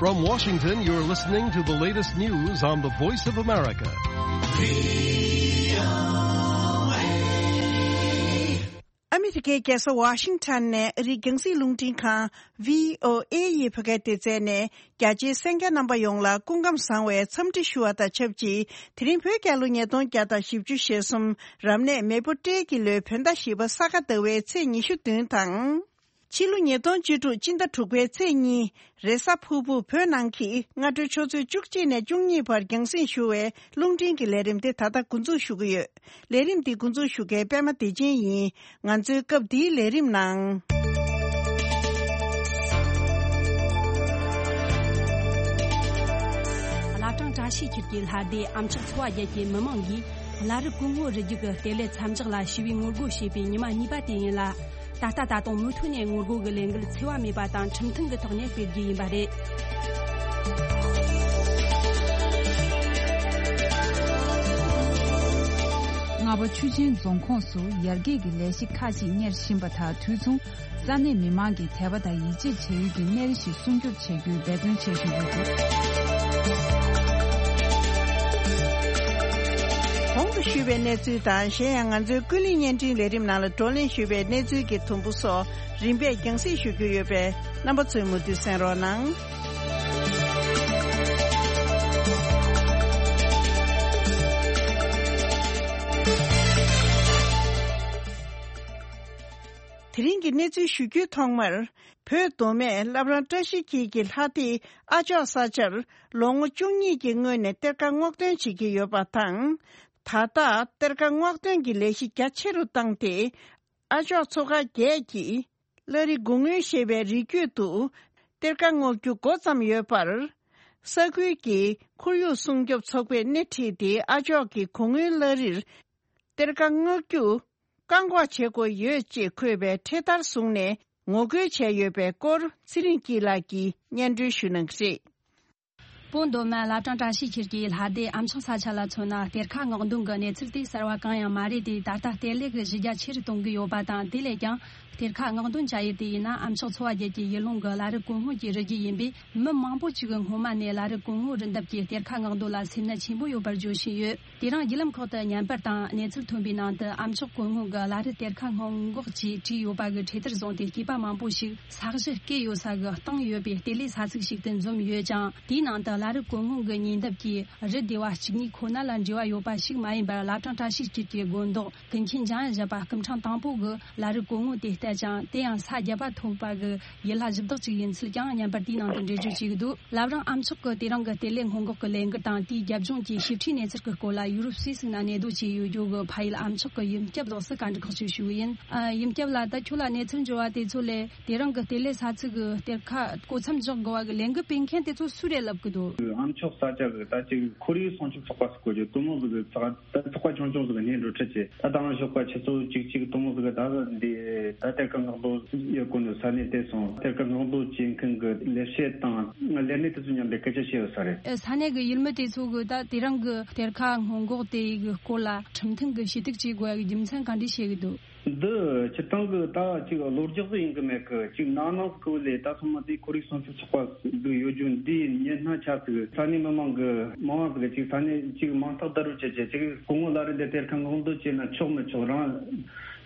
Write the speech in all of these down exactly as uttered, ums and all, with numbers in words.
From Washington, you're listening to the latest news on the Voice of America. ཨ་མི་རི་ཀའི་རྒྱལ་ས་ཝ་ཤིང་ཊོན་ནས་ཨ་རིའི་རྒྱང་སྲིང་རླུང་འཕྲིན་ཁང་བྷི་ཨོ་ཨེ་ཡི་བོད་སྐད་སྡེ་ཚན་ནས་རྒྱ་ཆེའི་གསན་མཁན་རྣམ་པ་ཡོངས་ལ་སྐུ་ཁམས་བཟང་བའི་འཚམས་འདྲི་ཞུ་བ་དང་ཆབས་ཅིག་དེ་རིང་བོད་རྒྱལ་ལོ་ཉིས་སྟོང་བརྒྱ་དང་བཞི་བཅུ་ཞེ་གསུམ་རབ་གནས་མེ་ཕོ་སྤྲེལ་གྱི་ལོའི་བོད་ཟླ་བཞི་པ་ས་ག་ཟླ་བའི་ཚེས་ཉི་ཤུ་བདུན་དང་། ཕྱི་ལོ་ཉིས་སྟོང་བཅུ་དྲུག་སྤྱི་ཟླ་དྲུག་པའི་ཚེས་གཉིས་རེས་གཟའ་ཕུར་བུ་བོད་ནང་གི་སྔ་དྲོའི་ཆུ་ཚོད་བཅུ་གཅིག་ནས་བཅུ་གཉིས་བར་རྒྱང་སྲིང་ཞུ་བའི་རླུང་འཕྲིན་གྱི་ལས་རིམ་དེ་ད་ལྟ་འགོ་འཛུགས་ཞུ་གི་ཡོད། ལས་རིམ་འདི་འགོ་འཛུགས་ཞུ་མཁན་པད་མ་བདེ་ཆེན་ཡིན། ང་ཚོའི་སྐབས་འདིའི་ལས་རིམ་ནང་། བླ་བྲང་བཀྲ་ཤིས་འཁྱིལ་གྱི་ལྷ་སྡེ་ཨ་མཆོག་ཚོ་བ་བརྒྱད་ཀྱི་མི་མང་གིས་བླ་རི་སྐུ་ངོ་རི་རྒྱུད་ཀྱི་བསྟེན་ལས་མཚམས་འཇོག་ལ་ཞི་བའི་ངོ་རྒོལ་བྱས་པའི་ཉི་མ་གཉིས་པ་དེ་ཡིན་ལ། ད་ལྟ་ད་དུང་མུ་མཐུད་ནས་ངོ་རྒོལ་གྱི་ལས་འགུལ་འཚེ་བ་མེད་པ་དང་ཁྲིམས་མཐུན་གྱི་ཐོག་ནས་སྤེལ་རྒྱུ་ཡིན་པ་རེད། རྔ་པ་ཆུ་ཆེན་རྫོང་ཁོངས་སུ་ཡར་རྒྱས་ཀྱི་ལས་གཞི་ཁག་ཅིག་གཉེར་བཞིན་པ་དང་དུས་མཚུངས། ས་གནས་མི་མང་གིས་དད་པ་དང་ཡིད་ཆེས་བྱ་ཡུལ་གྱི་གནས་རི་ཞིག་སྲུང་སྐྱོབ་བྱ་རྒྱུའི་འབད་བརྩོན་བྱེད་བཞིན་ཡོད་འདུག་གོང་དུ་ཞུས་པའི་གནས་ཚུལ་དང་གཞན་ཡང་ང་ཚོའི་ཀུན་གླེང་བརྙན་འཕྲིན་ལས་རིམ་ནང་ལ་བགྲོ་གླེང་ཞུས་པའི་གནས་ཚུལ་གྱི་དུམ་བུ་སོགས་རིམ་པས་རྒྱང་སྲིང་ཞུ་རྒྱུ་ཡོད་པས་རྣམ་པ་ཚོས་མུ་མཐུད་གསན་རོགས་གནང་། དེ་རིང་གི་གནས་ཚུལ་ཞུ་རྒྱུའི་ཐོག་མར། བོད་མདོ་སྨད་བླ་བྲང་བཀྲ་ཤིས་འཁྱིལ་གྱི་ལྷ་སྡེ་ཨ་ཅོག་ས་ཆར་ལོ་ངོ་བཅུ་གཉིས་ཀྱི་སྔོན་ནས་གཏེར་ཁ་སྔོག་འདོན་བྱེད་ཀྱི་ཡོད་པ་དང་། ད་ལྟ་གཏེར་ཁ་སྔོག་འདོན་གྱི་ལས་གཞི་རྒྱ་ཆེ་རུ་བཏང་སྟེ། ཨ་ཅོག་ཚོ་ཁག་བརྒྱད་ཀྱིས་བླ་རི་སྒོ་སྔོན་ཞེས་པའི་རི་རྒྱུད་དུ་གཏེར་ཁ་སྔོག་རྒྱུ་འགོ་བརྩམས་ཡོད་པར། ས་ཁུལ་གྱི་ཁོར་ཡུག་སྲུང་སྐྱོབ་ཚོགས་པས་སྣེ་ཁྲིད་དེ་ཨ་ཅོག་གི་གོ་སྔོན་བླ་རིར་གཏེར་ཁ་སྔོག་རྒྱུ་བཀག་འགོག་བྱེད་དགོས་ཡོད་ཅེས་འཁོད་པའི་འཕྲེད་དར་བཟུང་ནས་ངོ་རྒོལ་བྱས་ཡོད་པའི་སྐོར་ཚེ་རིང་སྐྱིད་ལགས་ཀྱིས་སྙན་སྒྲོན་ཞུ་གནང་གི་རེད། བོད་མདོ་སྨད་བླ་བྲང་བཀྲ་ཤིས་འཁྱིལ་གྱི་ལྷ་སྡེ་ཨ་མཆོག་ས་ཆ་ལ་མཚོན་ན། གཏེར་ཁ་སྔོག་འདོན་གྱི་གནས་ཚུལ་དེ་གསར་བ་གང་ཡང་མ་རེད་དེ། ད་ལྟ་བསྟེན་ལས་ཀྱི་གཞི་རྒྱ་ཆེ་རུ་གཏོང་གི་ཡོད་པ་དང་། དེ་ལས་ཀྱང་གཏེར་ཁ་སྔོག་འདོན་བྱ་ཡུལ་དེ་ཡིན་ན་ཨ་མཆོག་ཚོ་བ་བརྒྱད་ཀྱི་ཡུལ་ལུང་གི་བླ་རི་སྒོ་སྔོན་གྱི་རི་རྒྱུད་ཡིན་པས། མི་མང་པོ་ཞིག་གིས་སྔོན་མ་ནས་བླ་རི་སྒོ་སྔོན་རི་འདབས་ཀྱི་གཏེར་ཁ་སྔོག་འདོན་ལ་སེམས་ནད་ཆེན་པོ་ཡོད་པར་བརྗོད་བཞིན་ཡོད། དེ་རིང་བརྒྱུད་ལམ་ཁག་ཏུ་བརྙན་པར་དང་གནས་ཚུལ་ཐོན་པའི་ནང་དུ། ཨ་མཆོག་སྒོ་སྔོན་གྱི་བླ་རི་གཏེར་ཁ་སྔོག་འགོག་ཅེས་བྲིས་ཡོད་པ་གི་འཕྲེད་དར་བཟུང་སྟེ་སྐྱེས་པ་མང་པོ་ཞིག་ས་གཞི་བརྐོས་ཡོད་ས་གི་སྟེང་ཡོད་པའི་བསྟེན་ལས་ས་ཚིགས་ཤིག་ཏུ་འཛོམས་ཡོད་ཅིང་། དེའི་ནང་དུ་བླ་རི་སྒོ་སྔོན་གྱི་ཉེ་འདབས་ཀྱི་རི་སྡེ་བ་གཅིག་གཉིས་ཁོ་ན་ལ་འབྲེལ་བ་ཡོད་པ་ཞིག་མ་ཡིན་པར། བླ་བྲང་བཀྲ་ཤིས་འཁྱིལ་གྱི་དགོན་བདག་ཀུན་མཁྱེན་འཇམ་དབྱངས་བཞད་པ་སྐུ་ཕྲེང་དང་པོ་གིས་བླ་རི་སྒོ་སྔོན་དེ་བལྟས་ཀྱང་། དེ་ཡང་ས་བརྒྱད་པ་ཐོབ་པ་གི་ཡུལ་ལྷ་གཞི་བདག་ཅིག་ཡིན་ཚུལ་ཀྱང་བརྙན་པར་དེའི་ནང་དུ་འགྲེལ་བརྗོད་བྱས་ཀྱི་འདུག་བླ་བྲང་ཨ་མཆོག་གི་དེ་རིང་གི་བསྟེན་ལས་སྔོན་འགོག་གི་ལས་འགུལ་དང་། དེའི་རྒྱབ་ལྗོངས་ཀྱི་ཞིབ་ཕྲའི་གནས་ཚུལ་གྱི་སྐོར་ལ་ཡུ་རོབ་སུད་སི་ནང་གནས་སྡོད་བྱས་ཡོད་རྒྱུ་གི་ཕ་ཡུལ་ཨ་མཆོག་གི་ཡུམ་སྐྱབས་ལགས་སུ་བཀའ་འདྲི་ཁག་ཅིག་ཞུ་གི་ཡིན། ཨ། ཡུམ་སྐྱབས་ལགས། ད་ཁྱོད་ལ་གནས་ཚུལ་འབྱོར་བ་དེ་ཚོ་ལས། དེ་རིང་གི་བསྟེན་ལས་ས་ཚིགས་གི་གཏེར་ཁ་བརྐོ་མཚམས་འཇོག་དགོས་པ་གི་ལས་འགུལ་སྤེལ་མཁན་དེ་ཚོ་སུ་རེད་ལབ་གི་འདུག་ཨ་མཆོག་ས་ཆ་གི་ད་ཅིག་ཁོར་ཡུག་སྲུང་སྐྱོབ་ཚོགས་པ་ཟེར་གོ་རྒྱུ། དེ་མོ་ཟིག་གི་ཚོགས། ད་ཚོགས་པ་ཆུང་ཆུང་ཟིག་གི་སྣེ་འགྲོ་ཁྲིད་བྱས། ད་དང་ཞོགས་པ་ཆུ་ཚོད་གཅིག་གཅིག་དེ་མོ་ཟིག་གི་ད་འདི་ད་གཏེར་ཁ་སྔོག་འདོན་ཡོད་གོ་ནི་ས་གནས་དེ་སོང་། གཏེར་ཁ་སྔོག་འདོན་བྱེད་མཁན་གི་ལས་བྱེད་དང་ལས་སྣེ་དེ་ཚོ་མཉམ་དུ་སྐད་ཆ་བཤད་ཡོད་ས་རེད། ཨ། ས་གནས་གི་ཡུལ་མི་དེ་ཚོ་གི་ད་དེ་རིང་གི་གཏེར་ཁ་སྔོག་འགོག་དེ་གི་སྐོར་ལ་ཁྲིམས་མཐུན་གི་ཞུ་གཏུག་བྱེད་དགོས་ཡ་གི་རྒྱུ་མཚན་ག་འདྲ་བཤད་གི་འདུག་འདི་སྤྱིར་བཏང་གི་ད་ཅིག་གློ་རྒྱག་ཟིག་ཡིན་གི་མེད་གི། ཅིག་ནང་ནང་ཟིག་གི་ལས་ད་ཚང་མ་དེ་ཁོར་ཡུག་སྲུང་སྐྱོབ་ཚོགས་པ་ཟིག་ཡོད་རྒྱུ་འདི་ཉན་སྣང་ཆགས་ཟིག་ས་གནས་མི་མང་གི་མང་བ་ཟིག་གི་ཅིག་ས་གནས་ཅིག་མང་ཐག་བརྡ་རུབ་བྱས་བྱས། ཅིག་སྐུ་ངོ་བླ་རི་འདི་གཏེར་ཁ་སྔོག་འདོན་བྱས་ན་ཆོག་མི་ཆོག་རང་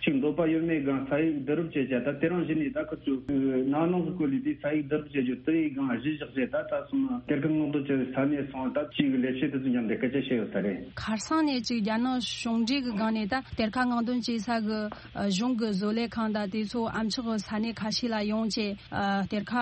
ཅིག་འདོད་པ་ཡོད་མེད་སྒང་ས་ཡིག་བརྡ་རུབ་བྱས་བྱས། ད་དེ་རིང་གཞི་ནས་ད་ཁོ་ཚོས་ནང་ནང་ཟིག་གི་ལས་དེ་ས་ཡིག་བརྡ་རུབ་བྱས་རྒྱུ་དེ་ཡི་སྒང་གཞི་བཞག་བྱས། ད་ད་སོང་ན་གཏེར་ཁ་སྔོག་འདོན་བྱས་ས་གནས་སོང་། ད་ཅིག་གི་ལས་བྱེད་དེ་ཚོ་མཉམ་དུ་སྐད་ཆ་བཤད་ཡོད་ས་རེད། ཁ་སང་ནས་ཅིག་རྒྱ་ནག་གཞུང་འབྲེལ་གི་སྒང་ནས་ད་གཏེར་ཁ་སྔོག་འདོན་བྱེད་ས་གི་ཨ། གཞུང་གི་བཟོ་ལས་ཁང་དང་དེ་ཚོ་ཨ་མཆོག་གི་ས་གནས་ཁ་ཤས་ལ་ཡོང་བྱས། ཨ། གཏེར་ཁ་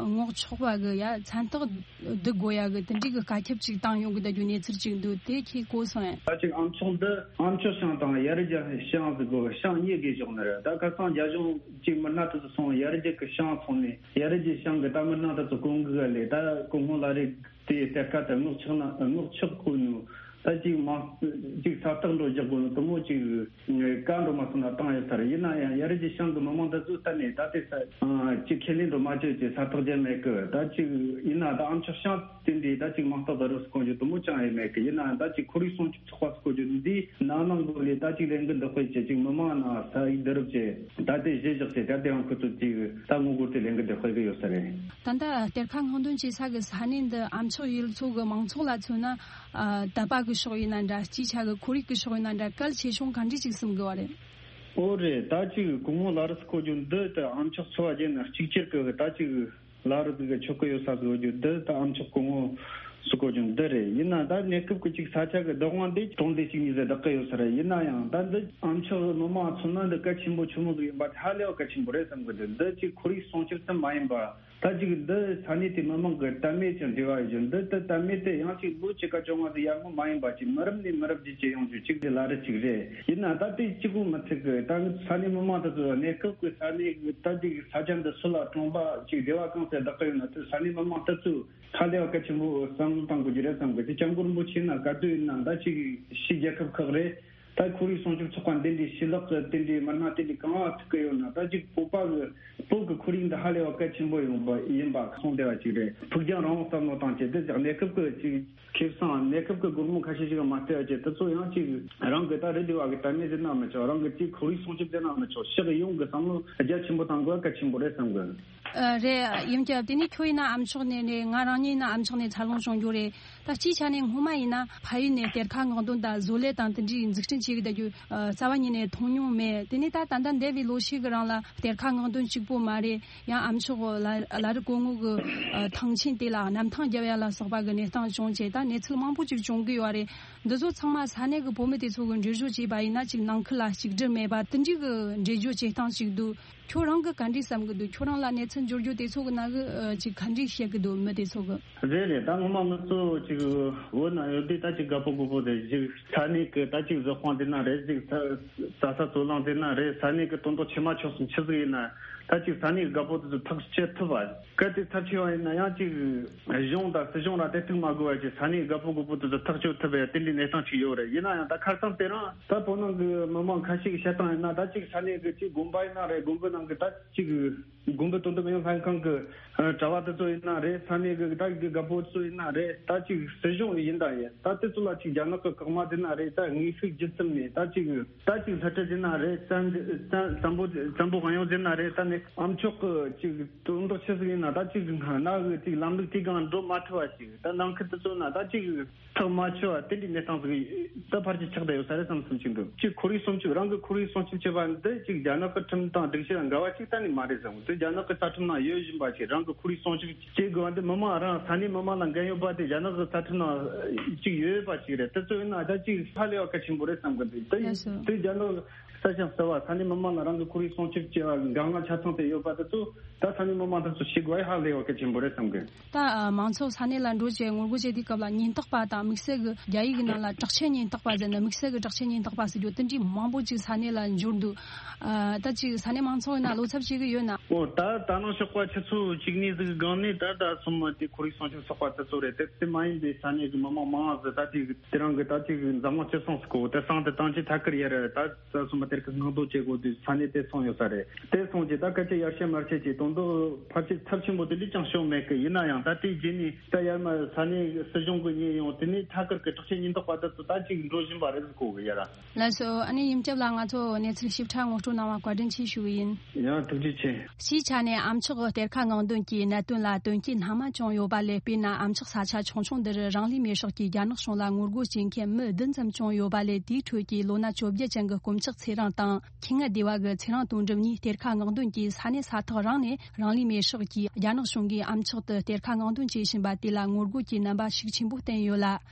སྔོག་ཆོག་པ་གི་ཡ་མཚན་རྟགས་བསྡུ་དགོས་ཡ་གི་དེ་འདྲའི་གི་བཀའ་ཁྱབ་ཅིག་བཏང་ཡོང་གི་འདུག་རྒྱུ་གནས་ཚུལ་ཅིག་འདུག་དེ་ཁྱེད་གོ་སོང་ངས། ད་ཅིག་ཨ་མཆོག་འདི་ཨ་མཆོག་ཤང་དང་ཡ་རི་རྒྱ་ཤང་ཟེར་གོ་ཤང་གཉིས་གི་ཕྱོགས་ནས་རེད། ད་ཁ་སང་རྒྱ་གཞུང་ཅིག་མི་སྣ་དེ་ཚོ་སོང་། ཡ་རི་རྒྱ་གི་ཤང་སོང་ནས་ཡ་རི་རྒྱ་ཤང་གི་ད་མི་སྣ་དེ་ཚོ་སྐུ་ངོ་གི་ལས་ད་སྐུ་ངོ་བླ་རི་དེ་གཏེར་ཁ་དེ་སྔོག་ཆོག་ན་སྔོག་ཆོག་གོ་ནོ། ད་ཅིག་མང་ཅིག་ས་རྟགས་འགྲོ་རྒྱག་དགོས་ནི་དེ་མོ་ཅིག་བཀའ་འགྲོ་མ་སོང་ན་བཏང་ཡོད་ས་རེད། ཡིན་ན་ཡང་ཡ་རི་གི་ཤང་གི་མི་མང་དེ་ཚོ་གཏན་ནས་ད་ལྟའི་ས་ཅིག་ཁས་ལེན་འགྲོ་མ་བྱེད་ཅེས་ས་རྟགས་རྒྱག་མེད་གི། ད་ཅིག་ཡིན་ན་ད་ཨ་མཆོག་ཤང་དེ་འདྲའི་ད་ཅིག་མང་རྟགས་ད་རུ་སྐོང་རྒྱུ་དེ་མོ་ཅང་ཡོད་མེད་གི། ཡིན་ན་ད་ཅིག་ཁོར་ཡུག་སྲུང་སྐྱོབ་ཚོགས་པ་སྐོར་རྒྱུ་འདི་ནང་ནང་གི་ལས་ད་ཅིག་ལས་འགུལ་འདི་སྤེལ་བྱེད་ཅིག་མི་མང་ན་ས་ཡིག་བསྡུ་རུབ་བྱེད་ད་ལྟའི་གཞི་བཞག་ཚེ་ད་དེའང་ཁོ་ཚོ་ཅིག་ད་ངོ་རྒོལ་དེ་ལས་འགུལ་འདི་སྤེལ་གི་ཡོད་ས་རེད། ད་ལྟ་གཏེར་ཁ་སྔོག་འདོན་བྱེད་ས་གི་ས་གནས་འདི་ཨ་མཆོག་ཡུལ་ཚོ་གི་མང་ཚོགས་ལ་མཚོན་ན། ཨ། དད་པ་གི་ཕྱོགས་ཡིན་ན་འདྲ། སྤྱིའི་ཆ་གི་ཁོར་ཡུག་གི་ཕྱོགས་ཡིན་ན་འདྲ། གལ་ཆེ་ཆུང་ག་འདྲ་ཅིག་སེམས་དགོས་པ་རེད། ཨོ་རེད། ད་ཅིག་སྐུ་ངོ་ལ་རུ་སྐོར་རྒྱུ་འདི་ད་ཨ་མཆོག་འཚོ་བ་རྒྱུ་ན་གཅིག་གྱུར་གི་ད་ཅིག་ལ་རུ་གི་ཆོག་གི་ཡོད་ས་གི་ཡོད་རྒྱུ་འདི་ད་ཨ་མཆོག་སྐུ་ངོ་སུ་སྐོར་རྒྱུ་འདི་རེད། ཡིན་ན་ད་གནས་སྐབས་གི་ཅིག་ས་ཆ་གི་བདག་དབང་འདི་གྲོང་སྡེ་གཅིག་གཉིས་ཟེར་བདག་གི་ཡོད་ས་རེད། ཡིན་ན་ཡང་ད་འདི་ཨ་མཆོག་མི་མང་མཚོན་ན་འདི་གལ་ཆེན་པོ་ཆུང་མོ་ཟིག་ཡིན་པ་ཧ་ལས་པ་གལ་ཆེན་པོ་རེད་བསམ་གི་འདུག་འདི་ཅིག་ཁོར་ཡུག་སྲུང་སྐྱོབ་ཙམ་མ་ཡིན་པ། ད་ཅིག་འདི་ས་གནས་དེ་མི་མང་གི་དད་མོས་ཀྱི་འབྲེལ་བ་ཡོད་རྒྱུ་འདི་ལྟར་དད་མོས་དེ་ཡང་ཅིག་ལོ་བཅུ་ཁ་བཅོ་ལྔ་དེ་ཡར་སྔོན་མ་ཡིན་པ་ཅིག་མི་རབས་ནས་མི་རབས་བརྒྱུད་ཀྱི་ཡོང་རྒྱུ་ཅིག་དེ་ལ་རེ་ཅིག་རེད། ཡིན་ན་ད་དེ་གཅིག་པུ་མི་ཚད་གི་ད་ས་གནས་མི་མང་དེ་ཚོ་གནས་སྐབས་ཀྱི་ས་གནས་ཀྱི་ད་ཅིག་ས་ཆ་འདི་སུ་ལ་གྲོང་པ་ཅིག་སྡེ་བ་གང་ཚད་བདག་གི་ཡོད་ན་དེ་ས་གནས་མི་མང་དེ་ཚོ་ཧ་ལས་པ་གལ་ཆེན་པོ་བསམ་བློ་བཏང་དགོས་རྒྱུ་རེད་བསམ་གི། དེ་སྐྱབས་མགོན་རིན་པོ་ཆེ་ན་ག་དུས་ཡིན་ན་ད་ཅིག་ཕྱི་རྒྱལ་ཁབ་ཁག་རེད། ད་ཁོར་ཡུག་སྲུང་སྐྱོབ་ཚོགས་པ་འདི་འདྲའི་ཞི་ལག་གི་དེ་འདྲའི་མི་སྣ་དེ་འདྲའི་གང་ལ་ཐུག་གི་ཡོད་ན། ད་ཅིག་བོད་པ་གི་བོད་ཀྱི་ཁོར་ཡུག་འདི་ཧ་ལས་པ་གལ་ཆེན་པོ་ཡོང་པ་ཡིན་པ་གསུངས་བསྡད་པ་ཅིག་རེད། ཕུགས་རྒྱང་རིང་བོ་བསམ་བློ་བཏང་བྱས་དེ་ཅིག་གནས་སྐབས་ཀྱི་ཅིག་ཁེ་བཟང་གནས་སྐབས་ཀྱི་སྒོར་མོ་ཁ་ཤས་ཤིག་མ་སྤྲད་བྱས་དེ་ཚོ་ཡང་ཅིག་རང་གི་ད་རེ་འདི་བ་གི་དད་མོས་ཟེར་ན་མི་ཆོག་རང་གི་ཅིག་ཁོར་ཡུག་སྲུང་སྐྱོབ་ཟེར་ན་མི་ཆོག་ཕྱོགས་ཡོངས་ཀྱི་བསམ་བློ་རྒྱ་ཆེན་པོ་བཏང་དགོས་གལ་ཆེན་པོ་རེད་བསམ་གི། ཨ། རེད། ཡིན་ཀྱང་དེ་ནས་ཁྱོད་ཡིན་ན་ཨ་མཆོག་ནས་རེད། ང་རང་ཉིད་ཡིན་ན་ཨ་མཆོག་ནས་འཚར་ལོངས་བྱུང་རྒྱུ་རེད། ད་སྤྱིའི་ཆ་ནས་སྔོན་མ་ཡིན་ན་ཕ་ཡུལ་ནས་གཏེར་ཁ་སྔོག་འདོན་དང་བཟོ་ལས་དང་དེ་འདྲའི་འཛུགས་སྐྲུན་བྱེད་གི་བསྡད་རྒྱུ་རྩ་བ་ཉིད་ནས་མཐོང་མྱོང་མེད། དེ་ནས་ད་ད་ལྟ་འདས་པའི་ལོ་ཤས་ཀྱི་རིང་ལ་གཏེར་ཁ་སྔོག་འདོན་གཅིག་པོ་མ་རེད། ཡང་ཨ་མཆོག་ལ་ལ་རི་གོང་ངོ་གི་ཐང་ཆེན་དེ་ལ་གནམ་ཐང་རྒྱབ་ཡ་ལ་སོགས་པ་གི་གནས་སྟངས་བྱུང་བྱས་ད་གནས་ཚུལ་མང་པོ་ཅིག་བྱུང་གི་ཡོད་རེད། འདི་ཚོ་ཚང་མ་ས་གནས་ཀྱི་བོད་མི་དེ་ཚོ་གི་འགྲེལ་བརྗོད་བྱས་པ་ཡིན་ན་ཅིག་ནང་ཁུལ་ལ་གཅིག་སྒྲིལ་མེད་པ་དེ་འདྲའི་གི་འགྲེལ་བརྗོད་བྱེད་སྟངས་ཅིག་འདུག་ཁྱོད་རང་གི་ག་འདྲས་བསམ་གི་འདུག་ཁྱོད་རང་ལ་གནས་ཚུལ་འབྱོར་རྒྱུ་དེ་ཚོ་གི་ནང་གི་ཨ། ཅིག་ག་འདྲས་བཤད་གི་འདུག་མི་དེ་ཚོ་གི། རེད་རེད། ད་ངོ་མ་ང་ཚོ་ཅིག་བོད་ནང་ཡོད་དུས་ད་ཅིག་དགའ་པོ་དགོད་པོ་དེ་ཅིག་ས་གནས་ཀྱི་ད་ཅིག་བཟོ་ཁང་དེ་ན་རེད། ཅིག་ས་ས་ས་ཚོ་ལང་དེ་ན་རེད། ས་གནས་ཀྱི་དོན་དག་ཆེ་མ་ཆོག་སོང་ཆི་ཟིག་ཡིན་ན་ད་ཅིག་ས་གནས་དགའ་པོ་དེ་ཚོ་ཐག་གཅོད་ཐུབ་པ། གལ་ཏེ་ཚབས་ཆེ་བ་ཡིན་ན་ཡང་ཅིག་གཞུང་དང་སྲིད་གཞུང་ལ་དེ་ཐུག་མ་དགོས་པ་ཅིག་ས་གནས་དགའ་པོ་དགོད་པོ་དེ་ཚོ་ཐག་གཅོད་ཐུབ་པའི་དེ་འདྲའི་གནས་སྟངས་ཅིག་ཡོད་རེད། ཡིན་ན་ཡང་ད་ཁ་སང་དེ་རིང་ད་བོད་ནང་གི་མི་མང་ཁ་ཤས་ཀྱི་བཤད་སྟངས་ཡིན་ན་ད་ཅིག་ས་གནས་ཀྱི་ཅིག་དགོན་པ་ཡིན་ན་རེད། དགོན་པའི་ནང་གི་ད་ཅིག་དགོན་པའི་དོ་དམ་ཨུ་ཡོན་ལྷན་ཁང་གི་ཨ། གྲྭ་བ་དེ་ཚོ་ཡིན་ན་རེད། ས་གནས་ཀྱི་ད་གི་དགའ་པོ་ཚོ་ཡིན་ན་རེད། ད་ཅིག་སྲིད་གཞུང་ཡིན་ད་ཡིན་ད་དེ་ཚོ་ལ་ཅིག་རྒྱ་ནག་གི་བཀག་མ་དེ་ན་རེད། ད་དངོས་ཤུགས་ཇི་ཙམ་ནས་ད་ཅིག་ད་ཅིག་ལྷ་ཁྲིད་དེ་ན་རེད། བཙན་བཙན་བཙན་པོ་བཙན་པོ་གང་ཡོང་དེ་ན་རེད། ད་ནི་ཨ་མཆོག་གི་ཅིག་དོན་དག་ཆི་ཟིག་ཡིན་ན་ད་ཅིག་ན་གི་ཅིག་ལམ་ལུགས་དེ་གང་འགྲོ་མ་ཐུབ་པ་ཅིག་ད་ནང་ཁུལ་དེ་ཚོ་ན་ད་ཅིག་ཐག་མ་ཆོད་པ་དེ་འདྲའི་གནས་སྟངས་ཟིག་ད་ཕར་ཅིག་ཆགས་བསྡད་ཡོད་ས་རེད་བསམ་བསམ་ཅིག་འདུག་ཅིག་ཁོར་ཡུག་སྲུང་སྐྱོབ་རང་གི་ཁོར་ཡུག་སྲུང་སྐྱོབ་བྱེད་པ་འདི་ཅིག་རྒྱ་ནག་གི་ཁྲིམས་དང་སྒྲིག་གཞི་དང་འགལ་བ་ཅིག་གཏན་ནས་མ་རེད་བསམ། དེ་རྒྱ་ནག་གི་རྩ་ཁྲིམས་ནང་ཡོད་བཞིན་པ་ཅིག་རང་གི་ཁོར་ཡུག་སྲུང་སྐྱོབ་བྱེད་དགོས་པ་འདི་མི་མང་རང་ས་གནས་མི་མང་ལ་འགན་ཡོད་པ་དེ་རྒྱ་ནག་གི་རྩ་ཁྲིམས་ནང་ཅིག་ཡོད་པ་ཅིག་རེད། དེ་ཚོ་ཡིན་ན་ད་ཅིག་ཧ་ལས་པ་གལ་ཆེན་པོ་རེད་བསམ་གི་འདུག་དེ་ཡིན་དེ་རྒྱ་ནག་ས་ཞིང་བསིལ་བ་ས་གནས་མི་མང་ལ་རང་གི་ཁོར་ཡུག་སྲུང་སྐྱོབ་བྱེད་པ་འགན་ལྔ་ཆ་ཚང་དེ་ཡོད་པ་དེ་ཚོ་ད་ས་གནས་མི་མང་དེ་ཚོ་ཤེས་དགོས་ཧ་ལས་པ་གལ་ཆེན་པོ་རེད་བསམ་གི། ད་ཨ། མང་ཚོགས་ས་གནས་ལ་འགྲོ་བྱས་ངོ་རྒོལ་བྱེད་དུས་སྐབས་ལ་ཉེན་རྟོག་པ་དང་དམིགས་བསལ་གྱི་རྒྱ་ཡིག་གི་ནང་ལ་དྲག་ཆས་ཉེན་རྟོག་པ་ཟེར་ནས་དམིགས་བསལ་གྱི་དྲག་ཆས་ཉེན་རྟོག་པ་ཟེར་རྒྱུ་དེ་འདྲའི་མང་པོ་ཅིག་ས་གནས་ལ་འབྱོར་འདུག་ཨ། ད་ཅིག་ས་གནས་མང་ཚོགས་ཡིན་ན་བློ་འཚབ་བྱེད་ཀྱི་ཡོད་ན། ཨོ་ད་ད་ནང་ཞོགས་པ་ཆུ་ཚོད་བཅུ་གཉིས་ཟིག་སྒང་ནས་ད་ད་སོ་མ་དེ་ཁོར་ཡུག་སྲུང་སྐྱོབ་ཚོགས་པ་དེ་ཚོ་རེད། དེ་དེ་མ་ཡིན་པའི་ས་གནས་ཀྱི་མི་མང་མང་ཟིག་ད་དེ་དེ་རང་གི་ད་ཅིག་འཛམ་གླིང་སྤྱི་ཚོགས་སུ་གོ་དེ་སང་དེ་ཏང་ཅིག་ཐད་ཀར་ཡར་ད། ད་སོ་མ་གཏེར་ཁ་སྔོག་འདོན་བྱེད་དགོས་དུས་ས་གནས་དེ་སོང་ཡོད་ས་རེད། དེ་སོང་རྗེས་ད་སྐད་ཆ་ཡར་བཤད་མར་བཤད་ཀྱི་དོན་དག་ཕལ་ཆེར་ཚབས་ཆེན་པོ་དེ་འདྲ་ཅང་བྱུང་མེད་གི། ཡིན་ན་ཡང་ད་དེའི་རྗེས་ནས་ད་ཡར་མར་ས་གནས་སྲིད་གཞུང་གི་ཉེས་ཡོང་དེ་ནས་ཐད་ཀར་གི་དྲག་ཆས་ཉེན་རྟོག་པ་དེ་ཚོ་ད་ཅིག་འགྲོ་བཞིན་པ་རེད་ཟེར་གོ་གི་ཡ་ར། ལགས་སོ། ཨ་ནི་ཡུམ་སྐྱབས་ལགས་ང་ཚོ་གནས་ཚུལ་ཞིབ་ཕྲ་ངོ་སྤྲོད་གནང་བ་བཀའ་དྲིན་ཆེ་ཞུ་གི་ཡིན། ཡང་ཐུགས་རྗེ་ཆེ། སྤྱིའི་ཆ་ནས་ཨ་མཆོག་གི་གཏེར་ཁ་སྔོག་འདོན་གྱི་གནད་དོན་ལ་དོན་རྐྱེན་སྣ་མང་བྱུང་ཡོད་པ་ལས། དཔེར་ན་ཨ་མཆོག་ས་ཆ་ཆུང་ཆུང་འདིར་རང་ལུས་མེར་སྲེག་གིས་རྒྱ་ནག་གཞུང་ལ་ངོ་རྒོལ་བྱེད་མཁན་མི་བདུན་ཙམ་བྱུང་ཡོད་པ་ལས། དེའི་ཁྲོད་ཀྱི་ལོ་ན་བཅོ་བརྒྱད་ཅན་གྱི་དཀོན་མཆོག་ཚེ་རིང་དང་། ཁྱི་ངན་སྡེ་བ་གི་ཚེ་རིང་དོན་གྲུབ་གཉིས་གཏེར་ཁ་སྔོག་འདོན་གྱིས་ས་གནས་ས་ཐག་རིང་ནས་རང་ལུས་མེར་སྲེག་གིས་རྒྱ་ནག་གཞུང་གིས་ཨ་མཆོག་ཏུ་གཏེར་ཁ་སྔོག་འདོན་བྱེད་བཞིན་པ་དེ་ལ་ངོ་རྒོལ་གྱི་རྣམ་པ་ཤུགས་ཆེན་པོ་བསྟན་ཡོད་ལ།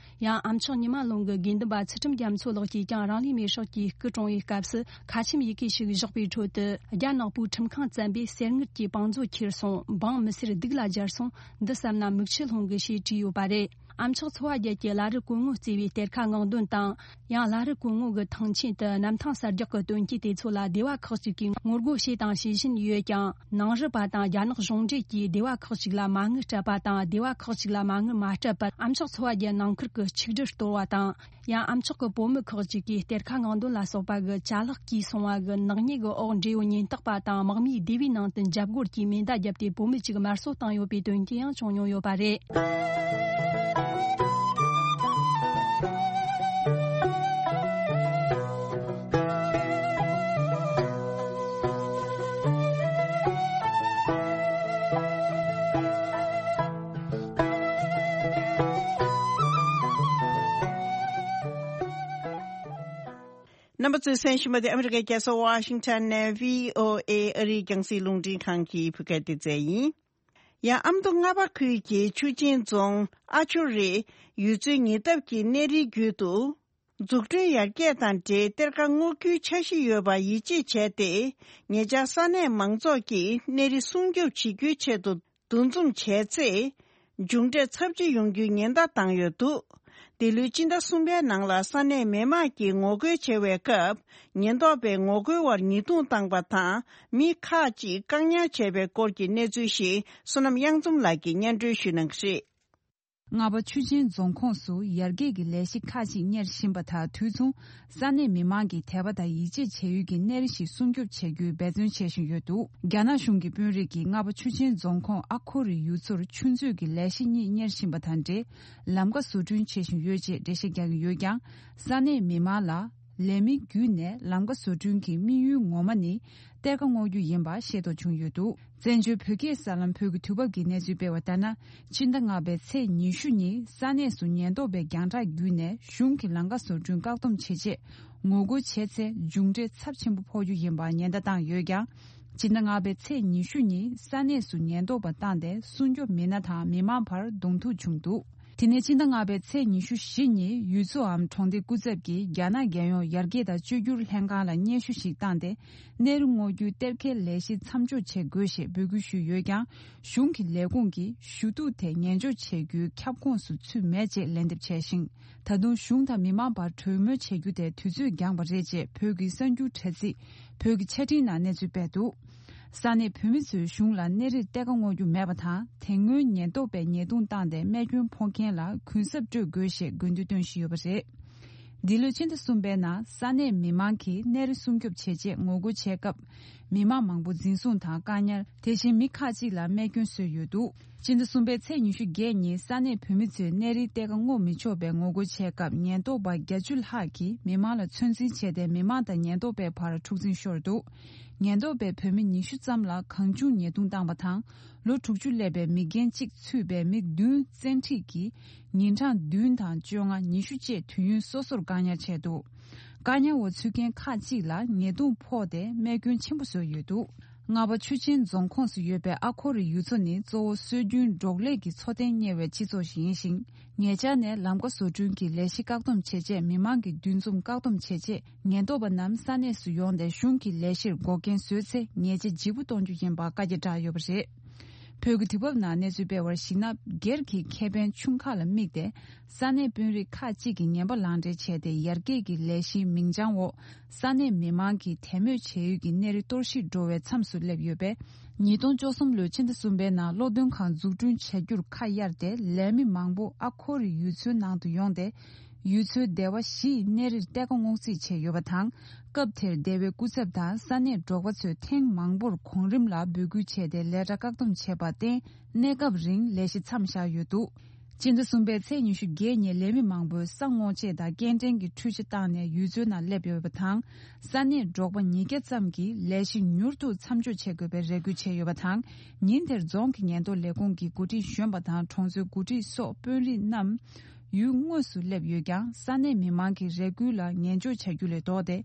ཡང་ཨ་མཆོག་ཉི་མ་ལུང་གི་དགེ་འདུན་པ་ཚུལ་ཁྲིམས་རྒྱ་མཚོ་ལགས་ཀྱིས་ཀྱང་རང་ལུས་མེར་སྲེག་གིས་སྐུ་གྲོངས་པའི་སྐབས་སུ་ཁ་ཆེམས་ཡི་གེ་ཞིག་བཞག་པའི་ཁྲོད་དུ། རྒྱ་ནག་པོའི་ཁྲིམས་ཁང་བཙན་པས་གསེར་དངུལ་གྱི་བང་མཛོད་ཁྱེར་སོང་། འབངས་མི་སེར་སྡུག་ལ་སྦྱར་སོང་། འདི་བསམ་ན་མིག་ཆུ་ལྷུང་གི་ཞེས་བྲིས་ཡོད་པ་རེད། ཨ་མཆོག་འཚོ་བ་རྒྱལ་གྱི་བླ་རི་སྐུ་ངོ་གཙོས་པའི་གཏེར་ཁ་ངག་འདོན་དང་། ཡང་བླ་རི་སྐུ་ངོ་གི་ཐང་ཆེན་དུ་གནམ་ཐང་གསར་རྒྱག་གི་དོན་རྐྱེན་དེ་ཚོ་ལ་སྡེ་བ་ཁག་ཅིག་གིས་ངོ་རྒོལ་བྱས་དང་བྱེད་བཞིན་ཡོད་ཀྱང་། ནང་རུལ་པ་དང་རྒྱ་ནག་གཞུང་འབྲེལ་གྱིས་སྡེ་བ་ཁག་ཅིག་ལ་མ་དངུལ་སྤྲད་པ་དང་། སྡེ་བ་ཁག་ཅིག་ལ་མ་དངུལ་མ་སྤྲད་པར་ཨ་མཆོག་འཚོ་བ་རྒྱལ་ནང་ཁུལ་གྱི་ཆིག་སྒྲིལ་གཏོར་བ་དང་། ཡང་ཨ་མཆོག་གི་བུ་མོ་ཁག་ཅིག་གིས་གཏེར་ཁ་ངག་འདོན་ལ་སོགས་པ་གི་ཅ་ལག་གིས་སོང་བ་གི་ནག་ཉེས་ཀྱི་འོག་འབྲེལ་ཡོད་ཉེན་རྟོག་པ་དང་དམག་མིའི་སྡེ་བའི་ནང་དུ་འཇབ་རྒོལ་གྱིས་མེ་མདའ་བརྒྱབ་སྟེ་བུད་མེད་ཅིག་དམར་གསོད་བཏང་ཡོད་པའི་དོན་རྐྱེན་ཡང་བྱུང་མྱོང་ཡོད་པ་རེད། རྣམ་པ་ཚོས་གསན་བཞིན་པ་དེ་ཨ་མི་རི་ཀའི་རྒྱལ་ས་ཝ་ཤིང་ཊོན་ནས་བྷི་ཨོ་ཨེ་ཨ་རིའི་རྒྱང་སྲིང་རླུང་འཕྲིན་ཁང་གི་བོད་སྐད་སྡེ་ཚན་ཡིན། ཡང་ཨ་མདོ་རྔ་པ་ཁུལ་གྱི་ཆུ་ཆེན་རྫོང་ཨ་ཆོ་རི་ཡུལ་ཚོའི་ཉེ་འདབས་ཀྱི་གནས་རིའི་རྒྱུད་དུ། འཛུགས་སྐྲུན་ཡར་རྒྱས་དང་འབྲེལ་གཏེར་ཁ་སྔོག་རྒྱུའི་འཆར་གཞི་ཡོད་པ་ཡིད་ཆེས་བྱས་ཏེ། ཉེ་ཆར་ས་གནས་མང་ཚོགས་ཀྱིས་གནས་རི་སྲུང་སྐྱོབ་བྱེད་རྒྱུའི་ཆེད་དུ་འདུ་འཛོམས་བྱས་ཚེ། མཇུག་འབྲས་ཚབས་ཆེ་ཡོང་རྒྱུའི་ཉེན་བརྡ་བཏང་ཡོད་འདུག་འདི་ལོའི་སྤྱི་ཟླ་གསུམ་པའི་ནང་ལ་ས་གནས་མི་མང་གིས་ངོ་རྒོལ་བྱེད་པའི་སྐབས། ཉེན་རྟོག་པས་ངོ་རྒོལ་བར་ཉེས་རྡུང་བཏང་པ་དང་། མི་ཁག་ཅིག་བཀག་ཉར་བྱས་པའི་སྐོར་གྱི་གནས་ཚུལ་ཞིག་བསོད་ནམས་གཡང་འཛོམས་ལགས་ཀྱིས་སྙན་སྒྲོན་ཞུ་གནང་གི་རེད། རྔ་པ་ཆུ་ཆེན་རྫོང་ཁོངས་སུ་ཡར་རྒྱས་ཀྱི་ལས་གཞི་ཁག་ཅིག་གཉེར་བཞིན་པ་དང་། དུས་མཚུངས་ས་གནས་མི་མང་གི་དད་པ་དང་ཡིད་ཆེས་བྱ་ཡུལ་གྱི་གནས་རི་ཞིག་སྲུང་སྐྱོབ་བྱ་རྒྱུའི་འབད་བརྩོན་བྱེད་བཞིན་ཡོད་འདུག་རྒྱ་ནག་གཞུང་གི་དཔོན་རིགས་ཀྱིས་རྔ་པ་ཆུ་ཆེན་རྫོང་ཁོངས་ཨ་ཁོ་རི་ཡུལ་ཚོར་ཆུ་མཛོད་ཀྱི་ལས་གཞི་གཉིས་གཉེར་བཞིན་པ་དང་འབྲེལ། ལམ་ཀ་བཟོ་སྐྲུན་བྱེད་བཞིན་ཡོད་ཅེས་འགྲེལ་བཤད་རྒྱག་གི་ཡོད་ཀྱང་། ས་གནས་མི་མང་ལ། ལས་མི་བརྒྱུད་ནས་ལམ་ཀ་བཟོ་སྐྲུན་གྱི་དམིགས་ཡུལ་ངོ་མ་ནི་གཏེར་ཁ་སྔོག་རྒྱུ་ཡིན་པ་ཤེས་རྟོགས་བྱུང་ཡོད་འདུག་བཙན་བྱོལ་བོད་སྐད་གསར་ལམ་བོད་ཀྱི་དུས་བབ་ཀྱི་གནས་ཚུལ་སྤེལ་བ་ལྟར་ན། ཕྱི་ཟླ་ལྔ་པའི་ཚེས་ཉི་ཤུ་ཉིན་ས་གནས་སུ་ཉེན་རྟོག་པས་རྒྱང་བསྒྲགས་བརྒྱུད་ནས་གཞུང་གི་ལམ་ཀ་བཟོ་སྐྲུན་བཀག་སྡོམ་བྱེད་ཆེད་ངོ་རྒོལ་བྱས་ཚེ་མཇུག་འབྲས་ཚབས་ཆེན་པོ་ཕོག་རྒྱུ་ཡིན་པ་ཉེན་བརྡ་བཏང་ཡོད་ཀྱང་། ཕྱི་ཟླ་ལྔ་པའི་ཚེས་ཉི་ཤུ་ཉིན་ས་གནས་སུ་ཉེན་རྟོག་པ་བཏང་སྟེ་སྲུང་སྐྱོབ་མི་སྣ་དང་མི་མང་བར་གདོང་ཐུག་བྱུང་འདུག་དེ་ནས་ཕྱི་ཟླ་ལྔ་པའི་ཚེས་ཉི་ཤུ་བཞི་ཉིན་ཡུལ་ཚོའམ་གྲོང་སྡེ་སྐུ་ཚབ་ཀྱིས་རྒྱ་ནག་རྒྱལ་ཡོངས་ཡར་རྒྱས་དང་བཅོས་བསྒྱུར་ལྷན་ཁང་ལ་སྙན་ཞུ་ཞིག་བཏང་སྟེ། གནས་རི་སྔོག་རྒྱུའི་གཏེར་ཁའི་ལས་གཞི་མཚམས་འཇོག་བྱེད་དགོས་ཞེས་འབོད་སྐུལ་ཞུས་ཡོད་ཀྱང་། གཞུང་གི་ལས་ཁུངས་ཀྱིས་ཞུ་གཏུག་དེ་ཉན་འཇོག་བྱེད་རྒྱུའི་ཁྱབ་ཁོངས་སུ་ཚུད་མེད་ཅེས་ལན་འདེབས་བྱས་ཤིང་། ད་དུང་གཞུང་དང་མི་མང་བར་གྲོས་མོལ་བྱེད་རྒྱུ་དེ་དུས་ཚོད་འགྱངས་པ་རེད་ཅེས་བོད་ཀྱི་གསར་འགྱུར་དྲ་ཚིགས་བོད་ཀྱི་ཆ་འཕྲིན་ནང་གནས་ཚུལ་སྤེལ་འདུག་ས་གནས་བོད་མི་ཚོས་གཞུང་ལ་གནས་རིར་གཏེར་ཁ་སྔོག་རྒྱུ་མེད་པ་དང་། དེ་སྔོན་ཉེན་རྟོག་པས་ཉེས་རྡུང་བཏང་སྟེ་རྨས་སྐྱོན་ཕོག་མཁན་ལ་གུན་གསབ་སྤྲོད་དགོས་ཞེས་དགོས་འདུན་བཏོན་བཞིན་ཡོད་པ་རེད། འདི་ལོའི་ཕྱི་ཟླ་གསུམ་པའི་ནང་ས་གནས་མི་མང་གིས་གནས་རི་སྲུང་སྐྱོབ་བྱེད་ཆེད་ངོ་རྒོལ་བྱས་སྐབས། མི་མང་མང་པོ་འཛིན་བཟུང་དང་བཀག་ཉར། དེ་བཞིན་མི་ཁག་ཅིག་ལ་རྨས་སྐྱོན་བཟོས་ཡོད་འདུག་ཕྱི་ཟླ་གསུམ་པའི་ཚེས་ཉི་ཤུ་བརྒྱད་ཉིན་ས་གནས་བོད་མི་ཚོས་གནས་རིའི་གཏེར་ཁ་སྔོག་མི་ཆོག་པའི་ངོ་རྒོལ་བྱས་སྐབས། ཉེན་རྟོག་པ་བརྒྱད་ཅུ་ལྷག་གིས་མི་མང་ལ་ཚོད་འཛིན་བྱས་ཏེ། མི་མང་དང་ཉེན་རྟོག་པའི་བར་འཁྲུག་འཛིང་ཤོར་འདུག་ཉེན་རྟོག་པས་བོད་མི་ཉི་ཤུ་ཙམ་ལ་གང་བྱུང་ཉེས་རྡུང་བཏང་བ་དང་། ལོ་དྲུག་ཅུ་སླེབས་པའི་མི་རྒན་གཅིག་ཚུད་པའི་མི་བདུན་བཙན་ཁྲིད་ཀྱིས་ཉིན་གྲངས་བདུན་དང་བཅོ་ལྔ། ཉི་ཤུ་བཅས་དུས་ཡུན་སོ་སོར་བཀག་ཉར་བྱས་འདུག་བཀག་ཉར་འོག་ཚུད་མཁན་ཁག་ཅིག་ལ་ཉེས་རྡུང་ཕོག་སྟེ་རྨས་སྐྱོན་ཆེན་པོ་བཟོས་ཡོད་འདུག་རྔ་པ་ཆུ་ཆེན་རྫོང་ཁོངས་སུ་ཡོད་པའི་ཨ་ཁོ་རི་ཡུལ་ཚོ་ནི་གཙོ་བོ་སྲོལ་རྒྱུན་འབྲོག་ལས་ཀྱི་འཚོ་རྟེན་གཉེར་བའི་སྤྱི་ཚོགས་ཤིག་ཡིན་ཞིང་། ཉེ་ཆར་ནས་ལམ་ཀ་བཟོ་སྐྲུན་གྱི་ལས་གཞི་བཀག་སྡོམ་བྱེད་ཆེད་མི་མང་གི་འདུ་འཛོམས་བཀག་སྡོམ་བྱེད་ཆེད། ཉེན་རྟོག་པ་རྣམས་ས་གནས་སུ་ཡོང་སྟེ་གཞུང་གི་ལས་གཞིར་འགོག་རྐྱེན་བཟོས་ཚེ་ཉེས་ཆད་ལྗིད་པོ་གཏོང་རྒྱུ་ཡིན་པ་བཀའ་རྒྱ་བསྒྲགས་ཡོད་པ་རེད། བོད་ཀྱི་དུས་བབ་ནང་གནས་ཚུལ་སྤེལ་བར་གཞིགས་ན། སྒེར་གྱི་ཁེ་ཕན་ཆུང་ཁག་ལ་དམིགས་ཏེ། ས་གནས་དཔོན་རིགས་ཁག་ཅིག་གིས་ངན་པ་ལག་འབྲེལ་བྱས་ཏེ། ཡར་རྒྱས་ཀྱི་ལས་གཞིའི་མིང་བྱང་འོག་ས་གནས་མི་མང་གིས་དད་མོས་བྱེད་ཡུལ་གྱི་གནས་རི་གཏོར་བཤིག་འགྲོ་བའི་མཚམས་སུ་སླེབས་ཡོད་པས། ཉིས་སྟོང་བཅུ་གསུམ་ལོའི་ཕྱི་ཟླ་གསུམ་པའི་ནང་སློབ་སྟོན་ཁང་འཛུགས་སྐྲུན་བྱ་རྒྱུར་ཁ་གཡར་ཏེ། ལས་མི་མང་པོ་ཨ་ཁོ་རི་ཡུལ་ཚོའི་ནང་དུ་ཡོང་སྟེ། ཡུལ་ཚོའི་སྡེ་བ་བཞི་ཡི་གནས་རིར་གཏེར་ཁ་སྔོག་རྩིས་བྱས་ཡོད་པ་དང་། སྐབས་དེར་སྡེ་བའི་སྐུ་ཚབ་དང་ས་གནས་འབྲོག་པ་ཚོས་ཐེངས་མང་པོར་གོང་རིམ་ལ་འབོད་སྐུལ་བྱས་ཏེ། ལས་གྲྭ་བཀག་སྡོམ་བྱས་པར་བརྟེན། གནས་སྐབས་རིང་ལས་གཞི་མཚམས་བཞག་ཡོད་འདུག་སྤྱི་ཟླ་གསུམ་པའི་ཚེས་ཉི་ཤུ་བརྒྱད་ཉིན་ལས་མི་མང་པོས་ས་སྔོག་ཆེད་དང་སྐྱེལ་འདྲེན་གྱི་འཕྲུལ་ཆ་བཏང་ནས་ཡུལ་ཚོའི་ནང་སླེབས་ཡོད་པ་དང་། ས་གནས་འབྲོག་པ་ཉིས་བརྒྱ་ཙམ་གྱིས་ལས་གཞི་མྱུར་དུ་མཚམས་འཇོག་བྱེད་དགོས་པའི་རེ་སྐུལ་བྱས་ཡོད་པ་དང་། ཉིན་དེར་རྫོང་གི་ཉེན་རྟོག་ལས་ཁུངས་ཀྱི་འགོ་ཁྲིད་གཞོན་པ་དང་གྲོང་ཚོའི་འགོ་ཁྲིད་སོགས་དཔོན་རིགས་རྣམས་ཡུལ་དངོས་སུ་སླེབས་ཡོད་ཀྱང་། ས་གནས་མི་མང་གི་རེ་སྐུལ་ལ་ཉན་འཇོག་བྱ་རྒྱུ་ལས་ལྡོག་སྟེ།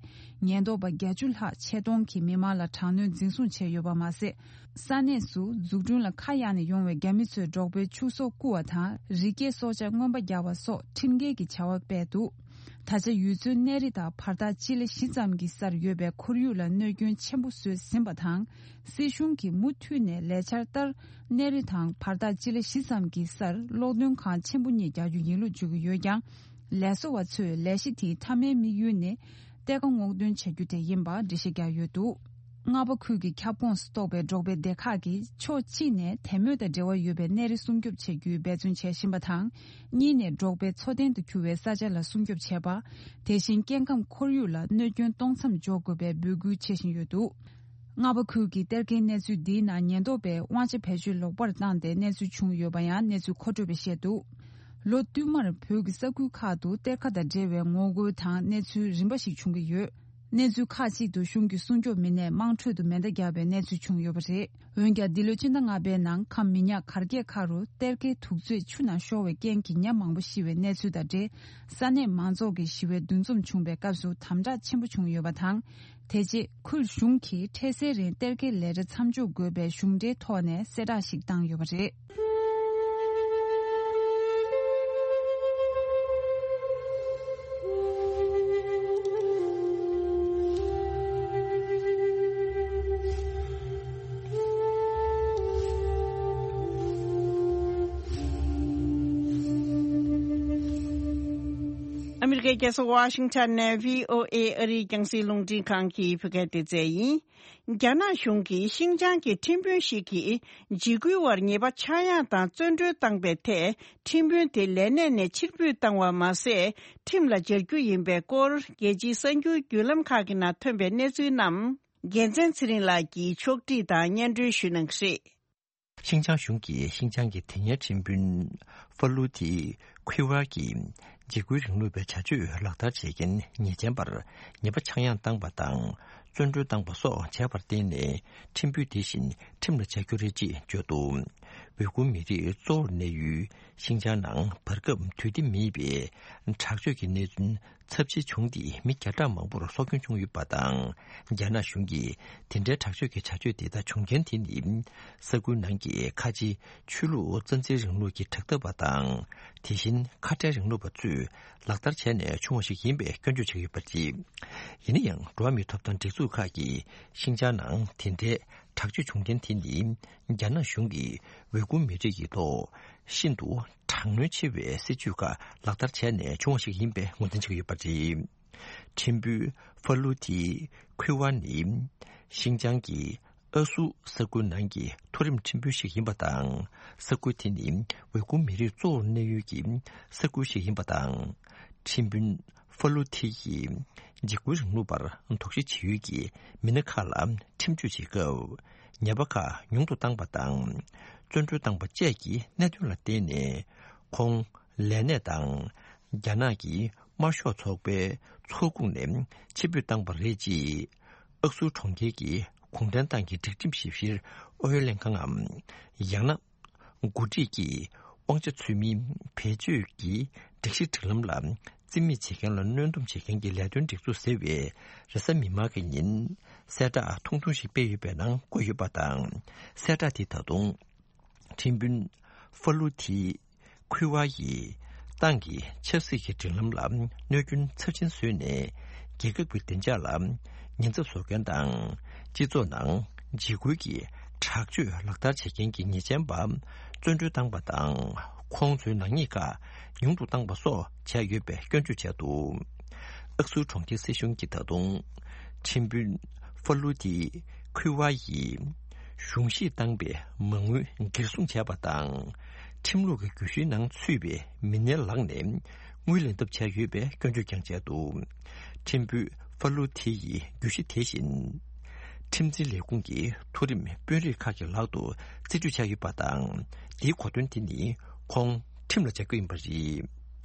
ཉེན་རྟོག་པ་བརྒྱད་ཅུ་ལྷག་ཆེད་གཏོང་གིས་མི་མང་ལ་དྲག་གནོན་འཛིན་བཟུང་བྱས་ཡོད་པ་མ་ཟད། ས་གནས་སུ་འཛུགས་སྐྲུན་ལ་ཁ་གཡར་ནས་ཡོང་བའི་རྒྱ་མི་ཚོས་འབྲོག་པའི་ཕྱུགས་ཟོག་རྐུ་བ་དང་། རི་སྐྱེས་སྲོག་ཆགས་རྔོན་པ་རྒྱག་པ་སོགས་ཁྲིམས་འགལ་གྱི་བྱ་བ་སྤེལ་འདུག་ད་ཆ་ཡུལ་ཚོའི་གནས་རི་དང་བར་ཐག་སྤྱི་ལེ་བཞི་ཙམ་གྱི་སར་ཡོད་པའི་ཁོར་ཡུག་ལ་གནོད་སྐྱོན་ཆེན་པོ་བཟོས་ཟིན་པ་དང་། སྲིད་གཞུང་གིས་མུ་མཐུད་ནས་ལས་འཆར་ལྟར་གནས་རི་དང་བར་ཐག་སྤྱི་ལེ་བཞི་ཙམ་གྱི་སར་གློག་འདོན་ཁང་ཆེན་པོ་གཉིས་རྒྱག་རྒྱུ་ཡིན་ལུགས་བརྗོད་ཀྱི་ཡོད་ཀྱང་། ལས་བཟོ་བ་ཚོས་ལས་གཞི་དེའི་མཐའ་མའི་དམིགས་ཡུལ་ནི་གཏེར་ཁ་སྔོག་འདོན་བྱ་རྒྱུ་དེ་ཡིན་པ་འགྲེལ་བཤད་བརྒྱབ་ཡོད་འདུག་རྔ་པ་ཁུལ་གྱི་ཁྱབ་ཁོངས་སུ་གཏོགས་པའི་འབྲོག་པའི་སྡེ་ཁག་གིས་ཕྱོགས་གཅིག་ནས་དད་མོས་དང་འབྲེལ་བ་ཡོད་པའི་གནས་རི་སྲུང་སྐྱོབ་བྱེད་རྒྱུའི་འབད་བརྩོན་བྱེད་བཞིན་པ་དང་། གཉིས་ནས་འབྲོག་པའི་འཚོ་རྟེན་དུ་གྱུར་བའི་ས་ཆ་ལ་སྲུང་སྐྱོབ་བྱེད་པ། དེ་བཞིན་སྐྱེ་ཁམས་ཁོར་ཡུག་ལ་གནོད་སྐྱོན་གཏོང་མཚམས་འཇོག་དགོས་པའི་འབོད་སྐུལ་བྱེད་བཞིན་ཡོད་འདུག་རྔ་པ་ཁུལ་གྱི་གཏེར་ཁའི་གནས་ཚུལ་འདིའི་ནང་ཉེན་རྟོག་པས་དབང་ཆ་བེད་སྤྱོད་ལོག་པར་བཏང་སྟེ་གནས་ཚུལ་བྱུང་ཡོད་པ་ཡང་གནས་ཚུལ་མཁོ་སྤྲོད་པས་བཤད་འདུག་ལོ་བསྟུད་མར་བོད་ཀྱི་ས་ཁུལ་ཁག་ཏུ་གཏེར་ཁ་དང་འབྲེལ་བའི་ངོ་རྒོལ་དང་གནས་ཚུལ་རིམ་པ་ཞིག་བྱུང་གི་ཡོད། གནས་ཚུལ་ཁག་ཅིག་ཏུ་གཞུང་གི་སྲུང་སྐྱོབ་མི་སྣས་དམངས་ཁྲོད་དུ་མེ་མདའ་བརྒྱབ་པའི་གནས་ཚུལ་བྱུང་ཡོད་པ་རེད། འོན་ཀྱང་། འདི་ལོའི་ཕྱི་ཟླ་ལྔ་པའི་ནང་ཁམས་མི་ཉག་གར་རྒྱས་ཁ་རུ་གཏེར་ཁའི་དུག་རྫས་ཆུ་ནང་ཤོར་བའི་རྐྱེན་གྱིས་ཉ་མང་པོ་ཤི་བའི་གནས་ཚུལ་དང་འབྲེལ། ས་གནས་མང་ཚོགས་ཀྱི་ཞི་བའི་འདུ་འཛོམས་བྱུང་བའི་སྐབས་སུ་དམ་དྲག་ཆེན་པོ་བྱུང་ཡོད་པ་དང་། དེ་རྗེས་ཁུལ་གཞུང་གིས་འཕྲལ་སེལ་རིང་གཏེར་ཁའི་ལས་གྲྭ་མཚམས་འཇོག་དགོས་པའི་གཞུང་འབྲེལ་ཐོག་ནས་གསལ་བསྒྲགས་ཤིག་བཏང་ཡོད་པ་རེད། ཨ་མི་རི་ཀའི་རྒྱལ་ས་ཝ་ཤིང་ཊོན་ནས་བྷི་ཨོ་ཨེ་ཨ་རིའི་རྒྱང་སྲིང་རླུང་འཕྲིན་ཁང་གི་བོད་སྐད་སྡེ་ཚན་ཡིན། རྒྱ་ནག་གཞུང་གིས་ཤིང་ཅང་གི་ཁྲིམས་དཔོན་ཞིག་གིས་འཇིགས་སྐུལ་བར་ཉེས་པ་ཆག་ཡང་དང་བཙོན་གྲོལ་བཏང་པའི་ཐད། ཁྲིམས་དཔོན་དེ་ལས་གནས་ནས་ཕྱིར་འབུད་བཏང་བ་མ་ཟད། ཁྲིམས་ལ་སྦྱར་རྒྱུ་ཡིན་པའི་སྐོར། རྒྱལ་སྤྱིའི་གསར་འགྱུར་བརྒྱུད་ལམ་ཁག་གི་ནང་ཐོན་པའི་གནས་ཚུལ་རྣམས། རྒྱལ་མཚན་ཚེ་རིང་ལགས་ཀྱིས་ཕྱོགས་བསྒྲིགས་དང་སྙན་སྒྲོན་ཞུ་གནང་གི་རེད། ཤིན་ཅང་གཞུང་གིས་ཤིན་ཅང་གི་དེ་སྔའི་ཁྲིམས་དཔོན་ཧྥ་ལུ་ཐི་ཁུའེ་ཝར་གྱིས་འཇིགས་སྐུལ་རིང་ལུགས་པའི་བྱ་སྤྱོད་ལག་བསྟར་བྱེད་མཁན་ཉེས་ཅན་པར་ཉེས་པ་ཆག་ཡང་བཏང་པ་དང་། བཙོན་གྲོལ་བཏང་པ་སོགས་བྱས་པར་བརྟེན་ནས། ཁྲིམས་དཔོན་དེ་བཞིན་ཁྲིམས་ལ་སྦྱར་རྒྱུ་རེད་ཅེས་བརྗོད་འདུག་ཝེ་གུར་མི་རིགས་གཙོ་བོར་གནས་ཡུལ་ཤིན་ཅང་ནང་བར་སྐབས་དུས་བདེ་མེད་པའི་དྲག་སྤྱོད་ཀྱི་གནས་ཚུལ་ཚབས་ཆེ་བྱུང་སྟེ། མི་བརྒྱ་ཕྲག་མང་པོར་སྲོག་སྐྱོན་བྱུང་ཡོད་པ་དང་། རྒྱ་ནག་གཞུང་གིས་དེ་འདྲའི་དྲག་སྤྱོད་ཀྱི་བྱ་སྤྱོད་དེ་དག་བྱུང་རྐྱེན་དེ་ནི། ས་ཁུལ་ནང་གི་ཁ་ཆེའི་ཆོས་ལུགས་རྩ་འཛིན་རིང་ལུགས་ཀྱི་དྲག་འཐབ་པ་དང་། དེ་བཞིན་ཁ་བྲལ་རིང་ལུགས་པ་ཚོས་ལག་བསྟར་བྱས་ནས་བྱུང་བ་ཞིག་ཡིན་པའི་སྐྱོན་བརྗོད་བྱས་ཡོད་པ་རེད། ཡིན་ན་ཡང་། འགྲོ་བ་མིའི་ཐོབ་ཐང་སྒྲིག་འཛུགས་ཁག་གིས་ཤིན་ཅང་ནང་དེ་འདྲའི་དྲག་སྤྱོད་བྱུང་རྐྱེན་དེ་ནི། རྒྱ་ནག་གཞུང་གིས་ཝེ་གུར་མི་རིགས་ཀྱི་ཐོག་ཤིན་ཏུ་དྲག་གནོན་ཆེ་བའི་སྲིད་བྱུས་ཁག་ལག་བསྟར་བྱས་ནས་བྱུང་བ་ཞིག་ཡིན་པའི་ངོས་འཛིན་བྱེད་ཀྱི་ཡོད་པ་རེད། ཁྲིམས་དཔོན་ཧྥ་ལུ་ཐི་ཁུའེ་ཝར་ནི། ཤིན་ཅང་གི་ཨ་སུ་ས་ཁུལ་ནང་གི་མཐོ་རིམ་ཁྲིམས་དཔོན་ཞིག་ཡིན་པ་དང་། ས་ཁུལ་དེ་ནི་ཝེ་གུར་མི་རིགས་གཙོ་བོར་གནས་ཡུལ་གྱི་ས་ཁུལ་ཞིག་ཡིན་པ་དང་། ཁྲིམས་དཔོན་ཧྥ་ལུ་ཐི་ཡིས་འཇིགས་སྐུལ་རིང་ལུགས་པར་དོགས་གཞི་བྱེད་ཡུལ་གྱི་མི་སྣ་ཁག་ལ་ཁྲིམས་གཅོད་བྱེད་སྐབས། ཉེས་པ་ཁག་ཉུང་དུ་བཏང་པ་དང་། བཙོན་གྲོལ་བཏང་པ་བཅས་ཀྱི་གནད་དོན་ལ་བརྟེན་ནས། ཁོང་ལས་གནས་དང་། རྒྱ་ནག་གི་དམར་ཤོག་ཚོགས་པའི་ཚོགས་ཁོངས་ནས་ཕྱིར་འབུད་བཏང་པ་རེད་ཅེས། ཨག་སུ་གྲོང་ཁྱེར་གྱི་གུང་ཁྲན་ཏང་གི་སྒྲིག་ཁྲིམས་ཞིབ་བཤེར་ཨུ་ཡོན་ལྷན་ཁང་ངམ། ཡང་ན། འགོ་ཁྲིད་ཀྱིས་དབང་ཆ་ཚུལ་མིན་བེད་སྤྱོད་ཀྱིས་སྒྲིག་གཞི་སྒྲིག་ལམ་ལ་རྩིས་མེད་བྱེད་མཁན་ལ་གནོན་སྡོམ་བྱེད་མཁན་གྱི་ལས་དོན་སྒྲིག་འཛུགས་ཟེར་བས། རེས་གཟའ་མིག་དམར་གྱི་ཉིན་གསལ་བསྒྲགས་ཐུང་ཐུང་ཞིག་སྤེལ་ཡོད་པའི་ནང་བཀོད་ཡོད་པ་དང་། གསལ་བསྒྲགས་དེ་ད་དུང་ཁྲིམས་དཔོན་ཧྥ་ལུ་ཐི་ཁུའེ་ཝར་ཡིས་ཏང་གི་ཆབ་སྲིད་ཀྱི་སྒྲིག་ལམ་ལ་གནོད་སྐྱོན་ཚབས་ཆེན་བཟོས་ནས། རྒྱལ་ཁབ་ཀྱི་བདེ་འཇགས་ལ་ཉེན་ཚབས་བཟོ་མཁན་དང་། སྤྱི་ཚོགས་ནང་འཇིགས་སྐུལ་གྱི་དྲག་སྤྱོད་ལག་བསྟར་བྱེད་མཁན་གྱི་ཉེས་ཅན་པ་བཙོན་གྲོལ་བཏང་པ་དང་། ཁོང་ཚོའི་ནག་ཉེས་ཁག་ཉུང་དུ་བཏང་པ་སོགས་བྱས་ཡོད་པའི་སྐྱོན་བརྗོད་བྱས་འདུག་ཨག་སུ་གྲོང་ཁྱེར་སྲིད་གཞུང་གིས་ད་དུང་ཁྲིམས་དཔོན་ཧྥ་ལུ་ཐི་ཁུའེ་ཝར་ཡིས་གཞུང་བཞེས་བཏང་པའི་མ་དངུལ་འགན་སྲུང་བྱས་པ་དང་། ཁྲིམས་ལུགས་ཀྱི་གྱོད་གཞིའི་ནང་ཚུད་པའི་མི་སྣའི་ལག་ནས་དངུལ་ལེན་ཐབས་བྱས་ཡོད་པའི་སྐྱོན་བརྗོད་ཀྱང་བྱས་འདུག་ཁྲིམས་དཔོན་ཧྥ་ལུ་ཐི་ཡི་གྱོད་གཞི་དེ་བཞིན། ཁྲིམས་འཛིན་ལས་ཁུངས་ཀྱི་མཐོ་རིམ་དཔོན་རིགས་ཁག་གི་ལག་ཏུ་རྩིས་སྤྲོད་བྱས་ཡོད་པ་དང་། དེའི་གོ་དོན་དེ་ནི་ཁོང་ཁྲིམས་ལ་སྦྱར་རྒྱུ་ཡིན་པ་རེད།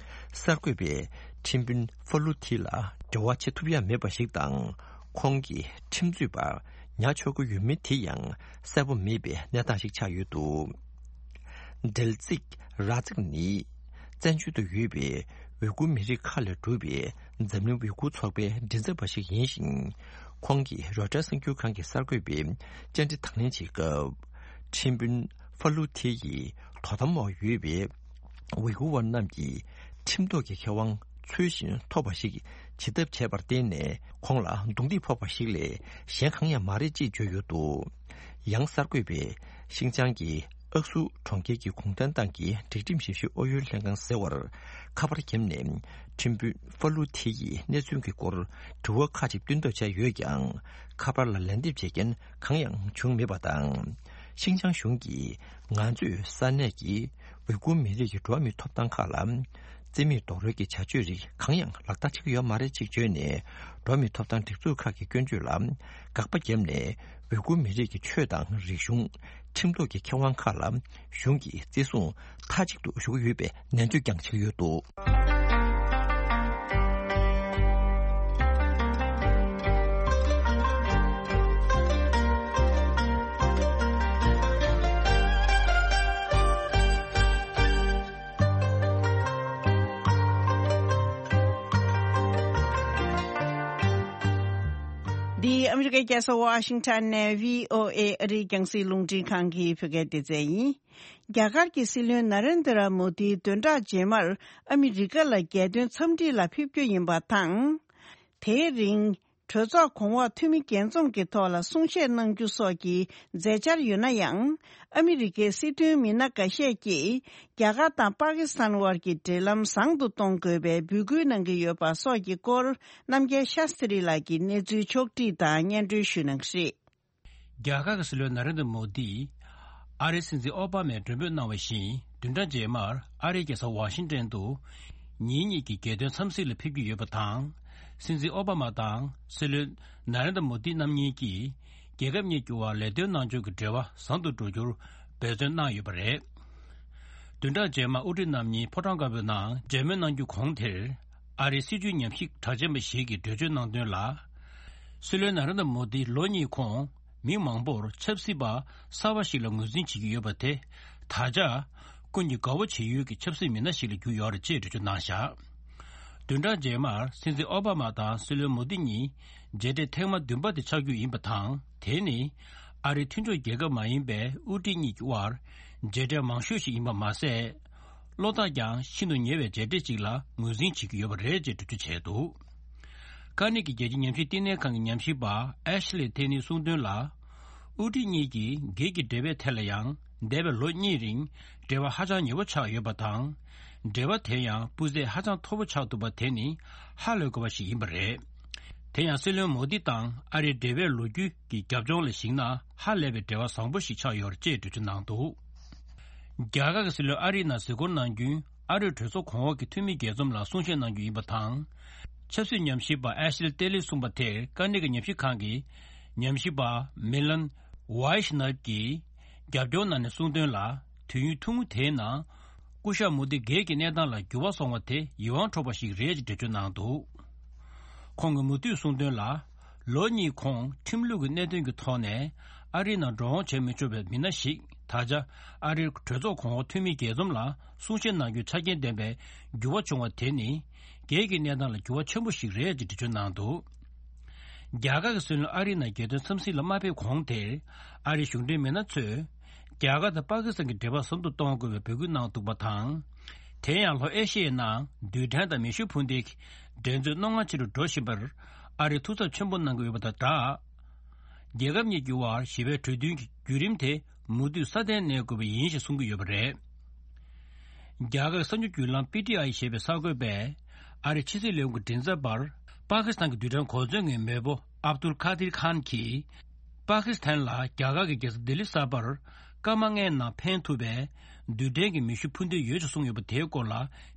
གསར་འགོད་པས་ཁྲིམས་དཔོན་ཧྥ་ལུ་ཐི་ལ་འབྲེལ་བ་བྱེད་ཐུབ་ཡ་མེད་པ་ཞིག་དང་། ཁོང་གིས་ཁྲིམས་རྩོད་པ་ཉར་ཆོག་གི་ཡོད་མེད་དེ་ཡང་གསལ་པོ་མེད་པའི་གནས་སྟངས་ཤིག་ཆགས་ཡོད་འདུག་འདྲེལ་ཙིག་ར་ཙིག་ནི་བཙན་བྱོལ་དུ་ཡོད་པའི་ཝི་གུར་མི་རིགས་ཁག་ལས་གྲུབ་པའི་འཛམ་གླིང་ཝི་གུར་ཚོགས་པའི་མགྲིན་ཚབ་པ་ཞིག་ཡིན་ཞིང་། ཁོང་གིས་རོའི་ཊར་གསར་འགྱུར་ཁང་གི་གསར་འགོད་པའི་བཅར་འདྲི་དང་ལེན་བྱེད་སྐབས། ཁྲིམས་དཔོན་ཧྥ་ལུ་ཐེ་ཡི་དོ་དམ་འོག་ཡོད་པའི་ཝི་གུར་བ་རྣམས་ཀྱི་ཁྲིམས་ཐོག་གི་ཁེ་དབང་ ཚུལ་བཞིན་ཐོབ་པ་ཞིག་བྱེད་ཐབས་བྱས་པར་བརྟེན་ནས། ཁོང་ལ་རྡུང་རྡེག་ཕོག་པ་ཞིག་ལས་གཞན་གང་ཡང་མ་རེད་ཅེས་བརྗོད་ཡོད་འདུག། ཡང་གསར་འགོད་པས་ཤིན་ཅང་གི་ཨག་སུ་གྲོང་ཁྱེར་གྱི་གུང་ཐང་ཏང་གི་སྒྲིག་ཁྲིམས་ཞིབ་བཤེར་ཨུ་ཡོན་ལྷན་ཁང་ཟེར་བར་ཁ་པར་བརྒྱབ་ནས། ཁྲིམས་དཔོན་ཧྥ་ལུ་ཐི་ཡིས་གནས་ཚུལ་གྱི་སྐོར་དྲི་བ་ཁག་ཅིག་བཏོན་ཐབས་བྱས་ཡོད་ཀྱང་། ཁ་པར་ལ་ལན་འདེབས་བྱེད་མཁན་གང་ཡང་བྱུང་མེད་པ་དང་། ཤིན་ཅང་གཞུང་གིས་ང་ཚོས་ས་གནས་ཀྱི་ཝི་གུར་མི་རིགས་ཀྱི་འགྲོ་བ་མིའི་ཐོབ་ཐང་ཁག་ལ། རྩིས་མེད་རྡོག་རོལ་གྱི་བྱ་སྤྱོད་རིགས་གང་ཡང་ལག་བསྟར་བྱེད་ཀྱི་ཡོད་མ་རེད་ཅེས་བརྗོད་ནས། འགྲོ་བ་མིའི་ཐོབ་ཐང་སྒྲིག་འཛུགས་ཁག་གི་སྐྱོན་བརྗོད་ལ་དགག་པ་བརྒྱབ་ནས། ཝི་གུར་མི་རིགས་ཀྱི་ཆོས་དང་རིག་གཞུང་། ཁྲིམས་ཐོག་གི་ཁེ་དབང་ཁག་ལ་གཞུང་གིས་བརྩི་སྲུང་མཐའ་གཅིག་ཏུ་ཞུ་གི་ཡོད་པའི་ནན་བརྗོད་ཀྱང་བྱེད་ཀྱི་ཡོད་འདུག། འདི་ཨ་མི་རི་ཀའི་རྒྱལ་ས་ཝ་ཤིང་ཊོན་ནས་བྷི་ཨོ་ཨེ་ཨ་རིའི་རྒྱང་སྲིང་རླུང་འཕྲིན་ཁང་གི་བོད་སྐད་སྡེ་ཚན་ཡིན། རྒྱ་གར་གྱི་སྲིད་བློན་ན་རེན་དྲ་མོ་དིའི་བདུན་ཕྲག་རྗེས་མར་ཨ་མི་རི་ཀ་ལ་རྒྱལ་དོན་འཚམས་འདྲི་ལ་ཕེབས་རྒྱུ་ཡིན་པ་དང་། དེའི་རིང་། གྲོས་ཚོགས་གོང་འོག་འཐུས་མི་རྒྱས་འཛོམས་ཀྱི་ཐོག་ལ་གསུང་བཤད་གནང་རྒྱུ་སོགས་ཀྱི་མཛད་འཆར་ཡོད་ན་ཡང་། ཨ་མི་རི་ཀའི་སྲིད་དོན་མི་སྣ་འགའ་ཤས་ཀྱིས་རྒྱ་གར་དང་པ་ཀི་སི་ཐན་དབར་གྱི་འབྲེལ་ལམ་བཟང་དུ་གཏོང་དགོས་པའི་འབོད་སྐུལ་གནང་གི་ཡོད་པ་སོགས་ཀྱི་སྐོར། རྣམ་རྒྱལ་ཤཱ་སྟྲི་ལགས་ཀྱིས་གནས་ཚུལ་ཕྱོགས་བསྒྲིགས་དང་སྙན་སྒྲོན་ཞུ་གནང་གི་རེད། རྒྱ་གར་གྱི་སྲིད་བློན་ན་རེན་དྲ་མོ་དི། ཨ་རིའི་སྲིད་འཛིན་ཨོ་བྷ་མས་མགྲོན་འབོད་གནང་བ་བཞིན། བདུན་ཕྲག་རྗེས་མར་ཨ་རིའི་རྒྱལ་ས་ཝ་ཤིང་ཏན་དུ། ཉིན་གཉིས་ཀྱི་རྒྱལ་དོན་འཚམས་གཟིགས་ལ་ཕེབས་ཀྱི་ཡོད་པ་དང་། སྲིད་འཛིན་ཨོ་བྷ་མ་དང་སྲིད་བློན་ན་རེན་དྲ་མོ་དི་རྣམ་གཉིས་ཀྱིས། རྒྱལ་ཁབ་གཉིས་ཀྱི་དབར་ལས་དོན་གནང་ཕྱོགས་ཀྱི་འབྲེལ་བ་བཟང་དུ་འགྲོ་རྒྱུར་འབད་བརྩོན་གནང་ཡོད་པ་རེད། བདུན་ཕྲག་རྗེས་མར་དབུ་ཁྲིད་རྣམ་གཉིས་ཕོ་བྲང་དཀར་པོའི་ནང་མཇལ་མོལ་གནང་རྒྱུ་གོང་དེར། ཨ་རིའི་སྲིད་བྱུས་ཉམས་ཞིབ་གྲགས་ཅན་པ་ཞིག་གིས་འགྲེལ་བརྗོད་གནང་དོན་ལ། སྲིད་བློན་ན་རེན་དྲ་མོ་དི་ལོ་གཉིས་གོང་མི་མང་པོར་ཆབ་སྲིད་པ་གསར་པ་ཞིག་ལ་ངོས་འཛིན་བྱེད་ཀྱི་ཡོད་པ་དེ། ད་ཆ་ཀུན་གྱིས་དགའ་བོ་བྱེད་ཡུལ་གྱི་ཆབ་སྲིད་མི་སྣ་ཞིག་ལ་གྱུར་ཡོད་རེད་ཅེས་འགྲེལ་བརྗོད་གནང་བཞག། བདུན་ཕྲག་རྗེས་མར་སྲིད་འཛིན་ཨོ་བྷ་མ་དང་སྲིད་བློན་མོ་དི་གཉིས་མཇལ་འཕྲད་ཐེངས་མ་བདུན་པ་དེ་ཆགས་རྒྱུ་ཡིན་པ་དང་། དེ་ནི་ཨ་རིའི་མཐུན་ཕྱོགས་རྒྱལ་ཁབ་མ་ཡིན་པའི་དབུ་ཁྲིད་གཉིས་ཀྱི་དབར་མཇལ་འཕྲད་མང་ཤོས་ཤིག་ཡིན་པ་མ་ཟད། བློ་ཐག་ཀྱང་ཤིན་ཏུ་ཉེ་བའི་མཇལ་འཕྲད་ཅིག་ལ་ངོས་འཛིན་བྱེད་ཀྱི་ཡོད་པ་རེད་ཅེས་འགྲེལ་བརྗོད་བྱས་འདུག། ཀ་ནེ་གི་རྒྱལ་སྤྱིའི་ཉམས་ཞིབ་བསྟི་གནས་ཁང་གི་ཉམས་ཞིབ་པ་ཨེ་ཤི་ལི་ཐེ་ནིས་གསུངས་དོན་ལ། དབུ་ཁྲིད་གཉིས་ཀྱིས་སྒེར་གྱི་འབྲེལ་བའི་ཐད་ལ་ཡང་འདས་པའི་ལོ་གཉིས་རིང་འབྲེལ་བ་ཧ་ཅང་ཉེ་བོ་ཆགས་ཡོད་པ་དང་། འབྲེལ་བ་དེ་ཡང་སྤུས་ཚད་ཧ་ཅང་མཐོ་བོ་ཆགས་ཐུབ་པ་དེ་ནི་ཧ་ལས་དགོས་པ་ཞིག་ཡིན་པ་རེད། དེ་ཡང་སྲིད་བློན་མོ་དི་དང་ཨ་རིའི་འབྲེལ་བའི་ལོ་རྒྱུས་ཀྱི་རྒྱབ་ལྗོངས་ལ་གཞིགས་ན་ཧ་ལས་པའི་འབྲེལ་བ་བཟང་པོ་ཞིག་ཆགས་ཡོད་རེད་ཅེས་འགྲེལ་བརྗོད་གནང་འདུག། རྒྱ་གར་གྱི་སྲིད་བློན་ཨ་རིའི་ནང་གཟིགས་སྐོར་གནང་རྒྱུའི་ཨ་རིའི་གྲོས་ཚོགས་གོང་འོག་གི་འཐུས་མི་རྒྱས་འཛོམས་ལ་གསུང་བཤད་གནང་རྒྱུ་ཡིན་པ་དང་། ཆབ་སྲིད་ཉམས་ཞིབ་པ་ཨེ་ཤི་ལི་ཏེ་ལིས་གསུངས་པ་དེར་ཀ་ནེ་གི་ཉམས་ཞིབ་ཁང་གི་ཉམས་ཞིབ་པ་མི་ལན་ཝའི་ཤི་ནར་གྱིས་རྒྱབ་སྐྱོར་གནང་ནས་གསུངས་དོན་ལ། དུས་ཡུན་ཐུང་ངུ་དེའི་ནང་སྐུ་ཞབས་མོ་དི་སྒེར་གྱི་གནས་སྟངས་ལ་འགྱུར་བ་སོང་བ་དེ་ཡིད་དབང་འཕྲོག་པ་ཞིག་རེད་ཅེས་འགྲེལ་བརྗོད་གནང་འདུག། ཁོང་གིས་མུ་མཐུད་གསུངས་དོན་ལ། ལོ་གཉིས་གོང་ཁྲིམས་ལུགས་ཀྱི་གནད་དོན་གྱི་ཐོག་ནས་ཨ་རིའི་ནང་འགྲོ་འོང་བྱེད་མི་ཆོག་པའི་མི་སྣ་ཞིག་ད་ཆ་ཨ་རིའི་གྲོས་ཚོགས་གོང་འོག་འཐུས་མི་རྒྱས་འཛོམས་ལ་གསུང་བཤད་གནང་རྒྱུའི་ཆ་རྐྱེན་ལྡན་པའི་འགྱུར་བ་བྱུང་བ་དེ་ནི་སྒེར་གྱི་གནས་སྟངས་ལ་འགྱུར་བ་ཆེན་པོ་ཞིག་རེད་ཅེས་འགྲེལ་བརྗོད་གནང་འདུག། རྒྱ་གར་གྱི་སྲིད་བློན་ཨ་རིའི་ནང་རྒྱལ་དོན་འཚམས་གཟིགས་ལ་མ་ཕེབས་གོང་དེར་ཨ་རིའི་གཞུང་འབྲེལ་མི་སྣ་ཚོས་རྒྱ་གར་དང་པ་ཀི་སི་ཐན་གྱི་འབྲེལ་བ་ཟབ་ཏུ་གཏོང་དགོས་པའི་འབོད་སྐུལ་གནང་འདུག་པ་དང་། དེ་ཡང་ལྷོ་ཨེ་ཤི་ཡའི་ནང་རྡུལ་ཕྲན་དང་མེ་ཤུགས་འཕུར་མདེལ་གྱི་འགྲན་རྩོད་རྣོ་ངར་ཆེ་རུ་འགྲོ་བཞིན་པར་ཨ་རིས་ཐུགས་འཚབ་ཆེན་པོ་གནང་གི་ཡོད་པ་དང་སྦྲགས། རྒྱལ་ཁབ་གཉིས་ཀྱི་དབར་ཞི་བའི་གྲོས་མཐུན་གྱི་བརྒྱུད་རིམ་དེ་མུ་མཐུད་སྲ་བརྟན་གནས་དགོས་པ་ཡིན་ཞེས་གསུང་གི་ཡོད་པ་རེད། རྒྱ་གར་གསར་འགྱུར་བརྒྱུད་ལམ་པི་ཊི་ཨའི་ཞེས་པའི་གསར་འགོད་པས་ཨ་རིའི་ཕྱི་སྲིད་ལས་ཁུངས་ཀྱི་མགྲིན་ཚབ་པར་པ་ཀི་སི་ཐན་གྱི་རྡུལ་ཕྲན་གོ་མཚོན་གྱི་མེས་པོ་ཨབ་དུལ་ཁ་དིར་ཁཱན་གྱིས། པ་ཀི་སི་ཐན་ལ་རྒྱ་གར་གྱི་རྒྱལ་ས་ལྡི་ལི་གསར་པར་སྐར་མ་ལྔའི་ནང་འཕེན་ཐུབ་པའི་རྡུལ་ཕྲན་གྱི་མེ་ཤུགས་འཕུར་མདེལ་ཡོད་ཅེས་གསུངས་ཡོད་པ་དེའི་སྐོར་ལ་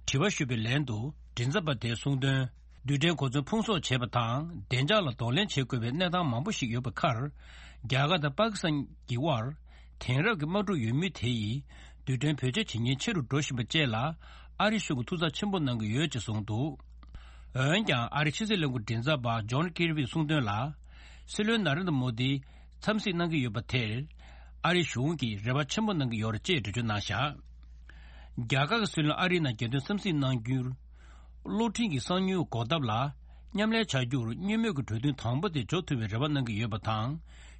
དྲི་བ་ཞུས་པའི་ལན་དུ་མགྲིན་ཚབ་པ་དེས་གསུངས་དོན། རྡུལ་ཕྲན་གོ་མཚོན་ཕུང་གསོག་བྱེད་པ་དང་བདེ་འཇགས་ལ་གདོང་ལེན་བྱེད་དགོས་པའི་གནས་སྟངས་མང་པོ་ཞིག་ཡོད་པའི་ཁར། རྒྱ་གར་དང་པ་ཀི་སི་ཐན་གྱི་དབར་དེང་རབས་ཀྱི་དམག་འཁྲུག་ཡོད་མུས་དེ་ཡིས་རྡུལ་ཕྲན་བེད་སྤྱོད་བྱེད་ཉེན་ཆེ་རུ་འགྲོ་བཞིན་པ་བཅས་ལ་ཨ་རི་གཞུང་གིས་ཐུགས་འཚབ་ཆེན་པོ་གནང་གི་ཡོད་ཅེས་གསུངས་འདུག། འོན་ཀྱང་ཨ་རིའི་ཕྱི་སྲིད་ལས་ཁུངས་མགྲིན་ཚབ་པ་ཇོན་ཀིར་བིས་གསུངས་དོན་ལ། སྲིད་བློན་ན་རེན་དྲ་མོ་དི་འཚམས་གཟིགས་གནང་གི་ཡོད་པ་དེར་ཨ་རི་གཞུང་གིས་རེ་བ་ཆེན་པོ་གནང་གི་ཡོད་རེད་ཅེས་འགྲེལ་བརྗོད་གནང་བཞག། རྒྱ་གར་གྱི་སྲིད་བློན་ཨ་རིའི་ནང་རྒྱལ་དོན་འཚམས་གཟིགས་གནང་རྒྱུར། གློག་འཕྲིན་གྱི་གསང་མྱུལ་འགོག་ཐབས་ལ་མཉམ་ལས་བྱ་རྒྱུར་གཉིས་མོས་ཀྱི་གྲོས་མཐུན་དང་པོ་དེ་འཇོག་ཐུབ་པའི་རེ་བ་གནང་གི་ཡོད་པ་དང་།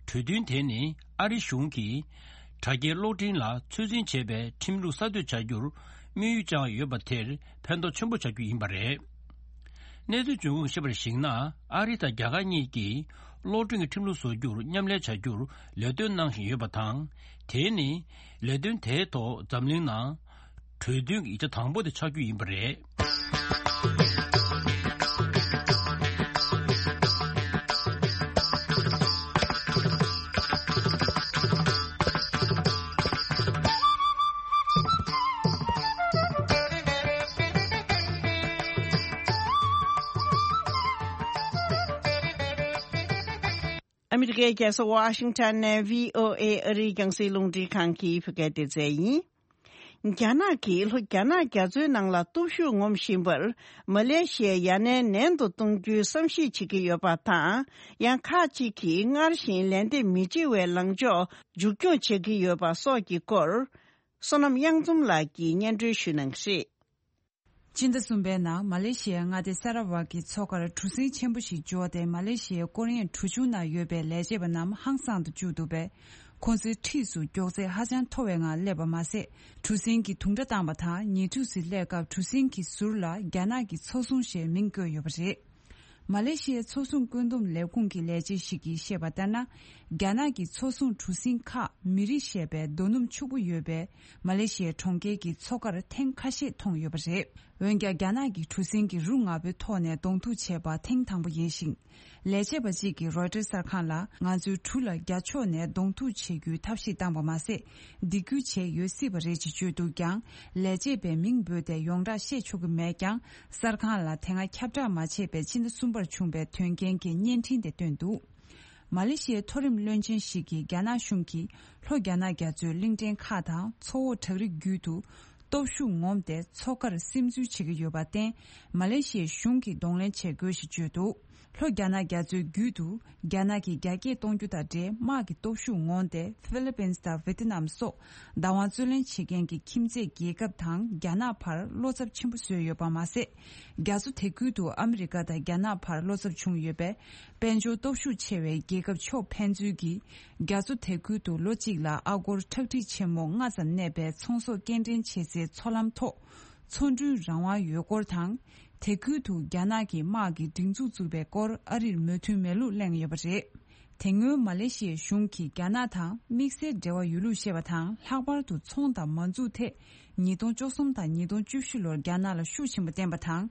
གྲོས་མཐུན་དེ་ནི་ཨ་རི་གཞུང་གིས་དྲ་རྒྱའི་གློག་འཕྲིན་ལ་ཚོད་འཛིན་བྱེད་པའི་ཁྲིམས་ལུགས་གསར་གཏོད་བྱ་རྒྱུར་དམིགས་ཡུལ་བཅངས་ཡོད་པ་དེར་ཕན་ཐོགས་ཆེན་པོ་བྱ་རྒྱུ་ཡིན་པ་རེད། གནས་ཚུལ་འབྱུང་ཁུངས་ཤེས་པར་གཞིགས་ན། ཨ་རི་དང་རྒྱ་གར་གཉིས་ཀྱིས་གློག་འཕྲིན་གྱི་ཁྲིམས་ལུགས་བཟོ་རྒྱུར་མཉམ་ལས་བྱ་རྒྱུར་ལས་དོན་གནང་བཞིན་ཡོད་པ་དང་། དེ་ནི་ལས་དོན་དེའི་ཐོག་འཛམ་གླིང་ནང་གྲོས་མཐུན་གྱི་ཡིག་ཆ་དང་པོ་དེ་ཆགས་རྒྱུ་ཡིན་པ་རེད། ཨ་མི་རི་ཀའི་རྒྱལ་ས་ཝ་ཤིང་ཊོན་ནས་བྷི་ཨོ་ཨེ་ཨ་རིའི་རྒྱང་སྲིང་རླུང་འཕྲིན་ཁང་གི་བོད་སྐད་སྡེ་ཚན་ཡིན། རྒྱ་ནག་གིས་ལྷོ་རྒྱ་ནག་རྒྱ་མཚོའི་ནང་ལ་སྟོབས་ཤུགས་ངོམ་བཞིན་པར་མ་ལེ་ཤི་ཡ་ཡ་ནན་ནན་དུ་གཏོང་རྒྱུའི་བསམ་གཞིག་བྱེད་ཀྱི་ཡོད་པ་དང་། ཡང་ཁག་ཅིག་གིས་སྔར་བཞིན་ལན་འདེབས་མི་བྱེད་པའི་ལངས་ཕྱོགས་མཇུག་སྐྱོང་བྱེད་ཀྱི་ཡོད་པ་སོགས་ཀྱི་སྐོར། བསོད་ནམས་གཡང་འཛོམས་ལགས་ཀྱིས་སྙན་སྒྲོན་ཞུ་གནང་གི་རེད། སྤྱི་ཟླ་གསུམ་པའི་ནང་མ་ལེ་ཤི་ཡའི་མངའ་སྡེ་ས་ར་ཝག་གི་མཚོ་ཁར་གྲུ་གཟིངས་ཆེན་པོ་ཞིག་འབྱོར་ཏེ། མ་ལེ་ཤི་ཡའི་སྐོར་གཡེང་གྲུ་ཆུང་ནང་ཡོད་པའི་ལས་བྱེད་པ་རྣམས་ཧང་སངས་དུ་བཅུག་འདུག་པས། ཁོང་ཚོའི་འཁྲིས་སུ་མགྱོགས་ཚད་ཧ་ཅང་མཐོ་བའི་ངང་སླེབས་པ་མ་ཟད། གྲུ་གཟིངས་ཀྱི་དུང་སྒྲ་བཏང་བ་དང་། ཉེ་འཁྲིས་སུ་སླེབས་སྐབས་གྲུ་གཟིངས་ཀྱི་ཟུར་ལ་རྒྱ་ནག་གི་མཚོ་སྲུང་ཞེས་མིང་བཀོད་ཡོད་པ་རེད། མ་ལེ་ཤི་ཡའི་མཚོ་སྲུང་བཀོད་འདོམས་ལས་ཁུངས་ཀྱི་ལས་བྱེད་ཞིག་གིས་བཤད་པ་ལྟར་ན། རྒྱ་ནག་གི་མཚོ་སྲུང་གྲུ་གཟིངས་ཁག་མི་རི་ཞེས་པའི་རྡོ་སྣུམ་ཕྱུག་པོ་ཡོད་པའི་མ་ལེ་ཤི་ཡའི་གྲོང་ཁྱེར་གྱི་མཚོ་ཁར་ཐེངས་ཁ་ཤས་མཐོང་ཡོད་པ་རེད། འོན་ཀྱང་རྒྱ་ནག་གི་གྲུ་གཟིངས་ཀྱི་རུ་ང་པོའི་ཐོག་ནས་གདོང་ཐུག་བྱས་པ་ཐེངས་དང་པོ་ཡིན་ཞིང་། ལས་བྱེད་པ་གཅིག་གིས་རོའི་ཊར་གསར་ཁང་ལ། ང་ཚོའི་གྲུ་ལ་རྒྱ་ཕྱོགས་ནས་གདོང་ཐུག་བྱེད་རྒྱུའི་ཐབས་ཤེས་བཏང་པ་མ་ཟད། སྡིགས་སྐུལ་བྱས་ཡོད་སྲིད་པ་རེད་ཅེས་བརྗོད་འདུག་ཀྱང་། ལས་བྱེད་པའི་མིང་འབོད་དེ་ཡོངས་གྲགས་བཤད་ཆོག་གི་མེད་ཀྱང་། གསར་ཁང་ལ་དེ་སྔ་ཁྱབ་བསྒྲགས་མ་བྱས་པའི་ཕྱི་ཟླ་གསུམ་པར་བྱུང་བའི་དོན་རྐྱེན་གྱི་བརྙན་འཕྲིན་དེ་བཏོན་འདུག་མ་ལེ་ཤི་ཡའི་མཐོ་རིམ་བློན་ཆེན་ཞིག་གིས་རྒྱ་ནག་གཞུང་གིས་ལྷོ་རྒྱ་ནག་རྒྱ་མཚོའི་གླིང་ཕྲན་ཁག་དང་མཚོ་འོག་བྲག་རི་རྒྱུད་དུ་སྟོབས་ཤུགས་ངོམས་ཏེ་མཚོ་ཁར་སིམ་འཛུལ་བྱེད་ཀྱི་ཡོད་པར་བརྟེན། མ་ལེ་ཤི་ཡའི་གཞུང་གིས་གདོང་ལེན་བྱེད་དགོས་ཞེས་བརྗོད་འདུག་ལྷོ་རྒྱ་ནག་རྒྱ་མཚོའི་རྒྱུད་དུ་རྒྱ་ནག་གིས་རྒྱ་སྐྱེད་གཏོང་རྒྱུ་དང་འབྲེལ། དམག་གི་སྟོབས་ཤུགས་ངོམས་ཏེ། ཧྥི་ལི་པིན་དང་ཝེ་ཏི་ནམ་སོགས་བདག་དབང་རྩོད་ལེན་བྱེད་མཁན་གྱི་ཁྱིམ་མཚེས་རྒྱལ་ཁབ་དང་རྒྱ་ནག་བར་བློ་འཚབ་ཆེན་པོ་བཟོས་ཡོད་པ་མ་ཟད། རྒྱ་མཚོ་དེ་ཁུལ་དུ་ཨ་མི་རི་ཀ་དང་རྒྱ་ནག་བར་བློ་འཚབ་བྱུང་ཡོད་པས། དཔལ་འབྱོར་སྟོབས་ཤུགས་ཆེ་བའི་རྒྱལ་ཁབ་ཕྱོགས་ཕན་ཚུན་གྱིས། རྒྱ་མཚོ་དེ་ཁུལ་དུ་ལོ་གཅིག་ལ་ཨ་སྒོར་ཁྲག་ཁྲིག་ཆེན་མོ་ལྔ་ཙམ་གནས་པའི་ཚོང་ཟོག་སྐྱེལ་འདྲེན་བྱེད་སའི་མཚོ་ལམ་ཐོག་མཚོ་འགྲུལ་རང་དབང་ཡོད་སྐོར་དང་། དེ་ཁུལ་དུ་རྒྱ་ནག་གི་དམག་གི་སྒྲིག་འཛུགས་བཙུགས་པའི་སྐོར་ཨ་རིར་མོས་མཐུན་མེད་ལུགས་གླེང་ཡོད་པ་རེད། དེ་སྔོན་མ་ལེ་ཤི་ཡའི་གཞུང་གིས་རྒྱ་ནག་དང་དམིགས་བསལ་འབྲེལ་བ་ཡོད་ལུགས་བཤད་པ་དང་། ལྷག་པར་དུ་ཚོང་དང་མ་འཛུགས་ཐད་ཉིས་སྟོང་བཅུ་གསུམ་དང་ཉིས་སྟོང་བཅུ་བཞི་ལོར་རྒྱ་ནག་ལ་ཤུགས་ཆེན་པོ་བསྟན་པ་དང་།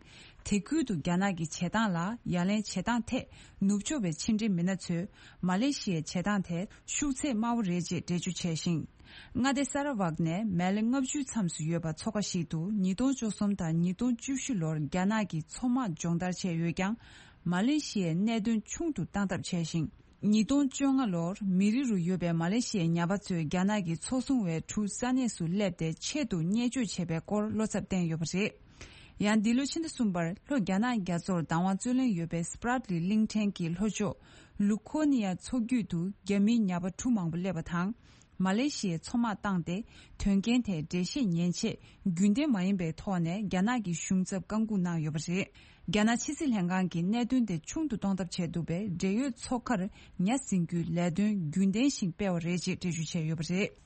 དེ་ཁུལ་དུ་རྒྱ་ནག་གི་བྱེད་སྟངས་ལ་ཡ་ལན་བྱེད་སྟངས་ཐད་ནུབ་ཕྱོགས་པའི་ཕྱི་འབྲེལ་མི་སྣ་ཚོས་མ་ལེ་ཤི་ཡའི་བྱེད་སྟངས་དེ་ཤུགས་ཚད་དམའ་བོ་རེད་ཅེས་འགྲེལ་བརྗོད་བྱས་ཤིང་། མངའ་སྡེ་ས་ར་ཝག་ནས་མེ་ལེ་ལྔ་བཅུའི་མཚམས་སུ་ཡོད་པ་མཚོ་ཁ་ཞིག་ཏུ་ཉིས་སྟོང་བཅུ་གསུམ་དང་ཉིས་སྟོང་བཅུ་བཞི་ལོར་རྒྱ་ནག་གིས་མཚོ་དམག་སྦྱོང་བརྡར་བྱས་ཡོད་ཀྱང་། མ་ལེ་ཤི་ཡའི་གནད་དོན་ཆུང་དུ་བཏང་ཐབས་བྱས་ཤིང་། ཉིས་སྟོང་བཅོ་ལྔ་ལོར་མི་རི་རུ་ཡོད་པའི་མ་ལེ་ཤི་ཡའི་ཉ་པ་ཚོས་རྒྱ་ནག་གི་མཚོ་སྲུང་བའི་གྲུ་ས་གནས་སུ་སླེབས་ཏེ་ཆེད་དུ་བརྙས་བཅོས་བྱས་པའི་སྐོར་བློ་འཚབ་བསྟན་ཡོད་པ་རེད། ཡང་འདི་ལོའི་ཕྱི་ཟླ་གསུམ་པར་ལྷོ་རྒྱ་ནག་རྒྱ་མཚོར་བདག་དབང་རྩོད་ལེན་ཡོད་པའི་སྤྲ་ལི་གླིང་ཕྲན་གྱི་ལྷོ་ཕྱོགས་ལུ་ཁོ་ནི་ཡ་མཚོ་རྒྱུད་དུ་རྒྱ་མིའི་ཉ་པ་གྲུ་མང་པོ་སླེབས་པ་དང་། མ་ལེ་ཤི་ཡའི་མཚོ་དམག་བཏང་སྟེ། དོན་རྐྱེན་དེའི་འགྲེལ་བཤད་ཉན་ཆེད་རྒྱུན་ལྡན་མ་ཡིན་པའི་ཐོག་ནས་རྒྱ་ནག་གི་གཞུང་ཚབ་བཀག་འགོག་གནང་ཡོད་པ་རེད། རྒྱ་ནག་ཕྱི་སྲིད་ལྷན་ཁང་གིས་གནད་དོན་དེ་ཆུང་དུ་གཏོང་ཐབས་བྱས་འདུག་པས། འབྲེལ་ཡོད་མཚོ་ཁར་ཉ་ཟིན་རྒྱུའི་ལས་དོན་རྒྱུན་ལྡན་བཞིན་སྤེལ་བ་རེད་ཅེས་འགྲེལ་བརྗོད་བྱས་ཡོད་པ་རེད།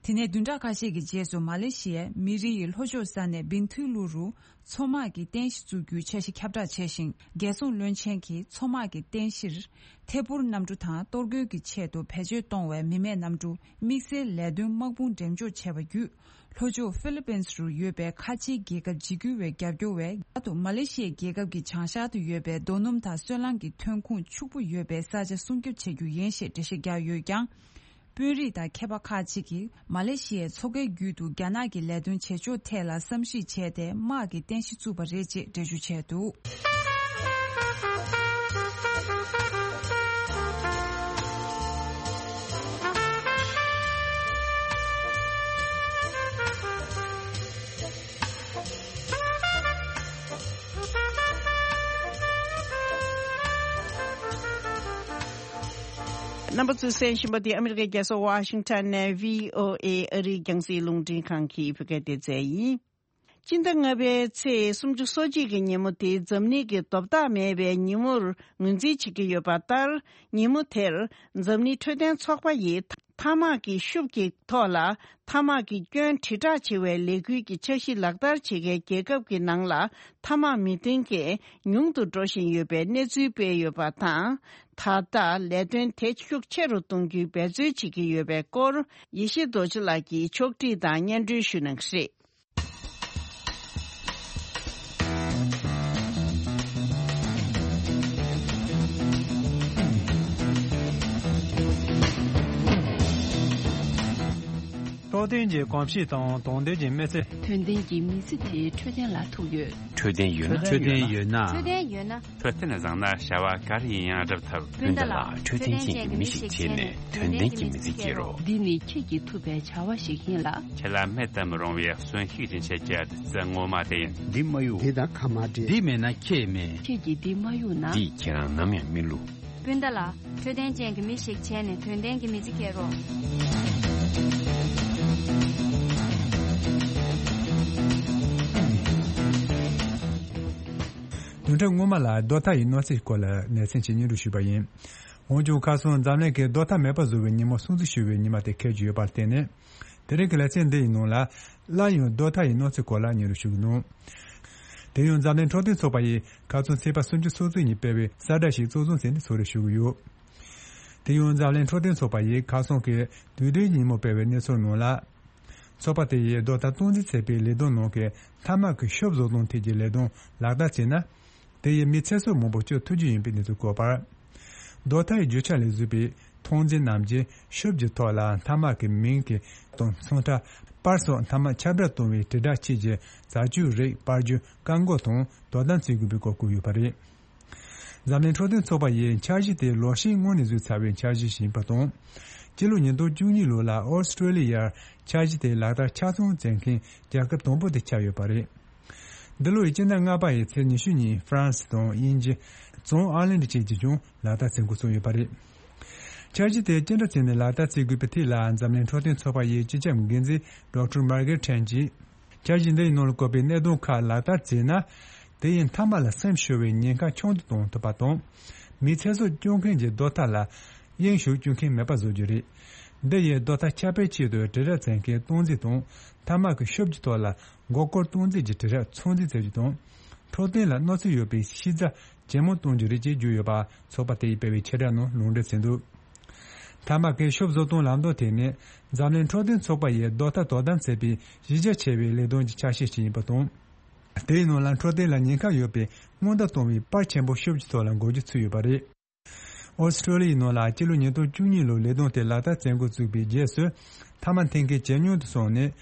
དེ་ནས་བདུན་ཕྲག་ཁ་ཤས་ཀྱི་རྗེས་སུ་མ་ལེ་ཤི་ཡའི་མི་རི་ཡི་ལྷོ་ཕྱོགས་ས་གནས་བིན་ཐུ་ལུ་རུ་མཚོ་དམག་གི་རྟེན་གཞི་བཙུགས་རྒྱུའི་འཆར་གཞི་ཁྱབ་བསྒྲགས་བྱས་ཤིང་། རྒྱལ་སྲུང་བློན་ཆེན་གྱིས་མཚོ་དམག་གི་རྟེན་གཞིར་ཐད་འཕུར་གནམ་གྲུ་དང་གཏོར་རྒོལ་གྱི་ཆེད་དུ་བེད་སྤྱོད་གཏོང་བའི་མི་མེད་གནམ་གྲུ་དམིགས་བསལ་ལས་དོན་དམག་དཔུང་འགྲེམས་འཇོག་བྱས་པ་བརྒྱུད། ལྷོ་ཕྱོགས་ཧྥི་ལི་པིན་རུ་ཡོད་པའི་ཁ་ཆེའི་རྒྱལ་ཁབ་འཇིགས་སྐུལ་བས་རྒྱབ་སྐྱོར་བས། ད་དུང་མ་ལེ་ཤི་ཡའི་རྒྱལ་ཁབ་ཀྱི་བྱང་ཤར་དུ་ཡོད་པའི་རྡོ་སྣུམ་དང་སོལ་རླངས་ཀྱི་ཐོན་ཁུངས་ཕྱུག་པོ་ཡོད་པའི་ས་ཆ་སྲུང་སྐྱོབ་བྱེད་རྒྱུ་ཡིན་ཞེས་འགྲེལ་བཤད་བརྒྱབ་ཡོད་ཀྱང་། དཔོན་རིགས་དང་མཁས་པ་ཁག་ཅིག་གིས་མ་ལེ་ཤི་ཡའི་མཚོ་ཁའི་རྒྱུད་དུ་རྒྱ་ནག་གི་ལས་དོན་བྱེད་ཕྱོགས་ཐད་ལ་བསམ་གཞིག་བྱས་ཏེ། དམག་གི་རྟེན་གཞི་བཙུགས་པ་རེད་ཅེས་འགྲེལ་བརྗོད་བྱས་འདུག་རྣམ་པ་ཚོས་གསན་བཞིན་པ་འདི་ཨ་མི་རི་ཀའི་རྒྱལ་ས་ཝ་ཤིང་ཊོན་ནས་བྷི་ཨོ་ཨེ་ཨ་རིའི་རྒྱང་སྲིང་རླུང་འཕྲིན་ཁང་གི་བོད་སྐད་སྡེ་ཚན་ཡིན། སྤྱི་ཟླ་ལྔ་པའི་ཚེས་སུམ་ཅུ་སོ་གཅིག་གི་ཉིན་མོ་དེ་འཛམ་གླིང་གི་ལྡོག་ཐག་མེད་པའི་ཉིན་མོར་ངོས་འཛིན་བྱེད་ཀྱི་ཡོད་པ་ལྟར། ཉིན་མོ་དེར་འཛམ་གླིང་འཕྲོད་བསྟེན་ཚོགས་པ་ཡིས། ཐ་མག་གི་ཤུབས་ཀྱི་ཐོག་ལ་ཐ་མག་གི་སྐྱོན་དྲིལ་བསྒྲགས་བྱེད་པའི་ལས་འགུལ་གྱི་འཆར་གཞི་ལག་བསྟར་བྱེད་མཁན་རྒྱལ་ཁབ་ཀྱི་ནང་ལ་ཐ་མག་མི་འཐེན་མཁན་ཉུང་དུ་འགྲོ་བཞིན་ཡོད་པའི་གནས་ཚུལ་སྤེལ་ཡོད་པ་དང་། ད་ལྟ་ལས་དོན་དེ་ཤུགས་ཆེ་རུ་གཏོང་རྒྱུའི་འབད་རྩོལ་བྱེད་ཀྱི་ཡོད་པའི་སྐོར། ཡེ་ཤེས་རྡོ་རྗེ་ལགས་ཀྱིས་ཕྱོགས་སྒྲིག་དང་སྙན་སྒྲོན་ཞུ་གནང་གི་རེད། རྟོགས་ལྡན་གྱི་གོམས་གཤིས་དང་དོགས་ལྡན་གྱི་མི་ཚེ། དོན་ལྡན་གྱི་མི་ཚེ་དེ་འཕྲོད་བསྟེན་ལ་ཐུག་ཡོད། འཕྲོད་བསྟེན་ཡོད་ན། འཕྲོད་བསྟེན་ཡོད་ན། འཕྲོད་བསྟེན་ཡོད་ན། འཕྲོད་བསྟེན་བཟང་ན་བྱ་བ་ག་རེ་ཡིན་ཡང་འགྲུབ་ཐུབ། སྤུན་ཟླ་ལགས། འཕྲོད་བསྟེན་ཅན་གྱི་མི་ཞིག་བྱས་ནས་དོན་ལྡན་གྱི་མི་ཚེ་སྐྱེལ་རོགས། འདི་ནི་ཁྱེད་ཀྱིས་ཐུབ་པའི་བྱ་བ་ཞིག་ཡིན་ལ། ཁྱེད་ལ་མེད་དུ་མི་རུང་བའི་གསོན་ཤུགས་ཀྱི་ཆེད་ཀྱི་བདུད་རྩི་ངོ་མ་དེ་ཡིན། འདི་མ་གཡུག་འདི་དང་ཁ་མ་འབྲལ། འདི་མེད་ན་ཁྱེད་མེད། ཁྱེད་ཀྱིས་འདི་མ་གཡུག་ན། འདིས་ཁྱེད་རང་ནམ་ཡང་མི་བསླུ། སྤུན་ཟླ་ལགས། འཕྲོད་བསྟེན་ཅན་གྱི་མི་ཞིག་བྱས་ནས་དོན་ལྡན་གྱི་མི་ཚེ་སྐྱེལ་རོགས། བདུན་ཕྲག་སྔོན་མ་ལ་རྡོ་ཐག་ཡི་གནོད་འཚེའི་སྐོར་ལ་ལེ་ཚན་གཅིག་སྙན་སྒྲོན་ཞུས་པ་ཡིན། འོན་ཀྱང་ཁ་སང་འཛམ་གླིང་གི་རྡོ་ཐག་མེད་པ་བཟོ་བའི་ཉིན་མོ་སྲུང་བརྩི་ཞུ་བའི་ཉི་མ་དེ་འཁེལ་རྒྱུ་ཡོད་པར་བརྟེན་ནས། དེ་རིང་གི་ལེ་ཚན་འདི་ཡི་ནང་ལ་སླར་ཡང་རྡོ་ཐག་ཡི་གནོད་འཚེ་སྐོར་ལ་སྙན་སྒྲོན་ཞུ་གི་འདུག་དེ་ཡང་འཛམ་གླིང་འཕྲོད་བསྟེན་ཚོགས་པ་ཡིས་ཁ་སང་ཚེས་པ་སུམ་ཅུ་སོ་གཅིག་ཉིན་སྤེལ་བའི་གསལ་བསྒྲགས་ཤིག་གཙོ་བཟུང་བྱས་ནས་གསུང་རེ་ཞུ་གི་ཡོད། དེ་ཡང་འཛམ་གླིང་འཕྲོད་བསྟེན་ཚོགས་པ་ཡིས་ཁ་སང་གི་དུས་དྲན་ཉིན་མོ་སྤེལ་བའི་གནས་ཚུལ་ནང་ལ། ཚོགས་པ་དེ་ཡིས་རྡོ་ཐག་སྟངས་འཛིན་བྱེད་པའི་ལས་དོན་ནང་གི་ཐ་མག་གི་ཤོབ་བཟོ་སྟངས་ཐད་ཀྱི་ལས་དོན་ལག་བསྟར་བྱས་ན། དེ་ཡིས་མི་ཚེ་སྲོག་མང་པོ་སྐྱོབ་ཐུབ་རྒྱུ་ཡིན་པའི་གནས་ཚུལ་བཀོད་པར། རྡོ་ཐག་ཡི་རྒྱུ་ཆ་ལས་བཟོས་པའི་ཐོག་འཛིན་ནམ་གྱི་ཤོབ་ཀྱི་ཐོག་ལ་ཐ་མག་གི་མིང་གི་དང་ཚོན་ཁྲ། པར་སོགས་ཐ་མག་ཁྱབ་བསྒྲགས་གཏོང་བའི་དྲིལ་བསྒྲགས་ཆེད་ཀྱི་བྱ་སྤྱོད་རིགས་སྤར་རྒྱུ་བཀག་འགོག་དང་དོ་དམ་བྱེད་དགོས་པའི་སྐོར་བཀོད་ཡོད་པ་རེད། འཛམ་གླིང་འཕྲོད་བསྟེན་ཚོགས་པ་ཡིས་འཆར་གཞི་དེ་ལོ་ཤས་སྔོན་ནས་བཟོས་ཚར་བའི་འཆར་གཞི་ཞིག་ཡིན་པ་དང་། སྤྱི་ལོ་ཉིས་སྟོང་བཅུ་གཉིས་ལོ་ལ་ཨོ་སི་ཀྲོ་ལི་ཡར་འཆར་གཞི་དེ་ལག་བསྟར་ཆ་ཚང་བྱེད་མཁན་རྒྱལ་ཁབ་དང་པོ་དེ་ཆགས་ཡོད་པ་རེད། འདི་ལོའི་སྤྱི་ཟླ་ལྔ་པ་ཡི་ཚེས་ཉི་ཤུ་ཉིན་ཧྥ་རན་སི་དང་དབྱིན་ཇི། བྱང་ཨར་ལན་ཌི་བཅས་ཀྱིས་ཀྱང་ལག་བསྟར་བྱེད་འགོ་བཙུགས་ཡོད་པ་རེད། འཆར་གཞི་དེ་ཅི་འདྲ་བྱས་ནས་ལག་བསྟར་བྱེད་དགོས་པའི་ཐད་ལ་འཛམ་གླིང་འཕྲོད་བསྟེན་ཚོགས་པ་ཡི་སྤྱི་ཁྱབ་འགན་འཛིན་ཌོག་ཊར་མར་གེ་ཊི་ཁྲེན་གྱིས། འཆར་གཞི་འདི་ཡི་ནང་ལ་བཀོད་པའི་གནད་དོན་ཁག་ལག་བསྟར་བྱས་ན། དེ་ཡིས་མཐའ་མ་ལ་སེམས་ཤོར་བའི་ཉེན་ཁ་ཆུང་དུ་གཏོང་ཐུབ་པ་དང་། མིའི་ཚེ་སྲོག་སྐྱོབ་མཁན་གྱི་རྡོ་ཐག་ལ་གཡེང་ཞུགས་བྱེད་མཁན་མེད་པ་བཟོ་རྒྱུ་རེད། འདི་ཡིས་རྡོ་ཐག་ཁྱབ་སྤེལ་ཆེད་དུ་དྲིལ་བསྒྲགས་བྱེད་མཁན་སྟངས་འཛིན་དང་། ཐ་མག་གི་ཤོབ་ཀྱི་ཐོག་ལ་མགོ་སྐོར་སྟངས་འཛིན་གྱི་དྲིལ་བསྒྲགས་ཚོད་འཛིན་བྱ་རྒྱུ་དང་། འཕྲོད་བསྟེན་ལ་གནོད་འཚེ་ཡོད་པའི་ཤེས་བྱ་ཇེ་མང་གཏོང་རྒྱུ་རེད་ཅེས་བརྗོད་ཡོད་པ་ཚོགས་པ་དེ་ཡིས་སྤེལ་བའི་ཆེད་བསྒྲགས་ནང་ལུང་འདྲེན་བྱས་འདུག་ཐ་མག་གི་ཤོབ་བཟོ་སྟངས་ལམ་སྟོན་དེ་ནི་འཛམ་གླིང་འཕྲོད་བསྟེན་ཚོགས་པ་ཡིས་རྡོ་ཐག་དོ་དམ་བྱེད་པའི་གཞི་རྒྱ་ཆེ་བའི་ལས་དོན་གྱི་ཆ་ཤས་ཤིག་ཡིན་པ་དང་། དེའི་ནང་ལ་འཕྲོད་བསྟེན་ལ་ཉེན་ཁ་ཡོད་པའི་སྔོན་བརྡ་གཏོང་བའི་པར་ཆེན་པོ་ཤོབ་ཀྱི་ཐོག་ལ་འགོད་རྒྱུ་ཚུད་ཡོད་པ་རེད། ཨོ་སི་ཀྲོ་ལི་ཡའི་ནང་ལ་སྤྱི་ལོ་ཉིས་སྟོང་བཅུ་གཉིས་ལོར་ལས་དོན་དེ་ལག་བསྟར་བྱེད་འགོ་བཙུགས་པའི་རྗེས་སུ་ཐ་མག་འཐེན་མཁན་ཇེ་ཉུང་དུ་སོང་ནས།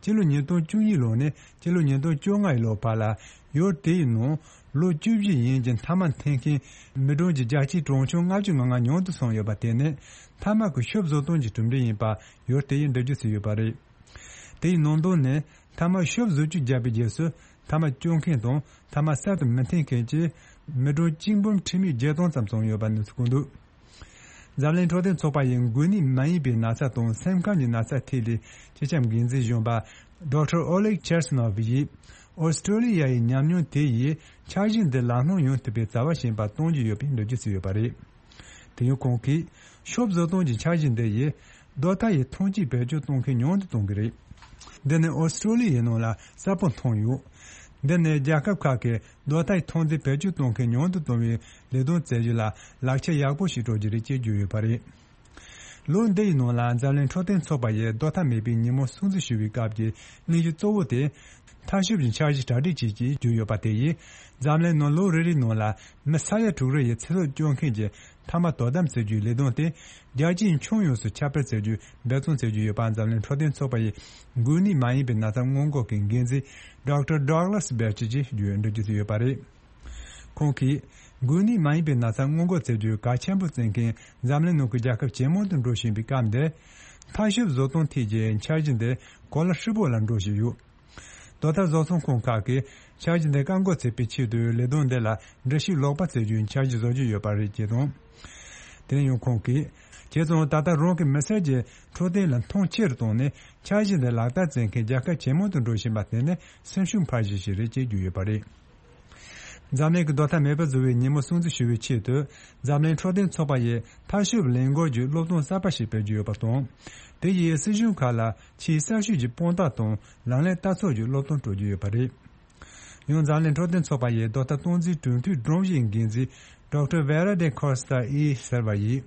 སྤྱི་ལོ་ཉིས་སྟོང་བཅུ་གཉིས་ལོ་ནས་སྤྱི་ལོ་ཉིས་སྟོང་བཅོ་ལྔ་ཡི་ལོ་བར་ལ་ཡུལ་དེ་ཡི་ནང་ལོ་བཅུ་བཞི་ཡན་གྱི་ཐ་མག་འཐེན་མཁན་མི་གྲངས་ཀྱི་བརྒྱ་ཆའི་གྲངས་ཆུང་ལྔ་བཅུ་ང་ལྔ་ཉུང་དུ་སོང་ཡོད་པ་དེ་ནི་ཐ་མག་གི་ཤོབ་བཟོ་སྟངས་ཀྱི་གྲུབ་འབྲས་ཡིན་པ་ཡུལ་དེ་ཡིས་འགྲེལ་བརྗོད་བྱས་ཡོད་པ་རེད། དེ་ཡི་ནང་དོན་ནི། ཐ་མག་ཤོབ་བཟོ་བཅོས་བརྒྱབ་པའི་རྗེས་སུ་ཐ་མག་སྐྱོན་མཁན་དང་ཐ་མག་གསར་དུ་མི་འཐེན་མཁན་གྱི་མི་གྲངས་གཅིག་འབུམ་ཁྲི་མེད་བརྒྱད་སྟོང་ཙམ་ཙམ་ཡོད་པ་གནས་ཚུལ་བཀོད་འདུག་འཛམ་གླིང་འཕྲོད་བསྟེན་ཚོགས་པ་ཡི་འགོས་ནད་མ་ཡིན་པའི་ན་ཚ་དང་སེམས་ཁམས་ཀྱི་ན་ཚ་ཐད་ལ་སྤྱི་ཁྱབ་འགན་འཛིན་གཞོན་པ་ཌོག་ཊར་ཨོ་ལེག་ཆེར་སི་ནོབ་ཡིས་ཨོ་སི་ཀྲོ་ལི་ཡ་ཡི་ཉམས་མྱོང་དེ་ཡིས་འཆར་གཞི་འདི་ལམ་ལྷོང་ཡོང་ཐུབ་པའི་རྩ་བ་ཞིག་ཡིན་པ་སྟོན་གྱི་ཡོད་པའི་འགྲེལ་བརྗོད་བྱས་ཡོད་པ་རེད། དེ་ཡང་ཁོང་གིས་ཤོབ་བཟོ་སྟངས་ཀྱི་འཆར་གཞི་འདི་ཡིས། རྡོ་ཐག་ཡི་ཐོན་སྐྱེད་བེད་སྤྱོད་གཏོང་མཁན་ཉུང་དུ་གཏོང་གི་རེད། འདི་ནི་ཨོ་སི་ཀྲོ་ལི་ཡའི་ནང་ལ་གསལ་པོ་མཐོང་ཡོད། འདི་ནི་རྒྱལ་ཁབ་ཁག་གིས་རྡོ་ཐག་ཡི་ཐོན་རྫས་བེད་སྤྱོད་གཏོང་མཁན་ཉུང་དུ་གཏོང་བའི་ལས་དོན་བྱེད་རྒྱུ་ལ་ལག་ཆ་ཡག་པོ་ཞིག་སྤྲོད་རྒྱུ་རེད་ཅེས་བརྗོད་ཡོད་པ་རེད། ལོ་འདི་ཡི་ནང་ལ་འཛམ་གླིང་འཕྲོད་བསྟེན་ཚོགས་པ་ཡིས་རྡོ་ཐག་མེད་པའི་ཉིན་མོ་སྲུང་བརྩི་ཞུ་བའི་སྐབས་ཀྱི་སྙན་ཞུ་གཙོ་བོ་དེ། ཐག་ཤོབ་ཀྱི་འཆར་གཞི་གྲ་སྒྲིག་བྱེད་ཀྱིན་བརྗོད་ཡོད་པ་དེ་ཡིས། འཛམ་གླིང་ནང་ལོ་རེ་རེའི་ནང་ལ་མི་ས་ཡ་དྲུག་རེ་ཡི་ཚེ་སྲོག་སྐྱོབ་མཁན་གྱི་ཐ་མག་དོ་དམ་བྱེད་རྒྱུའི་ལས་དོན་དེ། རྒྱལ་སྤྱིའི་ཁྱོན་ཡོངས་སུ་ཁྱབ་སྤེལ་བྱེད་རྒྱུའི་འབད་བརྩོན་བྱེད་ཀྱི་ཡོད་པ་འཛམ་གླིང་འཕྲོད་བསྟེན་ཚོགས་པ་ཡི་འགོས་ནད་མ་ཡིན་པའི་ན་ཚ་སྔོན་འགོག་གི་འགན་འཛིན་ཌོག་ཊར་ཌོག་ལ་སི་བེ་ཆི་ཡིས་འགྲེལ་བརྗོད་བྱས་ཡོད་པ་རེད། ཁོང་གིས། འགོས་ནད་མ་ཡིན་པའི་ན་ཚ་སྔོན་འགོག་བྱེད་རྒྱུའི་གལ་ཆེན་པོ་བརྩི་མཁན་འཛམ་གླིང་ནང་གི་རྒྱལ་ཁབ་ཇེ་མང་དུ་འགྲོ་བཞིན་པའི་སྐབས་འདིར། ཐག་ཤོབ་བཟོ་སྟངས་ཐད་ཀྱི་འཆར་གཞི་འདི་གོ་ལ་ཧྲིལ་པོ་ལ་འགྲོ་བཞིན་ཡོད། རྡོ་ཐག་བཟོ་ཚོང་ཁང་ཁག་གིས་འཆར་གཞི་འདི་བཀག་འགོག་བྱེད་པའི་ཆེད་དུ་ལས་དོན་འདི་ལ་འགྲེལ་བཤད་ལོག་པ་བྱེད་རྒྱུའི་འཆར་གཞི་བཟོ་རྒྱུ་ཡོད་པ་རེད་ཅེས་དང་། དེ་ཡང་ཁོང་གིས། བྱས་ཙང་ད་ལྟ་རང་གི་མི་སེར་གྱི་འཕྲོད་བསྟེན་ལ་མཐོང་ཆེ་རུ་བཏང་ནས་འཆར་གཞི་འདི་ལག་བསྟར་བྱེད་མཁན་རྒྱལ་ཁབ་ཇེ་མང་དུ་འགྲོ་བཞིན་པ་དེ་ནི་སེམས་ཤུགས་འཕར་གཞི་ཞིག་རེད་ཅེས་བརྗོད་ཡོད་པ་རེད། འཛམ་གླིང་གི་རྡོག་ཐ་མེད་པར་བཟོ་བའི་ཉིན་མོ་སྲུང་བརྩི་ཞུ་བའི་ཆེད་དུ། འཛམ་གླིང་འཕྲོད་བསྟེན་ཚོགས་པ་ཡིས་མཐའ་སྐྱོད་ལས་འགུལ་གྱི་སློབ་སྟོན་གསར་པ་ཞིག་སྤེལ་རྒྱུ་ཡོད་པ་དང་། དེ་ཡིས་སྲིད་གཞུང་ཁག་ལ་ཆེས་གསར་ཤོས་ཀྱི་དཔང་རྟགས་དང་ལག་ལེན་བསྟར་ཚུལ་གྱི་སློབ་སྟོན་སྤྲོད་རྒྱུ་ཡོད་པ་རེད། ཡང་འཛམ་གླིང་འཕྲོད་བསྟེན་ཚོགས་པ་ཡི་རྡོག་ཐ་སྟངས་འཛིན་གྲོས་མཐུན་སྒྲོམ་གཞིའི་འགན་འཛིན་ཌོག་ཊར་ཝེ་ར་ཌེ་ཁོ་སྟ་ཨི་ཟེར་བ་ཡིས།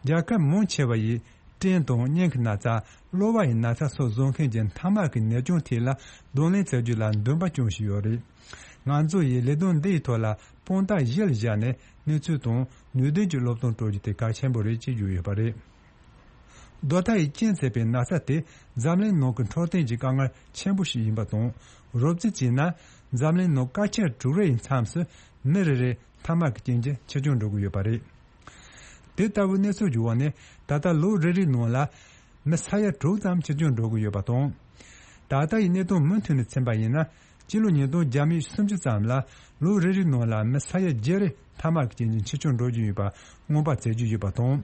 རྒྱལ་ཁབ་མང་ཆེ་བ་ཡིས་སྤྲིན་དང་སྙིང་གི་ན་ཚ། གློ་བ་ཡི་ན་ཚ་སོགས་བཟོ་མཁན་གྱི་ཐ་མག་གི་ནད་བྱུང་ཐད་ལ་གདོང་ལེན་བྱེད་རྒྱུ་ལ་འདུན་པ་བཅངས་བཞིན་ཡོད་རེད། ང་ཚོ་ཡིས་ལས་དོན་འདི་ཡི་ཐོག་ལ་དཔང་རྟགས་གཞིར་བཞག་ནས་གནས་ཚུལ་དང་ནུས་ལྡན་གྱི་སློབ་སྟོན་སྤྲོད་རྒྱུ་དེ་གལ་ཆེན་པོ་རེད་ཅེས་བརྗོད་ཡོད་པ་རེད། རྡོག་ཐ་ཡི་རྐྱེན་བྱས་པའི་ན་ཚ་དེ་འཛམ་གླིང་ནང་གི་འཕྲོད་བསྟེན་གྱི་དཀའ་ངལ་ཆེན་པོ་ཞིག་ཡིན་པ་དང་། རོབ་ཙམ་བྱས་ན་འཛམ་གླིང་ནང་སྐར་ཆ་དྲུག་རེའི་མཚམས་སུ་མི་རེ་རེར་ཐ་མག་གི་རྐྱེན་གྱིས་འཆི་སྐྱོན་འགྲོ་གི་ཡོད་པ་རེད། དེ་ལྟ་བུའི་གནས་ཚུལ་གྱི་འོག་ནས་ད་ལྟ་ལོ་རེ་རེའི་ནང་ལ་མི་ས་ཡ་དྲུག་ཙམ་འཆི་སྐྱོན་འགྲོ་གི་ཡོད་པ་དང་། ད་ལྟ་ཡི་གནས་སྟངས་མུ་མཐུད་ནས་ཕྱིན་པ་ཡིན་ན། སྤྱི་ལོ་ཉིས་སྟོང་བརྒྱ་མེད་སུམ་ཅུ་ཙམ་ལ་ལོ་རེ་རེའི་ནང་ལ་མི་ས་ཡ་བརྒྱད་རེ་ཐ་མག་གི་རྐྱེན་གྱིས་འཆི་སྐྱོན་འགྲོ་བཞིན་ཡོད་པ་སྔོན་དཔག་བྱེད་ཀྱི་ཡོད་པ་དང་།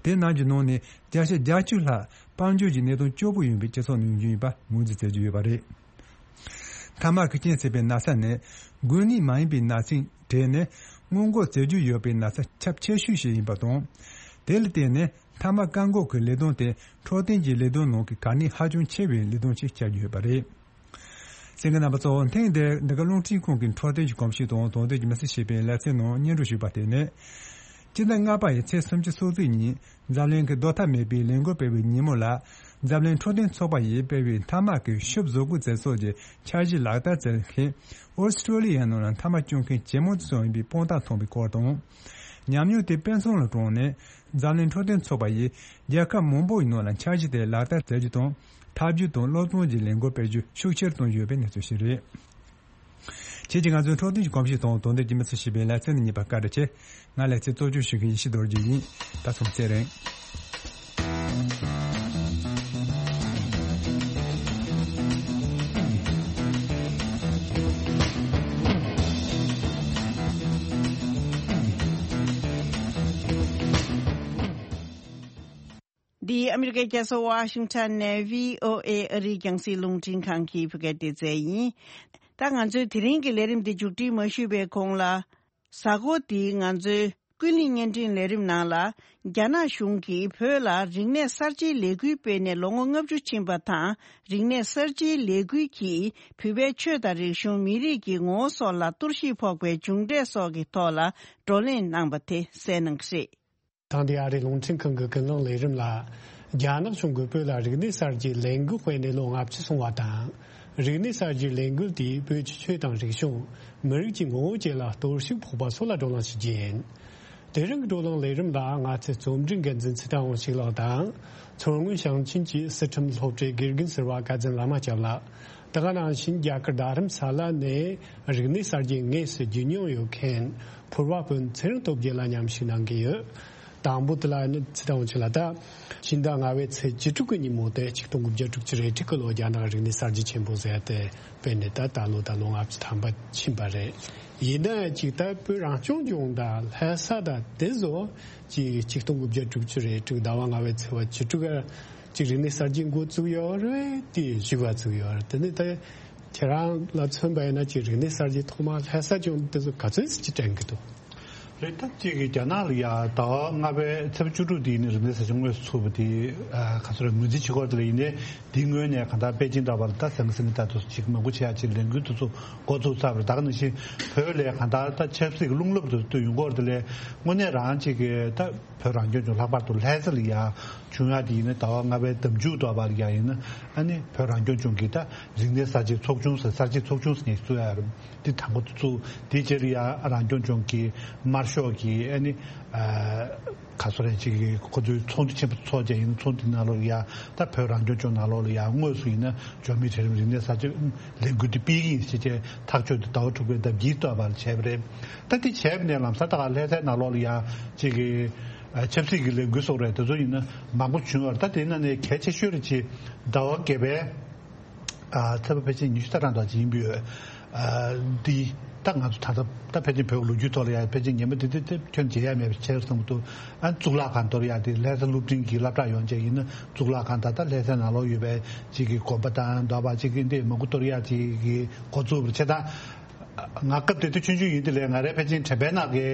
དེ་རྣམས་ཀྱི་ནང་ནས་བརྒྱ་ཆ་བརྒྱད་ཅུ་ལྷག་དཔལ་འབྱོར་གྱི་གནད་དོན་སྐྱོ་པོ་ཡིན་པའི་སྤྱི་ཚོགས་ནང་ཡོད་པ་ངོས་འཛིན་བྱེད་ཀྱི་ཡོད་པ་རེད། ཐ་མག་གི་རྐྱེན་བྱས་པའི་ན་ཚ་ནི་འགོས་ནད་མ་ཡིན་པའི་ན་ཚའི་གྲས་ནས་སྔོན་འགོག་བྱེད་རྒྱུ་ཡོད་པའི་ན་ཚ་ཁྱབ་ཆེ་ཤོས་ཤིག་ཡིན་པ་དང་། དེ་ལ་བརྟེན་ནས་ཐ་མག་བཀག་འགོག་གི་ལས་དོན་དེ་འཕྲོད་བསྟེན་གྱི་ལས་དོན་ནང་གི་གལ་གནད་ཧ་ཅང་ཆེ་བའི་ལས་དོན་ཞིག་ཆགས་ཀྱི་ཡོད་པ་རེད། གསན་མཁན་རྣམ་པ་ཚོ། ཐེངས་འདིར་འདི་ག་རླུང་འཕྲིན་ཁང་གི་འཕྲོད་བསྟེན་གྱི་གོམས་གཤིས་དང་དོན་ཚན་གྱི་མི་སེར་ཞེས་པའི་ལེ་ཚན་ནང་སྙན་སྒྲོན་ཞུས་པ་དེ་ནི། སྤྱི་ཟླ་ལྔ་པ་ཡི་ཚེས་སུམ་ཅུ་སོ་གཅིག་ཉིན་འཛམ་གླིང་གི་རྡོག་ཐ་མེད་པའི་ལས་འགུལ་སྤེལ་བའི་ཉིན་མོ་ལ། འཛམ་གླིང་འཕྲོད་བསྟེན་ཚོགས་པ་ཡིས་སྤེལ་བའི་ཐ་མག་གི་ཤུབས་བཟོ་བཀོད་བྱེད་ཕྱོགས་ཀྱི་འཆར་གཞི་ལག་བསྟར་བྱེད་མཁན་ཨོ་སི་ཀྲོ་ལི་ཡའི་ནང་ལ་ཐ་མག་སྐྱོན་མཁན་ཇེ་མང་དུ་སོང་ཡོད་པའི་དཔང་རྟགས་ཐོན་པའི་སྐོར་དང་། ཉམས་མྱོང་དེ་དཔེ་མཚོན་ལ་དྲངས་ནས། འཛམ་གླིང་འཕྲོད་བསྟེན་ཚོགས་པ་ཡིས་རྒྱལ་ཁབ་མང་པོ་ཡི་ནང་ལ་འཆར་གཞི་དེ་ལག་བསྟར་བྱ་རྒྱུ་དང་། ཐབས་ཇུས་དང་སློབ་སྟོན་གྱི་ལས་འགུལ་སྤེལ་རྒྱུ་ཤུགས་ཆེར་བཏང་ཡོད་པའི་གནས་ཚུལ་ཞིག་རེད། ཁྱེད་ཀྱིས་ང་ཚོའི་འཕྲོད་བསྟེན་གྱི་གོམས་གཤིས་དང་དོན་ལྡན་གྱི་མི་ཚེ་ཞེས་པའི་ལེ་ཚན་འདི་གཉིས་པ་བཀའ་དྲིན་ཆེ། ང་ལེ་ཚན་གཙོ་སྐྱོང་ཞུ་མཁན་ཡེ་ཤེས་རྡོ་རྗེ་ཡིན། ད་སོང་ཚེ་རིང་། འདི་ཨ་མི་རི་ཀའི་རྒྱལ་ས་ཝ་ཤིང་ཊོན་ནས་བྷི་ཨོ་ཨེ་ཨ་རིའི་རྒྱང་སྲིང་རླུང་འཕྲིན་ཁང་གི་བོད་སྐད་སྡེ་ཚན་ཡིན། ད་ང་ཚོའི་དེ་རིང་གི་ལས་རིམ་འདི་མཇུག་སྒྲིལ་མ་ཞུས་པའི་གོང་ལ། གཟའ་འཁོར་འདིའི་ང་ཚོའི་ཀུན་གླེང་བརྙན་འཕྲིན་ལས་རིམ་ནང་ལ། རྒྱ་ནག་གཞུང་གིས་བོད་ལ་རིག་གནས་གསར་བརྗེའི་ལས་འགུལ་སྤེལ་ནས་ལོ་ངོ་ལྔ་བཅུ་ཕྱིན་པ་དང་། རིག་གནས་གསར་བརྗེའི་ལས་འགུལ་གྱིས་བོད་པའི་ཆོས་དང་རིག་གཞུང་། མི་རིགས་ཀྱི་ངོ་བོ་སོགས་ལ་གཏོར་བཤིག་ཕོག་པའི་མཇུག་འབྲས་སོགས་ཀྱི་ཐོག་ལ་བགྲོ་གླེང་གནང་པ་དེ་གསན་གནང་གི་རེད། དེང་དུས་ཨ་རིའི་རླུང་འཕྲིན་ཁང་གི་ཀུན་གླེང་ལས་རིམ་ལ། རྒྱ་ནག་གཞུང་གིས་བོད་ལ་རིག་གནས་གསར་བརྗེའི་ལས་འགུལ་སྤེལ་ནས་ལོ་ལྔ་བཅུ་སོང་བ་དང་། རིག་གནས་གསར་བརྗེའི་ལས་འགུལ་དེས་བོད་ཀྱི་ཆོས་དང་རིག་གཞུང་། མི་རིགས་ཀྱི་ངོ་བོ་བཅས་ལ་གཏོར་བཤིག་ཕོག་པ་སོགས་ལ་བགྲོ་གླེང་ཞུ་རྒྱུ་ཡིན། དེ་རིང་གི་བགྲོ་གླེང་ལས་རིམ་ལ་ང་ཚོའི་རྩོམ་སྒྲིག་འགན་འཛིན་ཚེ་བརྟན་དབང་ཕྱུག་ལགས་དང་། མཚོ་སྔོན་ཞིང་ཆེན་གྱི་སི་ཁྲོན་སློབ་གྲྭའི་དགེ་རྒན་ཟུར་པ་བཀའ་བརྒྱུད་བླ་མ་སྐྱབས་ལགས། དེ་ག་ནང་བཞིན་རྒྱ་གར་རྡ་རམ་ས་ལ་ནས་རིག་གནས་གསར་བརྗེ་དངོས་སུ་བརྒྱུད་མྱོང་ཡོད་མཁན་ཕུར་བ་དཔོན་ཚེ་རིང་སྟོབས་རྒྱལ་ལགས་མཉམ་ཞུགས་གནང་གི་ཡོད། དང་པོ་དེ་ལ་ནི་ཚེ་བརྟན་དབང་ཕྱུག་ལགས། ད་ཕྱི་ཟླ་ལྔ་པའི་ཚེས་བཅུ་དྲུག་གི་ཉིན་མོ་དེ་ཆིག་སྟོང་དགུ་བརྒྱ་དྲུག་ཅུ་རེ་དྲུག་གི་ལོ་རྒྱ་ནག་རིག་གནས་གསར་བརྗེ་ཆེན་པོ་ཟེར་ཏེ་སྤེལ་ནས་ད་ད་ལོ་ད་ལོ་ལྔ་བཅུ་ཐམ་པ་ཕྱིན་པ་རེད། ཡིན་ན་ཅིག་ད་བོད་རང་སྐྱོང་ལྗོངས་དང་ལྷ་ས་དང་དེ་ཚོ་ཅིག་ཆིག་སྟོང་དགུ་བརྒྱ་དྲུག་ཅུ་རེ་དྲུག་ཟླ་བ་ལྔ་པའི་ཚེས་པ་བཅུ་དྲུག་ག་ཅིག་རིག་གནས་གསར་བརྗེ་འགོ་བཙུགས་ཡོད་རེད། དེ་བཞུགས་པ་བཙུགས་ཡོད་རེད། དེ་ནི་ད་ཁྱེད་རང་ལ་མཚོན་པ་ཡིན་ན་ཅིག་རིག་གནས་གསར་བརྗེ་ཐོག་མ་ལྷ་ས་ལྗོངས་དེ་ཚོ་ག་ཚོད་ཅིག་དྲན་གི་འདུག་རེད། ད་གཅིག་གིས་རྒྱ་ནག་ལ་ཡ་ཟླ་བ་ལྔ་པའི་ཚེས་བཅུ་དྲུག་དེ་ཡིན་ནའི་རིག་གནས་གསར་བརྗེ་དངོས་སུ་ཚུགས་པ་དེ་ཨ་ག་ཚོད་རེད། ངོས་འཛིན་བྱེད་སྐོར་དེ་ལ་ཡིན་ནའི་དེའི་སྔོན་ནས་གང་ལྟར་པེ་ཅིང་འདྲ་བ་ལ་ད་ཟང་ཟིང་གི་ད་དུ་ཅིག་མང་པོ་བྱེད་ཡ་ཅིག་ལས་འགུལ་དེ་ཚོ་འགོ་བཙུགས་ཚར་བ་རེད། ད་ག་ནང་བཞིན་བོད་ལ་གང་ལྟར་ད་ཆབ་སྲིད་ཀྱི་རླུང་རླབས་དེ་ཚོ་ཡོང་གི་ཡོད་རེད། དེ་ལས་དངོས་གནས་རང་ཅིག་གི་ད་བོད་རང་སྐྱོང་ལྗོངས་ལྷག་པར་དུ་ལྷ་ས་ལ་ཡ་བྱུང་ཡ་དེ་ཡིན་ན་ཟླ་བ་ལྔ་པའི་ཟླ་མཇུག་ཐོག་བར་ལ་ཡ་ཡིན་ན་ཨ་ནི་བོད་རང་སྐྱོང་ལྗོངས་ཀྱི་ད་རིག་གནས་གསར་བརྗེ་ཚོགས་ཆུང་ཟེར་གསར་བརྗེ་ཚོགས་ཆུང་ཟེར་ནས་བཙུགས་ཡ་རེད། དེ་དང་པོ་དེ་བཙུགས། དེའི་རྗེས་ལ་ཡ་རང་སྐྱོང་ལྗོངས་ཀྱི་དམར་ཤོག་གི་ཨ་ནི་ཨ་ག་སོ་རེད་ཅིག་གི་ཁོ་ཚོའི་ཚོགས་འདུ་ཆེན་པོ་ཚོགས་བྱས་ཡིན་ན་ཚོགས་འདུ་ནང་ལོགས་ལ་ཡ་ད་བོད་རང་སྐྱོང་ལྗོངས་ནང་ལོགས་ལ་ཡ་དངོས་སུ་ཡིན་ན་འབྱོར་མེད་གྲལ་རིམ་རིག་གནས་གསར་བརྗེ་ལས་འགུལ་དེ་སྤེལ་གྱི་ཡིན་ཞེས་བྱས་ཐག་གཅོད་དེ་ཟླ་བ་དྲུག་པའི་ཟླ་བརྒྱད་ཐོག་བར་བྱས་པ་རེད། ད་དེ་བྱས་པ་ནས་ལམ་སང་ད་ག་ལྷ་སའི་ནང་ལོགས་ལ་ཡ་ཅིག་གི་ཨ་ཆབ་སྲིད་ཀྱི་ལས་འགུལ་སོགས་རེད། དེ་ཚོ་ཡིན་ན་མང་པོ་བྱུང་བ་རེད། ད་དེ་ནང་ནས་གལ་ཆེ་ཤོས་རེད་ཅེས་ཟླ་བ་བརྒྱད་པའི་ཨ་ཚེས་པ་ཕལ་ཆེར་ཉི་ཤུ་རྩ་གྲངས་དང་ཅིག་ཡིན་པའི་ཨ་འདི་ད་ང་ཚོ་ད་ལྟ་ད་ཕལ་ཆེར་བོད་ཀྱི་ལོ་རྒྱུས་ཐོག་ལ་ཡ་ཕལ་ཆེར་ཉེས་པ་འདི་འདི་འདི་ཁྱོན་བརྗེད་ཡ་མེད་པ་བྱས་བསམ་གྱི་འདུག་ཨ་གཙུག་ལག་ཁང་གཏོར་ཡ་དེ་ལྷ་ས་སློབ་འབྲིང་གི་སློབ་གྲྭ་ཡོང་བྱས་ཡིན་ན་གཙུག་ལག་ཁང་ད་ལྟ་ལྷ་སའི་ནང་ལོགས་ཡོད་པའི་ཅིག་གི་དགོན་པ་དང་འདྲ་བ་ཅིག་གི་འདི་མང་པོ་གཏོར་ཡ་ཅིག་གི་འགོ་བཙུགས་པ་རེད། བྱས་ཙང་། ང་སྐབས་དེ་དུས་ཆུང་ཆུང་ཡིན་དུས་ལས་ང་རའི་ཕལ་ཆེར་དྲན་པའི་ནང་གི་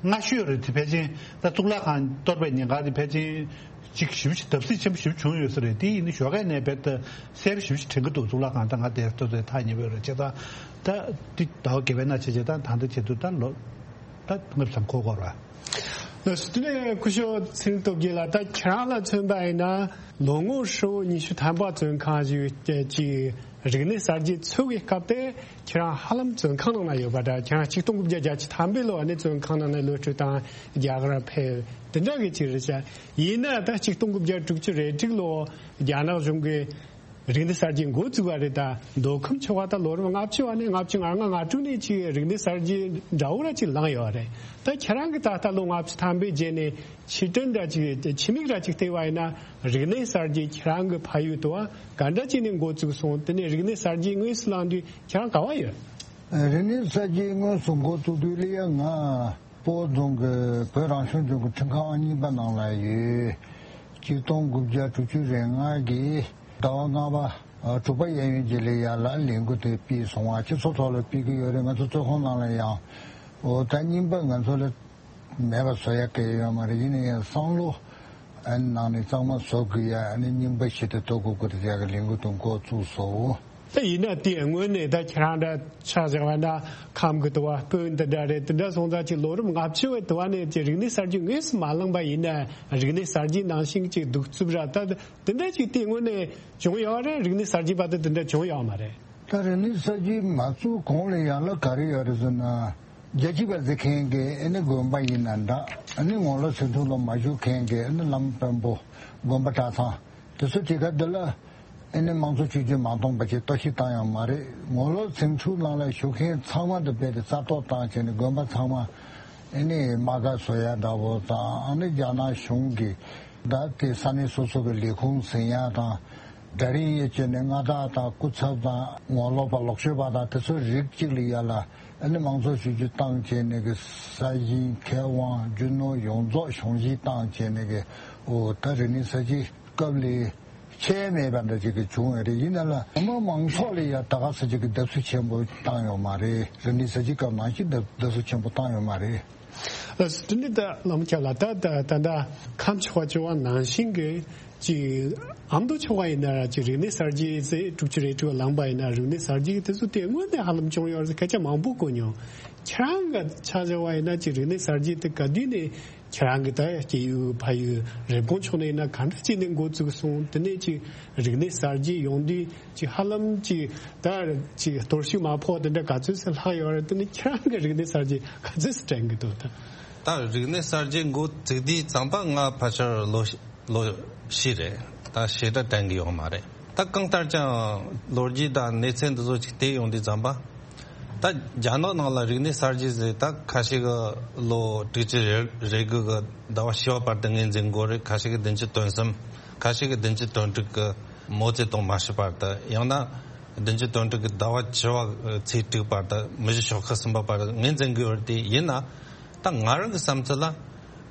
སྔ་ཤོས་རེད་དེ། ཕལ་ཆེར་ད་གཙུག་ལག་ཁང་གཏོར་བའི་ཉེན་ཁ་དེ་ཕལ་ཆེར་ཅིག་ཞེ་པོ་ཅིག་བརྡབ་གསིག་ཆེན་པོ་ཞེ་པོ་བྱུང་ཡོད་ས་རེད། དེ་ཡིན་དུས་ཞོགས་ཀས་ནས་རྦད་དེ་གསལ་པོ་ཞེ་པོ་ཅིག་དྲན་གྱི་འདུག་གཙུག་ལག་ཁང་ད་ང་དེར་ལྟོས་ཚེ་ཐག་ཉེ་པོ་རེད། བྱས་ཙང་ད་འདི་ཟླ་བ་བརྒྱད་པའི་ནང་བྱས་བྱས་ད་ད་ལྟ་བྱེད་དུས་ད་ལོ་ད་ལྔ་བཅུ་ཙམ་འཁོར་འཁོར་བ། དེ་ནས་སྐུ་ཞབས་ཚེ་རིང་སྟོབས་རྒྱལ་ལགས། ད་ཁྱེད་རང་ལ་མཚོན་པ་ཡིན་ན་ལོ་ངོ་ཧྲིལ་པོ་ཉི་ཤུ་ཐམ་པ་བཙོན་ཁང་བཞུགས་ཀྱི་རིག་གནས་གསར་བརྗེ་ཚུགས་ཀྱི་སྐབས་དེ་ཁྱེད་རང་ཧ་ལམ་བཙོན་ཁང་ནང་ན་ཡོད་པ་འདྲ། ཁྱེད་རང་ཆིག་སྟོང་དགུ་བརྒྱ་བརྒྱད་ཅུ་ཐམ་པའི་ལོ་ནས་བཙོན་ཁང་ནང་ནས་གློད་བཀྲོལ་བཏང་རྒྱ་གར་ཕེབས་དེ་འདྲ་གི་ཅིག་རེད་ཤག་ཡིན་ན་ད་ཆིག་སྟོང་དགུ་བརྒྱ་དྲུག་ཅུ་རེ་དྲུག་ལོ་རྒྱ་ནག་གཞུང་གིས་རིག་གནས་གསར་བརྗེ་འགོ་བཙུགས་པ་རེད། ད་མདོ་ཁམས་ཕྱོགས་ཁག་ད་ལོ་རབས་ལྔ་བཅུ་བ་ནས་ལྔ་བཅུ་ང་ལྔ་ང་དྲུག་ནས་ཅིག་རིག་གནས་གསར་བརྗེ་འདྲ་བོ་ར་ཅིག་ལངས་ཡོད་རེད། ད་ཁྱེད་རང་གིས་ད་ལྟ་ལོ་ལྔ་བཅུ་ཐམ་པའི་རྗེས་ནས་ཕྱིར་དྲན་འདྲ་ཅིག་ཕྱི་མིག་ར་ཅིག་བལྟས་པ་ཡིན་ན་རིག་གནས་གསར་བརྗེ་ཁྱེད་རང་གི་ཕ་ཡུལ་དུ་བ་ག་འདྲ་ཅིག་ནས་འགོ་བཙུགས་སོང་། དེ་ནས་རིག་གནས་གསར་བརྗེ་དངོས་སུ་ལངས་དུས་ཁྱེད་རང་ག་བ་ཡོད། རིག་གནས་གསར་བརྗེ་དངོས་སུ་འགོ་བཙུགས་དུས་ལ་ཡ་ང་སྤོ་རྫོང་གི་བོད་རང་སྐྱོང་ལྗོངས་ཀྱི་ཁྲིམས་ཁང་ཨང་གཉིས་པ་ནང་ལ་ཡོད། ཆིག་སྟོང་དགུ་བརྒྱ་དྲུག་ཅུ་རེ་ལྔ་གི་ཟླ་བ་ལྔ་པ་དྲུག་པ་གཡས་གཡོན་བརྗེ་ལེ་ཡ་ལ་ལས་འགུལ་དེ་སྤེལ་སོང་བ། སྤྱི་ཚོགས་ཐོག་ལ་སྤེལ་གི་ཡོད་རེད། ང་ཚོ་བཙོན་ཁང་ནང་ལ་ཡང་འོ་ད་རྙིང་པ་ང་ཚོ་ལ་མེད་པ་བཟོ་ཡ་གལ་ཡོད་མ་རེད། ཡིན་ན་ཡང་བསམ་བློ་ཨ་ནི་ནང་ནས་གཙང་མ་བཟོ་དགོས་ཡ། ཨ་ནི་རྙིང་པ་ཞིག་ཏུ་གཏོར་དགོས་དགོས་དེ་ཡ་གི་ལས་འགུལ་དེ་འགོ་བཙུགས་སོང་། ད་ཡིན་ན་དེ་སྔོན་ནས་ད་ཁྱེད་རང་འདྲ་ཆ་བཞག་པ་ན་ཁམས་ཀྱི་དུ་བ་སྤོན་དེ་འདྲ་རེད། དེ་འདྲ་སོང་ཙང་ཅིག་ལོ་རབས་ལྔ་བཅུ་བའི་དུ་བ་ནས་ཅིག་རིག་གནས་གསར་བརྗེ་དངོས་སུ་མ་ལངས་པ་ཡིན་ན་རིག་གནས་གསར་བརྗེ་ནང་བཞིན་ཅིག་གདུག་རྩུབ་ར་ད་དེ་འདྲ་ཅིག་དེ་སྔོན་ནས་བྱུང་ཡོད་རེད། རིག་གནས་གསར་བརྗེ་བར་དུ་དེ་འདྲ་བྱུང་ཡོད་མ་རེད། ད་རིག་གནས་གསར་བརྗེ་མ་བཙུགས་གོང་ལ་ཡང་ལ་ག་རེ་ཡོད་རེད་ཟེར་ན། རྒྱལ་གཅེས་པ་ཟེར་མཁན་གྱི་ཨ་ནི་དགོན་པ་ཡིན་ན་འདྲ། ཨ་ནི་ངོ་ལོག་ཟིང་འཁྲུག་ལ་མ་ཞུགས་མཁན་གྱི་ཨ་ནི་བླ་མ་དཔོན་པོ་དགོན་པ་གྲྭ་ཚང་དེ་ཚོ་དེ་ག་འདི་ལ་ཨ་ནི་དམངས་གཙོ་བཅོས་བསྒྱུར་མ་གཏོང་པ་ཅིག་གཏོར་བཤིག་བཏང་ཡོད་མ་རེད། ངོ་ལོག་ཟིང་འཁྲུག་ནང་ལ་ཞུགས་མཁན་ཚང་མ་དེ་རྦད་དེ་རྩ་གཏོར་བཏང་བྱས་ནས་དགོན་པ་ཚང་མ་ཨ་ནི་དམག་སྒར་བཟོ་ཡ་འདྲ་བོ་དང་། ཨ་ནི་རྒྱ་ནག་གཞུང་གིས་ད་དེ་ས་གནས་སོ་སོ་གི་ལས་ཁུངས་ཟིན་ཡ་དང་། སྒྲ་རིང་ཡོད་བྱས་ནས་མངའ་བདག་དང་སྐུ་ཚབ་དང་ངོ་ལོག་པ་ལོག་སྤྱོད་པ་དང་དེ་ཚོ་རིགས་གཅིག་ལ་ཡ་ལ་ཨ་ནི་དམངས་གཙོ་བཅོས་བསྒྱུར་བཏང་བྱས་ནས་གི་ས་ཞིང་ཁེ་དབང་རྒྱུ་ནོར་ཡོངས་རྫོགས་གཞུང་བཞེས་བཏང་བྱས་ནས་གི། འོ་ད་རིག་གནས་གསར་བརྗེ་སྐབས་ལས་ཆད་མེད་པ་འདྲ་ཅིག་གི་བྱུང་ཡོད་རེད། ཡིན་ན་ལ་མི་མང་ཚོགས་ལ་ཡ་ད་ག་ས་ཅིག་གི་བརྡབ་གསིག་ཆེན་པོ་བཏང་ཡོད་མ་རེད། རིག་གནས་གསར་བརྗེ་སྐབས་ནང་བཞིན་བརྡབ་བརྡབ་གསིག་ཆེན་པོ་བཏང་ཡོད་མ་རེད། ལགས་སོ། དེ་ནི་ད་བླ་མ་ཁྱེད་ལ་ད་ད་ད་ད་ཁམས་ཕྱོགས་པ་ཆོས་པ་ནང་བཞིན་གྱི་ཅིག་ཨ་མདོ་ཕྱོགས་པ་ཡིན་ན་ཅིག་རིག་གནས་གསར་བརྗེ་ཟེར་དྲུག་ཅུ་རེ་དྲུག་ལངས་པ་ཡིན་ན་རིག་གནས་གསར་བརྗེ་དེ་ཚོ་དེ་སྔོན་ནས་ཧ་ལམ་བྱུང་ཡོད་རེད་ཟེར་སྐད་ཆ་མང་པོ་གོ་མྱོང་། ཁྱེད་རང་གི་ཆ་བཞག་པ་ཡིན་ན་ཅིག་རིག་གནས་གསར་བརྗེ་དེ་ག་དུས་ནས་ཁྱེད་རང་གི་ད་སྐྱེས་ཡུལ་ཕ་ཡུལ་རེབ་གོང་ཕྱོགས་ནས་ཡིན་ན་ག་འདྲ་ཅིག་ནས་འགོ་བཙུགས་སོང་། དེ་ནས་ཅིག་རིག་གནས་གསར་བརྗེ་ཡོང་དུས་ཅིག་ཧ་ལམ་ཅིག་ད་ཅིག་གཏོར་བཤིག་མ་ཕོག་དེ་འདྲ་ག་ཚོད་ཟིན་ལྷག་ཡོད་རེད། དེ་ནི་ཁྱེད་རང་གི་རིག་གནས་གསར་བརྗེ་ག་ཚོད་ཟིན་དྲན་གི་འདུག་ད། ད་རིག་གནས་གསར་བརྗེ་འགོ་བཙུགས་དུས་ཙམ་པ་ང་ཕལ་ཆེར་ལོ་ལོ་བཞི་རེད། ད་ཞེ་དྲག་དྲན་གི་ཡོད་མ་རེད། ད་གང་ལྟར་ཀྱང་ལོ་རྒྱུས་དང་གནས་ཚུལ་འདི་ཚོ་ཅིག་བལྟས་ཡོང་དུས་ཙམ་པ། ད་རྒྱ་ནག་ནང་ལ་རིག་གནས་གསར་བརྗེ་ཟེར་ད་ཁ་ཤས་ཀྱི་ལོ་དྲུག་ཅུ་རེ་རེ་དགུ་གི་ཟླ་བ་བཞི་བ་བར་དུ་ངོས་འཛིན་དགོས་རེད། ཁ་ཤས་ཀྱི་བདུན་ཅུ་དོན་གསུམ། ཁ་ཤས་ཀྱི་བདུན་ཅུ་དོན་དྲུག་གི་མའོ་ཙེ་ཏུང་མ་ཤི་བར་དུ། ཡང་ན་བདུན་ཅུ་དོན་དྲུག་གི་ཟླ་བ་བཅུ་བ་ཚེས་དྲུག་བར་དུ་མི་རྗེ་ཞོགས་ཁ་གསུམ་པ་བར་ངོས་འཛིན་དགོས་རེད། དེ་ཡིན་ན་ད་ང་རང་གི་བསམ་ཚུལ་ལ་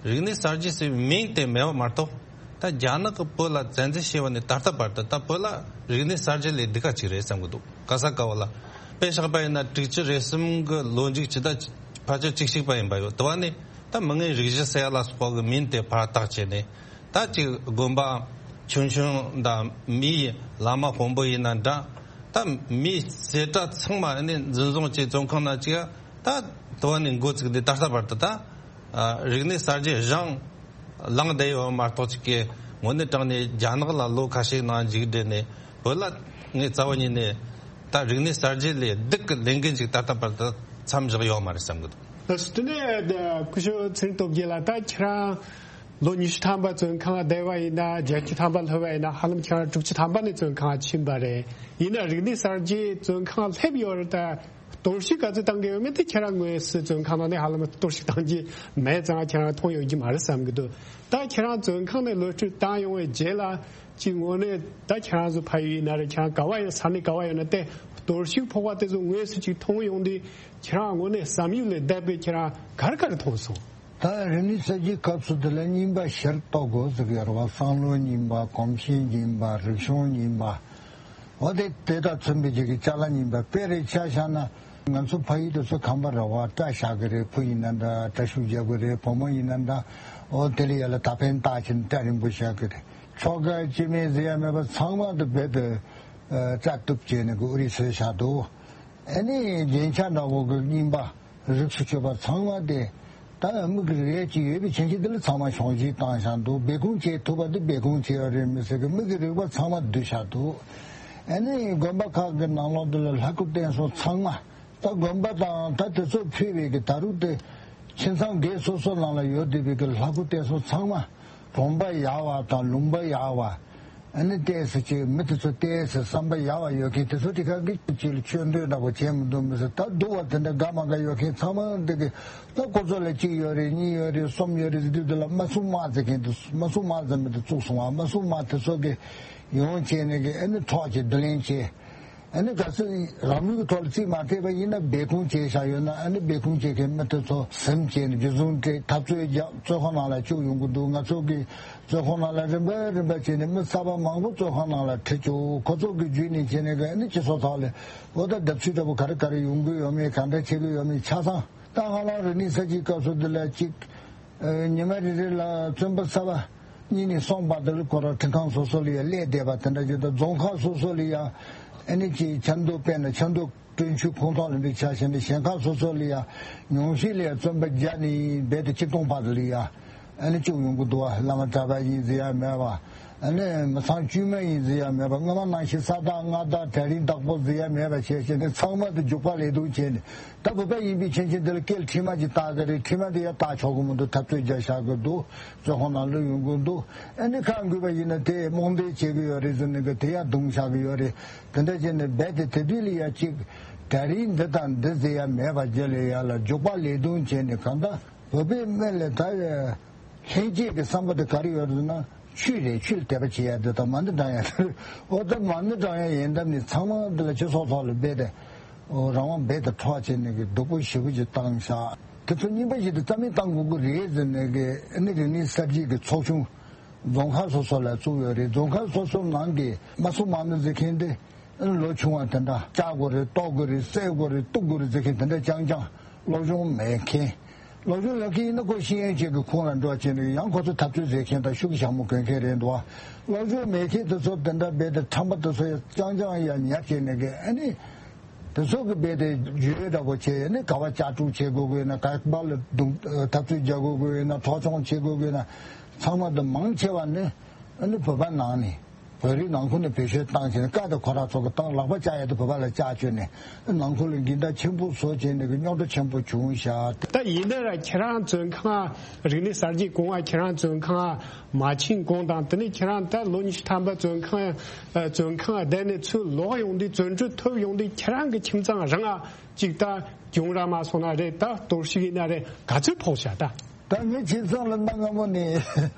རིག་གནས་གསར་བརྗེ་ཟེར་བའི་མིང་དེ་མེད་པ་མ་གཏོགས། ད་རྒྱ་ནག་གིས་བོད་ལ་བཙན་འཛུལ་བྱས་པ་ནས་ད་ལྟ་བར་དུ་ད་བོད་ལ་རིག་གནས་གསར་བརྗེ་ལས་སྡུག་ག་ཅིག་རེད་བསམ་གི་འདུག་ག་ས་ག་བ་ལ། དཔེ་བཞག་པ་ཡིན་ན་དྲུག་ཅུ་རེ་གསུམ་གི་ལོ་མཇུག་ཇི་ལྟར་ཕལ་ཆེར་བཅུ་གཅིག་པ་ཡིན་པ་ཡོད། དེ་བ་ནས་ད་མི་ངན་རིགས་བཞི་ཟེར་ཡ་ལ་སོགས་པའི་མིང་དེ་ཕར་བཏགས་བྱས་ནས། ད་ཅིག་དགོན་པ་ཆུང་ཆུང་དང་མིའི་བླ་མ་དཔོན་པོ་ཡིན་ན་འདྲ། ད་མིའི་བྱེ་བྲག་ཚང་མ་ནི་འཛིན་བཟུང་བྱས་བཙོན་ཁང་ནང་བཅུག་ཡ། ད་དེ་བ་ནས་འགོ་བཙུགས་ཏེ་ད་ལྟ་བར་དུ་ད་ཨ་རིག་གནས་གསར་བརྗེ་རང་ལངས་བསྡད་ཡོད་མ་གཏོགས། ཅིག་གི་དངོས་གནས་དྲང་ནས་རྒྱ་ནག་ལ་ལོ་ཁ་ཤས་ནང་མཇུག་སྒྲིལ་ནས་བོད་ལ་ངས་རྩ་བ་ཉིད་ནས་ད་རིག་གནས་གསར་བརྗེ་ལས་སྡུག་གི་ལས་འགན་ཅིག་ད་ལྟ་བར་དུ་མཚམས་བཞག་ཡོད་མ་རེད་བསམ་གི་འདུག་དེ་ནས་སྐུ་ཞབས་ཚེ་རིང་སྟོབས་རྒྱལ་ལགས། ད་ཁྱེད་རང་ལོ་ཉི་ཤུ་ཐམ་པ་བཙོན་ཁང་བསྡད་པ་ཡིན་ན། བརྒྱད་ཅུ་ཐམ་པ་སླེབས་པ་ཡིན་ན། ཧ་ལམ་ཁྱེད་རང་དྲུག་ཅུ་ཐམ་པ་ནས་བཙོན་ཁང་ཕྱིན་པ་རེད། ཡིན་ན་རིག་གནས་གསར་བརྗེ་བཙོན་ཁང་སླེབས་ཡོད་རེད། ད་གཏོར་བཤིག་ག་ཚོད་བཏང་གི་ཡོད་མེད་དེ་ཁྱེད་རང་དངོས་སུ་བཙོན་ཁང་ནང་ནས་ཧ་ལམ་གཏོར་བཤིག་བཏང་རྒྱུ་མེད་ཙང་ཁྱེད་རང་མཐོང་ཡོད་རྒྱུ་མ་རེད་བསམ་གི་འདུག་ད་ཁྱེད་རང་བཙོན་ཁང་ནས་གློད་བཀྲོལ་བཏང་ཡོང་བའི་རྗེས་ལ་ཅིག་དངོས་གནས་ད་ཁྱེད་རང་ཚོ་ཕ་ཡུལ་ཡིན་ན་རེད། ཁྱེད་རང་ག་བ་ཡོད་ས་གནས་ག་བ་ཡོད་ན་དེ་གཏོར་བཤིག་ཕོག་པ་དེ་ཚོ་དངོས་སུ་ཅིག་མཐོང་ཡོང་དུས་ཁྱེད་རང་དངོས་གནས་བསམ་ཡུལ་ལས་འདས་པའི་ཁྱེད་རང་ག་རེ་ག་རེ་མཐོང་སོང་། ད་རིག་གནས་གསར་བརྗེའི་སྐབས་སུ་དེ་ལ་རྙིང་པ་ཞིག་གཏོར་དགོས་ཟེར་གི་ཡོད་རེད་བ། བསམ་བློ་རྙིང་པ། གོམས་གཤིས་རྙིང་པ། རིག་གཞུང་རྙིང་པ། འོ་དེ་དེ་དང་མཚོན་པའི་ཅིག་གི་ཅ་ལག་རྙིང་པ། དཔེ་རེ་ཆ་བཞག་ན་ ང་ཚོ་ཕ་ཡུལ་དེ་ཚོ་ཁམས་པ་ར་བ་སྐྲ་བཞར་གི་རེད། བུ་ཡིན་ན་འདྲ་སྐྲ་ཤུབས་རྒྱག་གི་རེད། བུ་མོ་ཡིན་ན་འདྲ་འོ་དེ་ལ་ཡ་ལ་ད་ཕན་བཏགས་ཕྱིན་སྐྲ་རིང་པོ་བཞར་གི་རེད། ཆོ་ག་སྐྱེ་དམན་ཟེར་ཡ་མེད་པ་ཚང་མ་དེ་རྦད་དེ་སྐྲ་གཏུབ་བྱས་ནས་གི་ཨུ་རི་སོས་བཞག་འདུག་ཨ་ནི་རྒྱན་ཆ་འདྲ་བོ་གི་རྙིང་པ་རིགས་སུ་ཆོད་པ་ཚང་མ་དེ་ད་མིག་གི་རིགས་ཅིག་ཡོད་པའི་ཆ་ཤས་དེ་ལ་ཚང་མ་ཤོང་ཤིང་བཏང་བཞག་འདུག་སྦས་སྐུང་བྱེད་ཐུབ་པ་དེ་སྦས་སྐུང་བྱས་ཡོད་རེད་མི་ཟེར་གི་མིག་གི་རིག་པ་ཚང་མ་བསྡུས་བཞག་འདུག་ཨ་ནི་དགོན་པ་ཁག་གི་ནང་ལོགས་དེ་ལ་ལྷ་སྐུ་རྟེན་སྲུང་ཚང་མ། ད་དགོན་པ་དང་ད་དེ་ཚོ་ཕུལ་བའི་གི་ད་རུང་དེ་ཁྱིམ་ཚང་སྒེར་སོ་སོ་ནང་ལ་ཡོད་བསྡད་པའི་གི་ལྷ་སྐུ་རྟེན་སྲུང་ཚང་མ་གྲོང་པ་ཡག་པ་དང་ལུང་པ་ཡག་པ། ཨ་ནི་ཏོག་ཙམ་ཅིག་མི་དེ་ཚོ་ཏོག་ཙམ་བསམ་པ་ཡག་པ་ཡོད་མཁན་དེ་ཚོ་དེ་ག་གི་ཅིག་ལ་ཆོས་འདོན་འདྲ་པོ་བྱས་མི་འདུག་མི་ཟེར། ད་སྡུག་པ་དེ་འདྲ་དགའ་མ་དགའ་ཡོད་མཁན་ཚང་མ་འདི་གི་ད་ཁོ་ཚོ་ལ་གཅིག་ཡོད་རེད། གཉིས་ཡོད་རེད། གསུམ་ཡོད་རེད་ཟེར་དུས་དེ་ལ་མ་སྲུང་དམག་ཟེར་མཁན་དེ་མ་སྲུང་དམག་ཟེར་མི་དེ་བཙུགས་སོང་བ། མ་སྲུང་དམག་དེ་ཚོ་གི་ཡོང་བྱས་ནས་གི་ཨ་ནི་འཕྲོག་བྱས་བསྡུ་ལེན་བྱས། ཨ་ནི་གལ་སྲིད་རང་ལུས་ཀྱི་ཐོག་ལ་རྩིས་མ་ཐེབས་པ་ཡིན་ན་སྦས་སྐུང་བྱས་བཞག་ཡོད་ན་ཨ་ནི་སྦས་སྐུང་བྱེད་མཁན་མི་དེ་ཚོ་ཟིན་བྱས་ནས་རྒྱུ་ཟུང་སྤྲད་འཐབ་རྩོད་རྒྱག་བཙོན་ཁང་ནང་ལ་བཅུག་ཡོང་གི་འདུག་ང་ཚོ་གི་བཙོན་ཁང་ནང་ལ་རིམ་པ་རིམ་པ་བྱས་ནས་མི་གསར་པ་མང་པོ་བཙོན་ཁང་ནང་ལ་ཁྲིད་བཅུག་ཁོ་ཚོ་གི་བརྒྱུད་ནས་བྱས་ནས་གི་ཨ་ནི་སྤྱི་ཚོགས་ཐོག་ལ་འོ་ད་བརྡབ་གསིག་འདྲ་པོ་ག་རེ་ག་རེ་ཡོང་གི་ཡོད་མེད་ག་འདྲ་བྱེད་ཀྱི་ཡོད་མེད་ཆ་ཚང་ད་ཧ་ལམ་རིག་གནས་གསར་བརྗེའི་སྐབས་སུ་འདི་ལ་གཅིག་ཉི་མ་རེ་རེ་ལ་བཙོན་པ་གསར་པ་གཉིས་ནས་གསུམ་བར་དུ་ལ་ཁོ་རང་ཁྲིམས་ཁང་སོ་སོ་ལ་ཡང་སླེབས་བསྡད་པ་དེ་འདྲ་ཅིག་དང་རྫོང་ཁག་སོ་སོ་ལ་ཡང་ཨ་ནི་ཅིག་ཆབ་མདོ་དཔེར་ན་ཆབ་མདོ་བསྟན་ཆོས་ཁོངས་གཏོགས་ལ་འདི་ཆ་བཞག་ན་གཞན་ཁག་སོ་སོ་ལ་ཡང་ཉུང་ཤས་ལ་ཡང་བཙོན་པ་བརྒྱ་ནས་རྦད་དེ་ཆིག་སྟོང་བར་དུ་ལ་ཡང་ཨ་ནི་བཅུག་ཡོང་གི་འདུག་བ། བླ་མ་གྲྭ་པ་ཡིན་ཟེར་ཡ་མེད་པ། ཨ་ནི་མི་ཚང་དཀྱུས་མ་ཡིན་ཟེར་ཡ་མེད་པ། སྔ་མ་ནང་བཞིན་ས་བདག་མངའ་བདག་གྲལ་རིམ་བདག་པོ་ཟེར་ཡ་མེད་པ་བྱས་བྱས་ནས་ཚང་མ་དེ་རྒྱུག་པ་ལས་དུང་བྱས་ནས་ད་བོད་པ་ཡིན་པའི་ཆ་ཤས་འདི་ལ་སྐེ་ལ་ཁྲིད་མ་ཅིག་བཏགས་གི་རེད། ཁྲིད་མ་དེ་ཡང་བཏགས་ཆོག་གི་མི་འདུག་འཐབ་རྩོད་རྒྱག་བཞག་གི་འདུག་བཙོན་ཁང་ནང་ལུས་ཡོང་གི་འདུག་ཨ་ནི་ཁ་འགུལ་བ་ཡིན་ན་དེ་རྨོངས་དད་བྱེད་གི་ཡོད་རེད་ཟེར་ནས་གི་དེ་ཡང་རྡུང་བཞག་གི་ཡོད་རེད། དེ་འདྲ་བྱས་ནས་རྦད་དེ་དེ་དུས་ལ་ཡ་གཅིག་གྲལ་རིམ་འདི་དང་འདི་ཟེར་ཡ་མེད་པ་རྗེས་ལ་ཡ་ལ་རྒྱུག་པ་ལས་དུང་བྱས་ནས་གང་ལྟར་བོད་པའི་སྨན་ལ་ད་ཡ། ལྷན་སྐྱེས་ཀྱི་བསམ་པ་དེ་ག་རེ་ཡོད་རེད་ཟེར་ན་ཆོས་རེད། ཆོས་ལ་དད་པ་བྱེད་ཡ་དེ་དང་མ་ཎི་བགྲང་ཡ་དེ་རེད། འོ་ད་མ་ཎི་བགྲང་ཡ་ཡིན་སྟབས་ནི་ཚང་མ་འདི་ལ་སྤྱི་ཚོགས་ཐོག་ལ་རྦད་དེ་འོ་རང་དབང་རྦད་དེ་འཕྲོག་བྱས་ནས་གི་སྡུག་པོ་ཞེ་པོ་ཅིག་བཏང་ཤག་དེ་ཚོ་རྙིང་པ་ཞིག་དེ་རྩ་མེད་བཏང་དགོས་ཀྱི་རེད་ཟེར་ནས་གི་ཨ་ནི་རིག་གནས་གསར་བརྗེ་གི་ཚོགས་ཆུང་རྫོང་ཁག་སོ་སོ་ལ་བཙུགས་ཡོད་རེད། རྫོང་ཁག་སོ་སོ་ནང་གི་མ་སྲུང་དམག་མི་ཟེར་མཁན་དེ། ལོ་ཆུང་བ་དེ་འདྲ་བཅག་དགོས་རེད། གཏོར་དགོས་རེད། བསད་དགོས་རེད། གཏུབ་དགོས་རེད་ཟེར་མཁན་དེ་འདྲ་རྐྱང་རྐྱང་། སློབ་སྦྱོང་མེད་མཁན། སློབ་སྦྱོང་ཡོད་མཁན་ཡིན་ན་ཁོ་ཤེས་ཡོན་ཅན་གྱི་ཁོངས་ལ་འགྲོ་བྱས་ནས་ཡང་ཁོ་ཚོ་འཐབ་རྩོད་བྱེད་མཁན་དང་ཤུགས་ཀྱིས་ཞྭ་མོ་གོན་མཁན་རེད་འདུག་སློབ་སྦྱོང་མེད་མཁན་དེ་ཚོ་དེ་འདྲ་རྦད་དེ་ཁྲམ་པ་དེ་ཚོ་ཡང་རྐྱང་རྐྱང་ཡང་ཉར་བྱས་ནས་གི་ཨ་ནི། དེ་ཚོ་གི་རྦད་དེ་བརྗོད་འདྲ་པོ་བྱས་ནས་ག་བ་ལྕགས་སྒྲོག་བྱེད་དགོས་དགོས་ན་ག་བ་ལ་རྡུང་འཐབ་རྩོད་རྒྱག་དགོས་དགོས་ན་འཕྲོག་བཅོམ་བྱེད་དགོས་དགོས་ན་ཚང་མ་དེ་མང་ཆེ་བ་ནི་ཨ་ནི་བོད་པ་ནང་ནས། བོད་རིགས་ནང་ཁུལ་ནས་བེད་སྤྱོད་བཏང་བྱས་ནས་བཀའ་དང་གོ་ར་ཚོ་གི་བཏང་ལག་པ་བཅག་ཡ་དེ་བོད་པ་ལ་བཅག་བཅོས་ནས་ནང་ཁུལ་ལ་འགལ་ཟླ་ཆེན་པོ་བཟོ་བྱས་ནས་གི་རྙོག་དྲ་ཆེན་པོ་བྱུང་ཤག་ད་ཡིན་ན་ར་ཁྱེད་རང་བཙོན་ཁང་རིག་གནས་གསར་བརྗེ་གོང་བ་ཁྱེད་རང་བཙོན་ཁང་མ་ཕྱིན་གོང་དང་དེ་ནས་ཁྱེད་རང་ད་ལོ་ཉི་ཤུ་ཐམ་པ་བཙོན་ཁང་བཙོན་ཁང་བསྡད་ནས་ཚུར་ལོག་ཡོང་དུས་བཙོན་གྲོལ་ཐོབ་ཡོང་དུས་ཁྱེད་རང་གི་ཁྱིམ་ཚང་རང་ཨ་ཅིག་ད་གྱོང་རག་མ་སོང་ན་རེད། ད་གཏོར་བཤིག་ཡིན་ན་རེད། ག་ཚོད་ཕོག་ཤག་ད། ད་ངའི་ཁྱིམ་ཚང་ལ་གནའ་སྔ་མོ་ནས་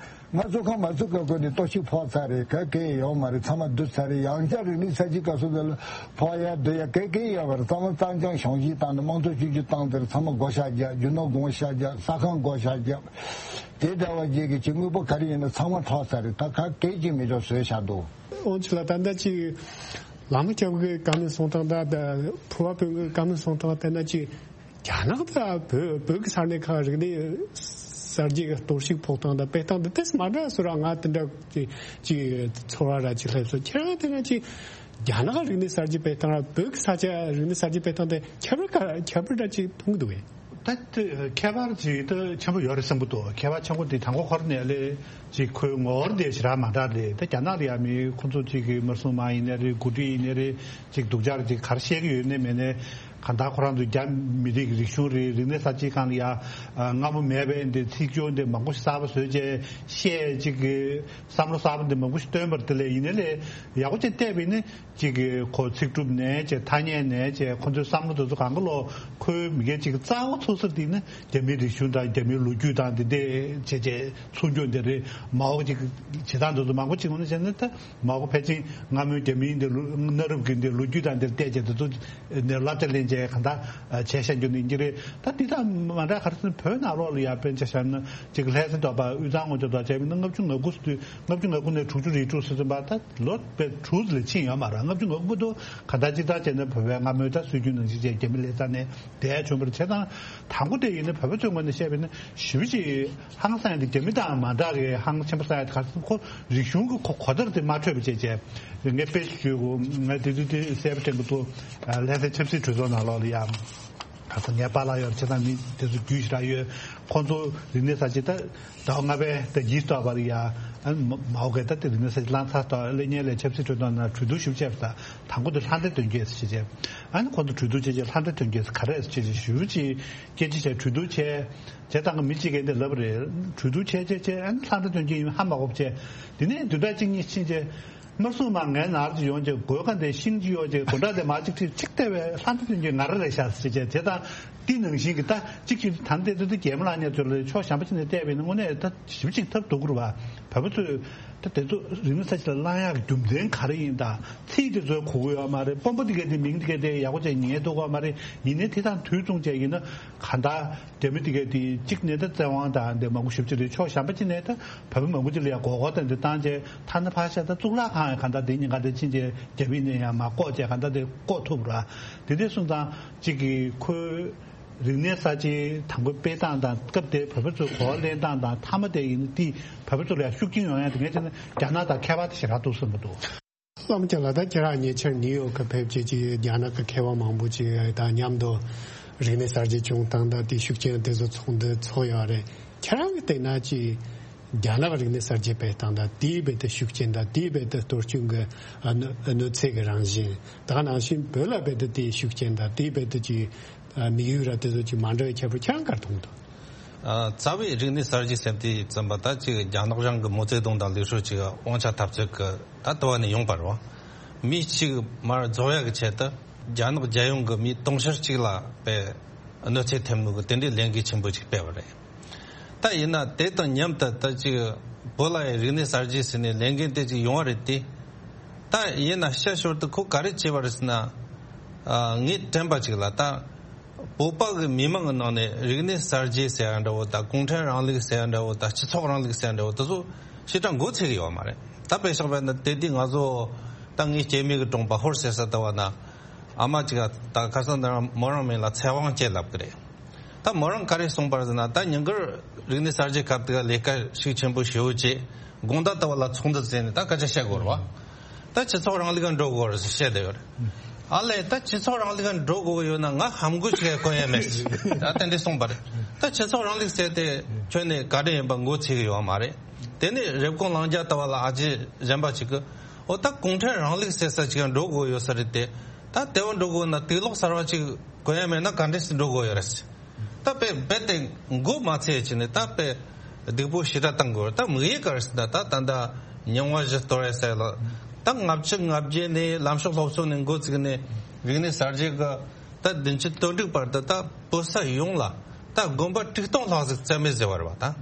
ང་བཙོན་ཁང་མ་བཙུགས་སྐབས་ཀྱི་ནས་གཏོར་བཤིག་ཕོག་ཚར་རེད། ག་གེ་ཡོད་མ་རེད། ཚང་མ་བསྡུ་ཚར་རེད། ཡང་བསྐྱར་རིག་གནས་གསར་བརྗེ་སྐབས་སུ་དེ་ལ་ཕོག་ཡ་བསྡུ་ཡ་ག་གེ་ཡོད་མ་རེད། ཚང་མ་གཙང་རྐྱང་གཞོང་བཞེས་བཏང་ནས་དམངས་གཙོ་བཅོས་བསྒྱུར་བཏང་དེར་ཚང་མ་བགོ་བཤའ་རྒྱབ། རྒྱུ་ནོར་བགོ་བཤའ་རྒྱབ། ས་ཁང་བགོ་བཤའ་རྒྱབ། དེ་འདྲ་བ་བརྒྱད་ཀྱི་ཅིག་དངོས་པོ་ག་རེ་ཡིན་ན་ཚང་མ་འཕྲོག་ཚར་རེད། ད་ག་གེ་ཅིག་མི་འཇོག་བཟོས་བཞག་འདུག་ཨོ་ཆི་ལ་ད་ལྟ་ཅིག་བླ་མ་སྐྱབས་ཀྱི་བཀའ་མོལ་གསུང་སྟངས་དང་ཕུར་པ་དཔོན་གྱི་བཀའ་མོལ་གསུང་སྟངས་བལྟས་ན་ཅིག་རྒྱ་ནག་དང་བོད་བོད་ཀྱི་ས་གནས་ཁག་རིག་གནས་གསར་བརྗེ་གི་གཏོར་བཤིག་ཕོག་སྟངས་དང་སྤེལ་སྟངས་དེ་ཏོག་ཙམ་མ་འདྲ་བཟོ་ར། ང་དེ་འདྲ་ཅིག་ཅིག་ཚོར་བ་ར་ཅིག་སླེབས་སོང་། ཁྱེད་རང་དེ་ན་ཅིག་རྒྱ་ནག་རིག་གནས་གསར་བརྗེ་སྤེལ་སྟངས་ར་བོད་ཀྱི་ས་ཆ་རིག་གནས་གསར་བརྗེ་སྤེལ་སྟངས་དེ་ཁྱད་པར་ག་ཁྱད་པར་འདྲ་ཅིག་མཐོང་གི་འདུག་གས། ད་ཁྱད་པར་ཅིག་ད་ཆེན་པོ་ཡོད་རེད་བསམ་གྱི་འདུག་ཁྱད་པར་ཆེན་པོ་དེ་དང་པོ་ཁོ་རང་ནས་ལས་ཅིག་ཁོའི་ངོ་བོ་དེ་ཞེ་དྲག་མ་འདྲ་རེད། ད་རྒྱ་ནག་ལ་ཡ་མི་ཁོ་ཚོ་ཅིག་གི་མ་སྲུང་དམག་ཡིན་ནའི་རེད། འགོ་ཁྲིད་ཡིན་ནའི་རེད། ཅིག་སྡུག་ཅག་ཅིག་ག་རེ་བཤད་ཀྱི་ཡོད་ནའི་མེད་ནའི། གང་ལྟར་ཁོ་རང་ཚོ་རྒྱ་མི་རིགས་རིག་གཞུང་རེད། རིག་གནས་གསར་བརྗེའི་སྒང་ལ་ཡ་སྔ་མོ་མེད་པའི་འདི་ཚིག་སྦྱོར་འདི་མང་པོ་ཞིག་གསར་པ་བཟོས་བྱས་བཤད། ཅིག་གི་བསམ་བློ་གསར་པ་འདི་མང་པོ་ཞིག་བཏོན་པ་རེད། དེ་ལས་ཡིན་ནའི་ལས་ཡག་པོ་ཅིག་བལྟས་པ་ཡིན་ན་ཅིག་གི་ཁོ་ཚིག་གྲུབ་ནས་བྱས་ཐ་སྙད་ནས་བྱས་ཁོ་ཚོའི་བསམ་བློ་དེ་ཚོ་གང་ག་ལོ་ཁོའི་མི་སྒེར་ཅིག་གི་རྩ་བ་ཚུགས་ས་དེ་ནི་རྒྱ་མིའི་རིག་གཞུང་དང་རྒྱ་མིའི་ལོ་རྒྱུས་དང་དེ་འདྲས་བྱས་བྱས་ཚུགས་རྒྱུ་འདི་རེད། མའོ་ཅིག་བྱེད་སྟངས་དེ་ཚོ་མང་པོ་ཅིག་ངོ་ནས་བྱས་ན་ད། མའོ་ཕལ་ཆེར་སྔ་མོའི་རྒྱ་མིའི་འདི་ལོ་གནའ་རབས་ཀྱི་འདི་ལོ་རྒྱུས་དང་འདིར་བལྟས་བྱས་དེ་ཚོ་ནས་བསླབ་བྱ་ལེན་ ཅེས་གང་ལྟར་བྱས་བཞག་རྒྱུ་ནི་འདི་རེད། ད་འདི་དང་མ་འདྲ་ག་རེ་ཟེར་ན་བོད་ནང་ལོགས་ལ་ཡང་དཔེར་ན་ཆ་བཞག་ན་ཅིག་ལྷ་ས་དོག་པ་དབུས་གཙང་ངོས་ཐོག་དང་བྱས་པ་ཡིན་ན་ལྔ་བཅུ་ང་དགུ་ཟེར་དུས་ལྔ་བཅུ་ང་དགུ་ནས་དྲུག་ཅུ་རེ་དྲུག་ཟེར་ཙམ་པ་ད་ལོ་དཔེ་དྲུག་ལས་ཕྱིན་ཡོད་མ་རེད། ལྔ་བཅུ་ང་དགུ་དུ་གང་ལྟར་སྤྱིར་བཏང་བྱས་ན་བོད་པའི་སྔ་མོའི་ད་སྲོལ་རྒྱུན་ནང་བཞིན་བྱས་རྒྱ་མི་ལྷ་ས་ནས་བསྡད་བྱུང་བ་རེད། བྱས་ཙང་དང་པོ་དེ་ཡིན་ན་བོད་པ་ཚོའི་ངོས་ནས་བཤད་པ་ཡིན་ན་ཞེ་པོ་ཅིག་ཧང་སང་ཡ་དེ་རྒྱ་མི་དང་མ་འདྲ་བའི་ཧང་ཆེན་པོ་སང་ཡ་དེ་ག་རེ་ཟེར་ན་ཁོ་རིག་གཞུང་གི་ཁོ་གོ་བརྡ་དེ་མ་འཕྲོད་པ་བྱས་བྱས། ངས་དཔེ་ཞུ་དགོས། ང་དེ་དུས་དེ་གསལ་པོ་དྲན་གྱི་འདུག་ལྷ་སའི་ཆབ་སྲིད་གྲོས་ཚོགས་ནང་ལོགས་ལ་ཡང་ག་ཚོད་ངའི་པཱ་ལགས་ཡོད་རེད། བྱས་ཙང་མི་དེ་ཚོ་རྒྱུས་ཞེ་དྲག་ཡོད། ཁོང་ཚོ་རིག་གནས་གསར་བརྗེ་ད་ཟླ་བ་ལྔ་པའི་ད་ཉིས་སྟོང་བར་ཡ་ཨ་མ་འོ་གས་ད་དེ་རིག་གནས་གསར་བརྗེ་བླངས་ཚར་ཐོག་སླེབས་མཁན་ལ་ཆབ་སྲིད་གྲོས་ཚོགས་ནང་གྲོས་བསྡུར་ཞིབ་བྱས་པ་ད་དང་པོ་དེ་ལྷ་འདྲེ་དོན་རྐྱེན་ཟེར་བྱས། ཨ་ནི་ཁོང་ཚོ་གྲོས་བསྡུར་བྱས་རྗེས་ལྷ་འདྲེ་དོན་རྐྱེན་ག་རེ་ཟེར་བྱས་ཞུ་ཅིག་སྐད་ཆ་བྱས་གྲོས་བསྡུར་བྱས། བྱས་ཙང་གི་མི་གཅིག་གིས་འདི་ལབ་པ་རེད། གྲོས་བསྡུར་བྱས་བྱས་བྱས་ཨ་ནི་ལྷ་འདྲེ་དོན་རྐྱེན་ཡིན་ཧ་མ་གོ་བྱས། དེ་ནས་བདུན་ཕྲག་གཅིག་གཉིས་ཕྱིན་རྗེས། དམར་སྲུང་མ་ངའི་ནང་ལ་ཅིག་ཡོང་རྗེས་སྒོ་ཁ་འདི་ཤིང་ཅིག་གཡོགས་རྗེས་སྒོ་འགྲམ་དེ་མར་ཅིག་ཁྲིད་ཅིག་བལྟས་པས་ལྷ་འདྲེ་དོན་རྐྱེན་ང་རང་རེད་ཤག་ཟེར་བྱས་བྱས་ཙང་། འདི་ནང་བཞིན་གྱི་ད་གཅིག་གཅིག་ད་ལྟའི་དུས་ད་རྒྱལ་མོ་ལགས་ཉེ་ཚོ་ལ་ཕྱོགས་གཞན་པ་ཅིག་ནས་བལྟས་པས་ན་དངོས་གནས་ད་ཞིབ་ཅིག་ཐབས་སྡུག་གི་རེད་བ། བོད་པ་ཚོས་ད་དེ་ཚོ་རིག་གནས་གསར་བརྗེ་ལ་བླང་ཡག་གི་རྒྱུ་མཚན་ག་རེ་ཡིན་དང་ཚིག་དེ་ཚོའི་གོ་གི་ཡོད་མ་རེད། དཔོན་པོ་དེ་གས་དེ་མིང་དེ་གས་དེ་ཡག་པོ་བྱས་ཉན་ཐུབ་ཀྱི་ཡོད་མ་རེད། ཡིན་ནའི་དེ་དང་དུས་མཚུངས་བྱས་ཡིན་ན་གང་ལྟར་རྒྱ་མི་དེ་གས་དེ་གཅིག་ནས་ད་བཙན་དབང་དང་དེ་མང་པོ་ཞིབ་ཅིག་རེད། ཕྱོགས་གཞན་པ་ཅིག་ནས་ད་བོད་པ་མང་པོ་ཅིག་ལ་ཡང་མགོ་སྐོར་དང་དེ་བཏང་རྗེས་ཐ་ན་ཕར་བཞག་ད་གཙུག་ལག་ཁང་ཡང་གང་ལྟར་དེ་ཉིན་གང་དེ་ཕྱིན་རྗེས་རྒྱ་མི་ནས་ཡང་མར་བཀོག་རྗེས་གང་ལྟར་དེ་བཀོག་ཐུབ་ར། དེ་འདྲ་སོང་ཙང་གཅིག་གིས་ཁོའི་རིག་གནས་གསར་བརྗེའི་དང་པོའི་སྤེལ་སྟངས་དང་སྐབས་དེར་བོད་པ་ཚོས་གོ་བ་ལེན་སྟངས་དང་མཐའ་མ་དེ་ཡིན་ན་དེ་བོད་པ་ཚོ་ལ་ཡང་ཤུགས་རྐྱེན་ཡོང་ཡ་དེ་ངས་བྱས་ན་རྒྱ་ནག་དང་ཁྱད་པར་དེ་ཞེ་དྲག་འདུག་བསམ་གྱི་འདུག། བླ་མ་ཁྱེད་ལ་ད་ཁྱེད་རང་ཉེ་ཆར་ནིའུ་ཡོག་གི་ཕེབས་བྱས་ཀྱི་རྒྱ་ནག་གི་མཁས་དབང་མང་པོ་ཅིག་དང་མཉམ་དུ་རིག་གནས་གསར་བརྗེ་བྱུང་སྟངས་དང་དེའི་ཤུགས་རྐྱེན་དེ་ཚོ་ཚོགས་འདུ་ཚོགས་ཡོད་རེད། ཁྱེད་རང་གིས་བལྟས་ན་ཅིག་རྒྱ་ནག་རིག་གནས་གསར་བརྗེ་སྤེལ་སྟངས་དང་དེའི་རྦད་དེ་ཤུགས་རྐྱེན་དང་དེའི་རྦད་དེ་གཏོར་སྐྱོན་གྱི་གནོད་གནོད་འཚེ་གི་རང་བཞིན་དེ་ག་ནང་བཞིན་བོད་ལ་རྦད་དེ་དེའི་ཤུགས་རྐྱེན་དང་དེའི་རྦད་དེ་ཅིག་དམིགས་ཡུལ་ར་དེ་ཚོ་ཅིག་མ་འདྲ་བའི་ཁྱད་པར་ཁྱེད་རང་ག་རེ་མཐོང་འདུག། ཨ། རྩ་བའི་རིག་གནས་གསར་བརྗེ་ཟེར་དུས་ཙམ་པ་ད་ཅིག་རྒྱ་ནག་རང་གི་མའོ་ཙེ་ཏུང་དང་ལི་ཧྲོ་ཅིག་དབང་ཆ་འཐབ་རྩོད་ཀྱི་ད་ལྟ་བ་ནས་ཡོང་པ་རེད་བ། མི་གཅིག་མར་རྫོགས་ཡག་གི་ཆེད་དུ་རྒྱ་ནག་རྒྱལ་ཡོངས་ཀྱི་མི་དུང་ཕྱུར་གཅིག་ལ་དཔེ་གནོད་འཚེ་ཐེབས་ནུས་ཀྱི་དེ་འདྲའི་ལས་འགུལ་ཆེན་པོ་ཅིག་སྤེལ་བ་རེད། ད་ཡིན་ན་དེ་དང་མཉམ་དུ་ད་ཅིག་བོད་ལ་ཡང་རིག་གནས་གསར་བརྗེ་ཟེར་ནས་ལས་འགུལ་དེ་ཅིག་ཡོང་བ་རེད་དེ། ད་ཡིན་ན་བཤད་ཞོར་དུ་ཁོ་ག་རེ་བྱས་པ་རེད་ཟེར་ན། ཨ། ངས་དྲན་པ་ཅིག་ལ་ད། བོད་པ་གི་མི་མང་གི་ནང་ནས་རིག་གནས་གསར་བརྗེ་ཟེར་ཡ་འདྲ་བོ་དང་གུང་ཁྲན་རིང་ལུགས་ཟེར་ཡ་འདྲ་བོ་དང་སྤྱི་ཚོགས་རིང་ལུགས་ཟེར་ཡ་འདྲ་བོ་དེ་ཚོ་ཞེ་དྲག་མགོ་ཚོས་ཀྱི་ཡོད་མ་རེད། ད་དཔེ་བཞག་པ་ན་དེ་དུས་ང་ཚོ་ད་ངའི་སྐྱེས་དམན་གྱི་གྲོང་པ་ཧོར་ཟེར་ས་ལྟ་བ་ན་ཨ་མ་ཅིག་ག་ད་ཁ་སང་ད་མོ་རང་མིང་ལ་ཚེ་དབང་ཅེས་ལབ་ཀྱི་རེད། ད་མོ་རང་ག་རེ་གསུངས་པ་རེད་ཟེར་ན་ད་ཉིན་དཀར་རིག་གནས་གསར་བརྗེ་སྐབས་དེ་ག་ལས་ཀ་ཤུགས་ཆེན་པོ་ཞེ་པོ་བྱས་དགོང་དག་ལྟ་བུ་ལ་ཚོགས་འདུ་བཙལ་ནས་ད་སྐད་ཆ་བཤད་དགོས་རེད་བ། ད་སྤྱི་ཚོགས་རིང་ལུགས་ལ་འགྲོ་དགོས་རེད་ཟེར་བཤད་བསྡད་ཡོད་རེད། ཨ་ལས་ད་སྤྱི་ཚོགས་རིང་ལུགས་ལ་འགྲོ་དགོས་ཡོད་ན་ང་ཧམ་གོ་ཞིག་གོན་ཡ་མེད་ཟེར་ད་དེ་འདྲ་གསུངས་པ་རེད། ད་སྤྱི་ཚོགས་རིང་ལུགས་ཟེར་དེ་ཁྱོན་ནས་ག་འདྲ་ཡིན་པ་མགོ་ཚོས་ཀྱི་ཡོད་མ་རེད། དེ་ནས་རེབ་གོང་ལང་རྒྱ་ལྟ་བུ་ལ་ཨ་ཅེ་གཞན་པ་ཞིག་གིས་ཨོ་ད་གུང་ཁྲན་རིང་ལུགས་ཟེར་ས་ཅིག་འགྲོ་དགོས་ཡོད་ས་རེད་དེ། ད་དེ་བ་འགྲོ་དགོས་ན་དུག་ལོག་གསར་བ་ཅིག་གོན་ཡ་མེད་ན་ག་འདྲས་སེ་འགྲོ་དགོས་ཡོད་རེད། ད་དཔེ་རྦད་དེ་མགོ་མ་ཚོས་བྱས་ནས་ད་དཔེ་སྡུག་པོ་ཞེ་དྲག་བཏང་དགོས་རེད། ད་དམིགས་ཡུལ་ག་རེ་ཟེར་ན་ད་ད་ད་རྙིང་བ་བཞི་གཏོར་ཡ་ཟེར་ལ་ད་ལྔ་བཅུ་ང་བརྒྱད་ནས་ལམ་ཕྱོགས་སློབ་གསོ་ནས་འགོ་བཙུགས་ནས་རིག་གནས་གསར་བརྗེ་གི་ད་བདུན་ཅུ་དོན་དྲུག་བར་དུ་ད་བོད་ས་ཡོངས་ལ་ད་དགོན་པ་དྲུག་སྟོང་ལྷག་ཟིག་བཙལ་མེད་བཟོས་པ་རེད་བ།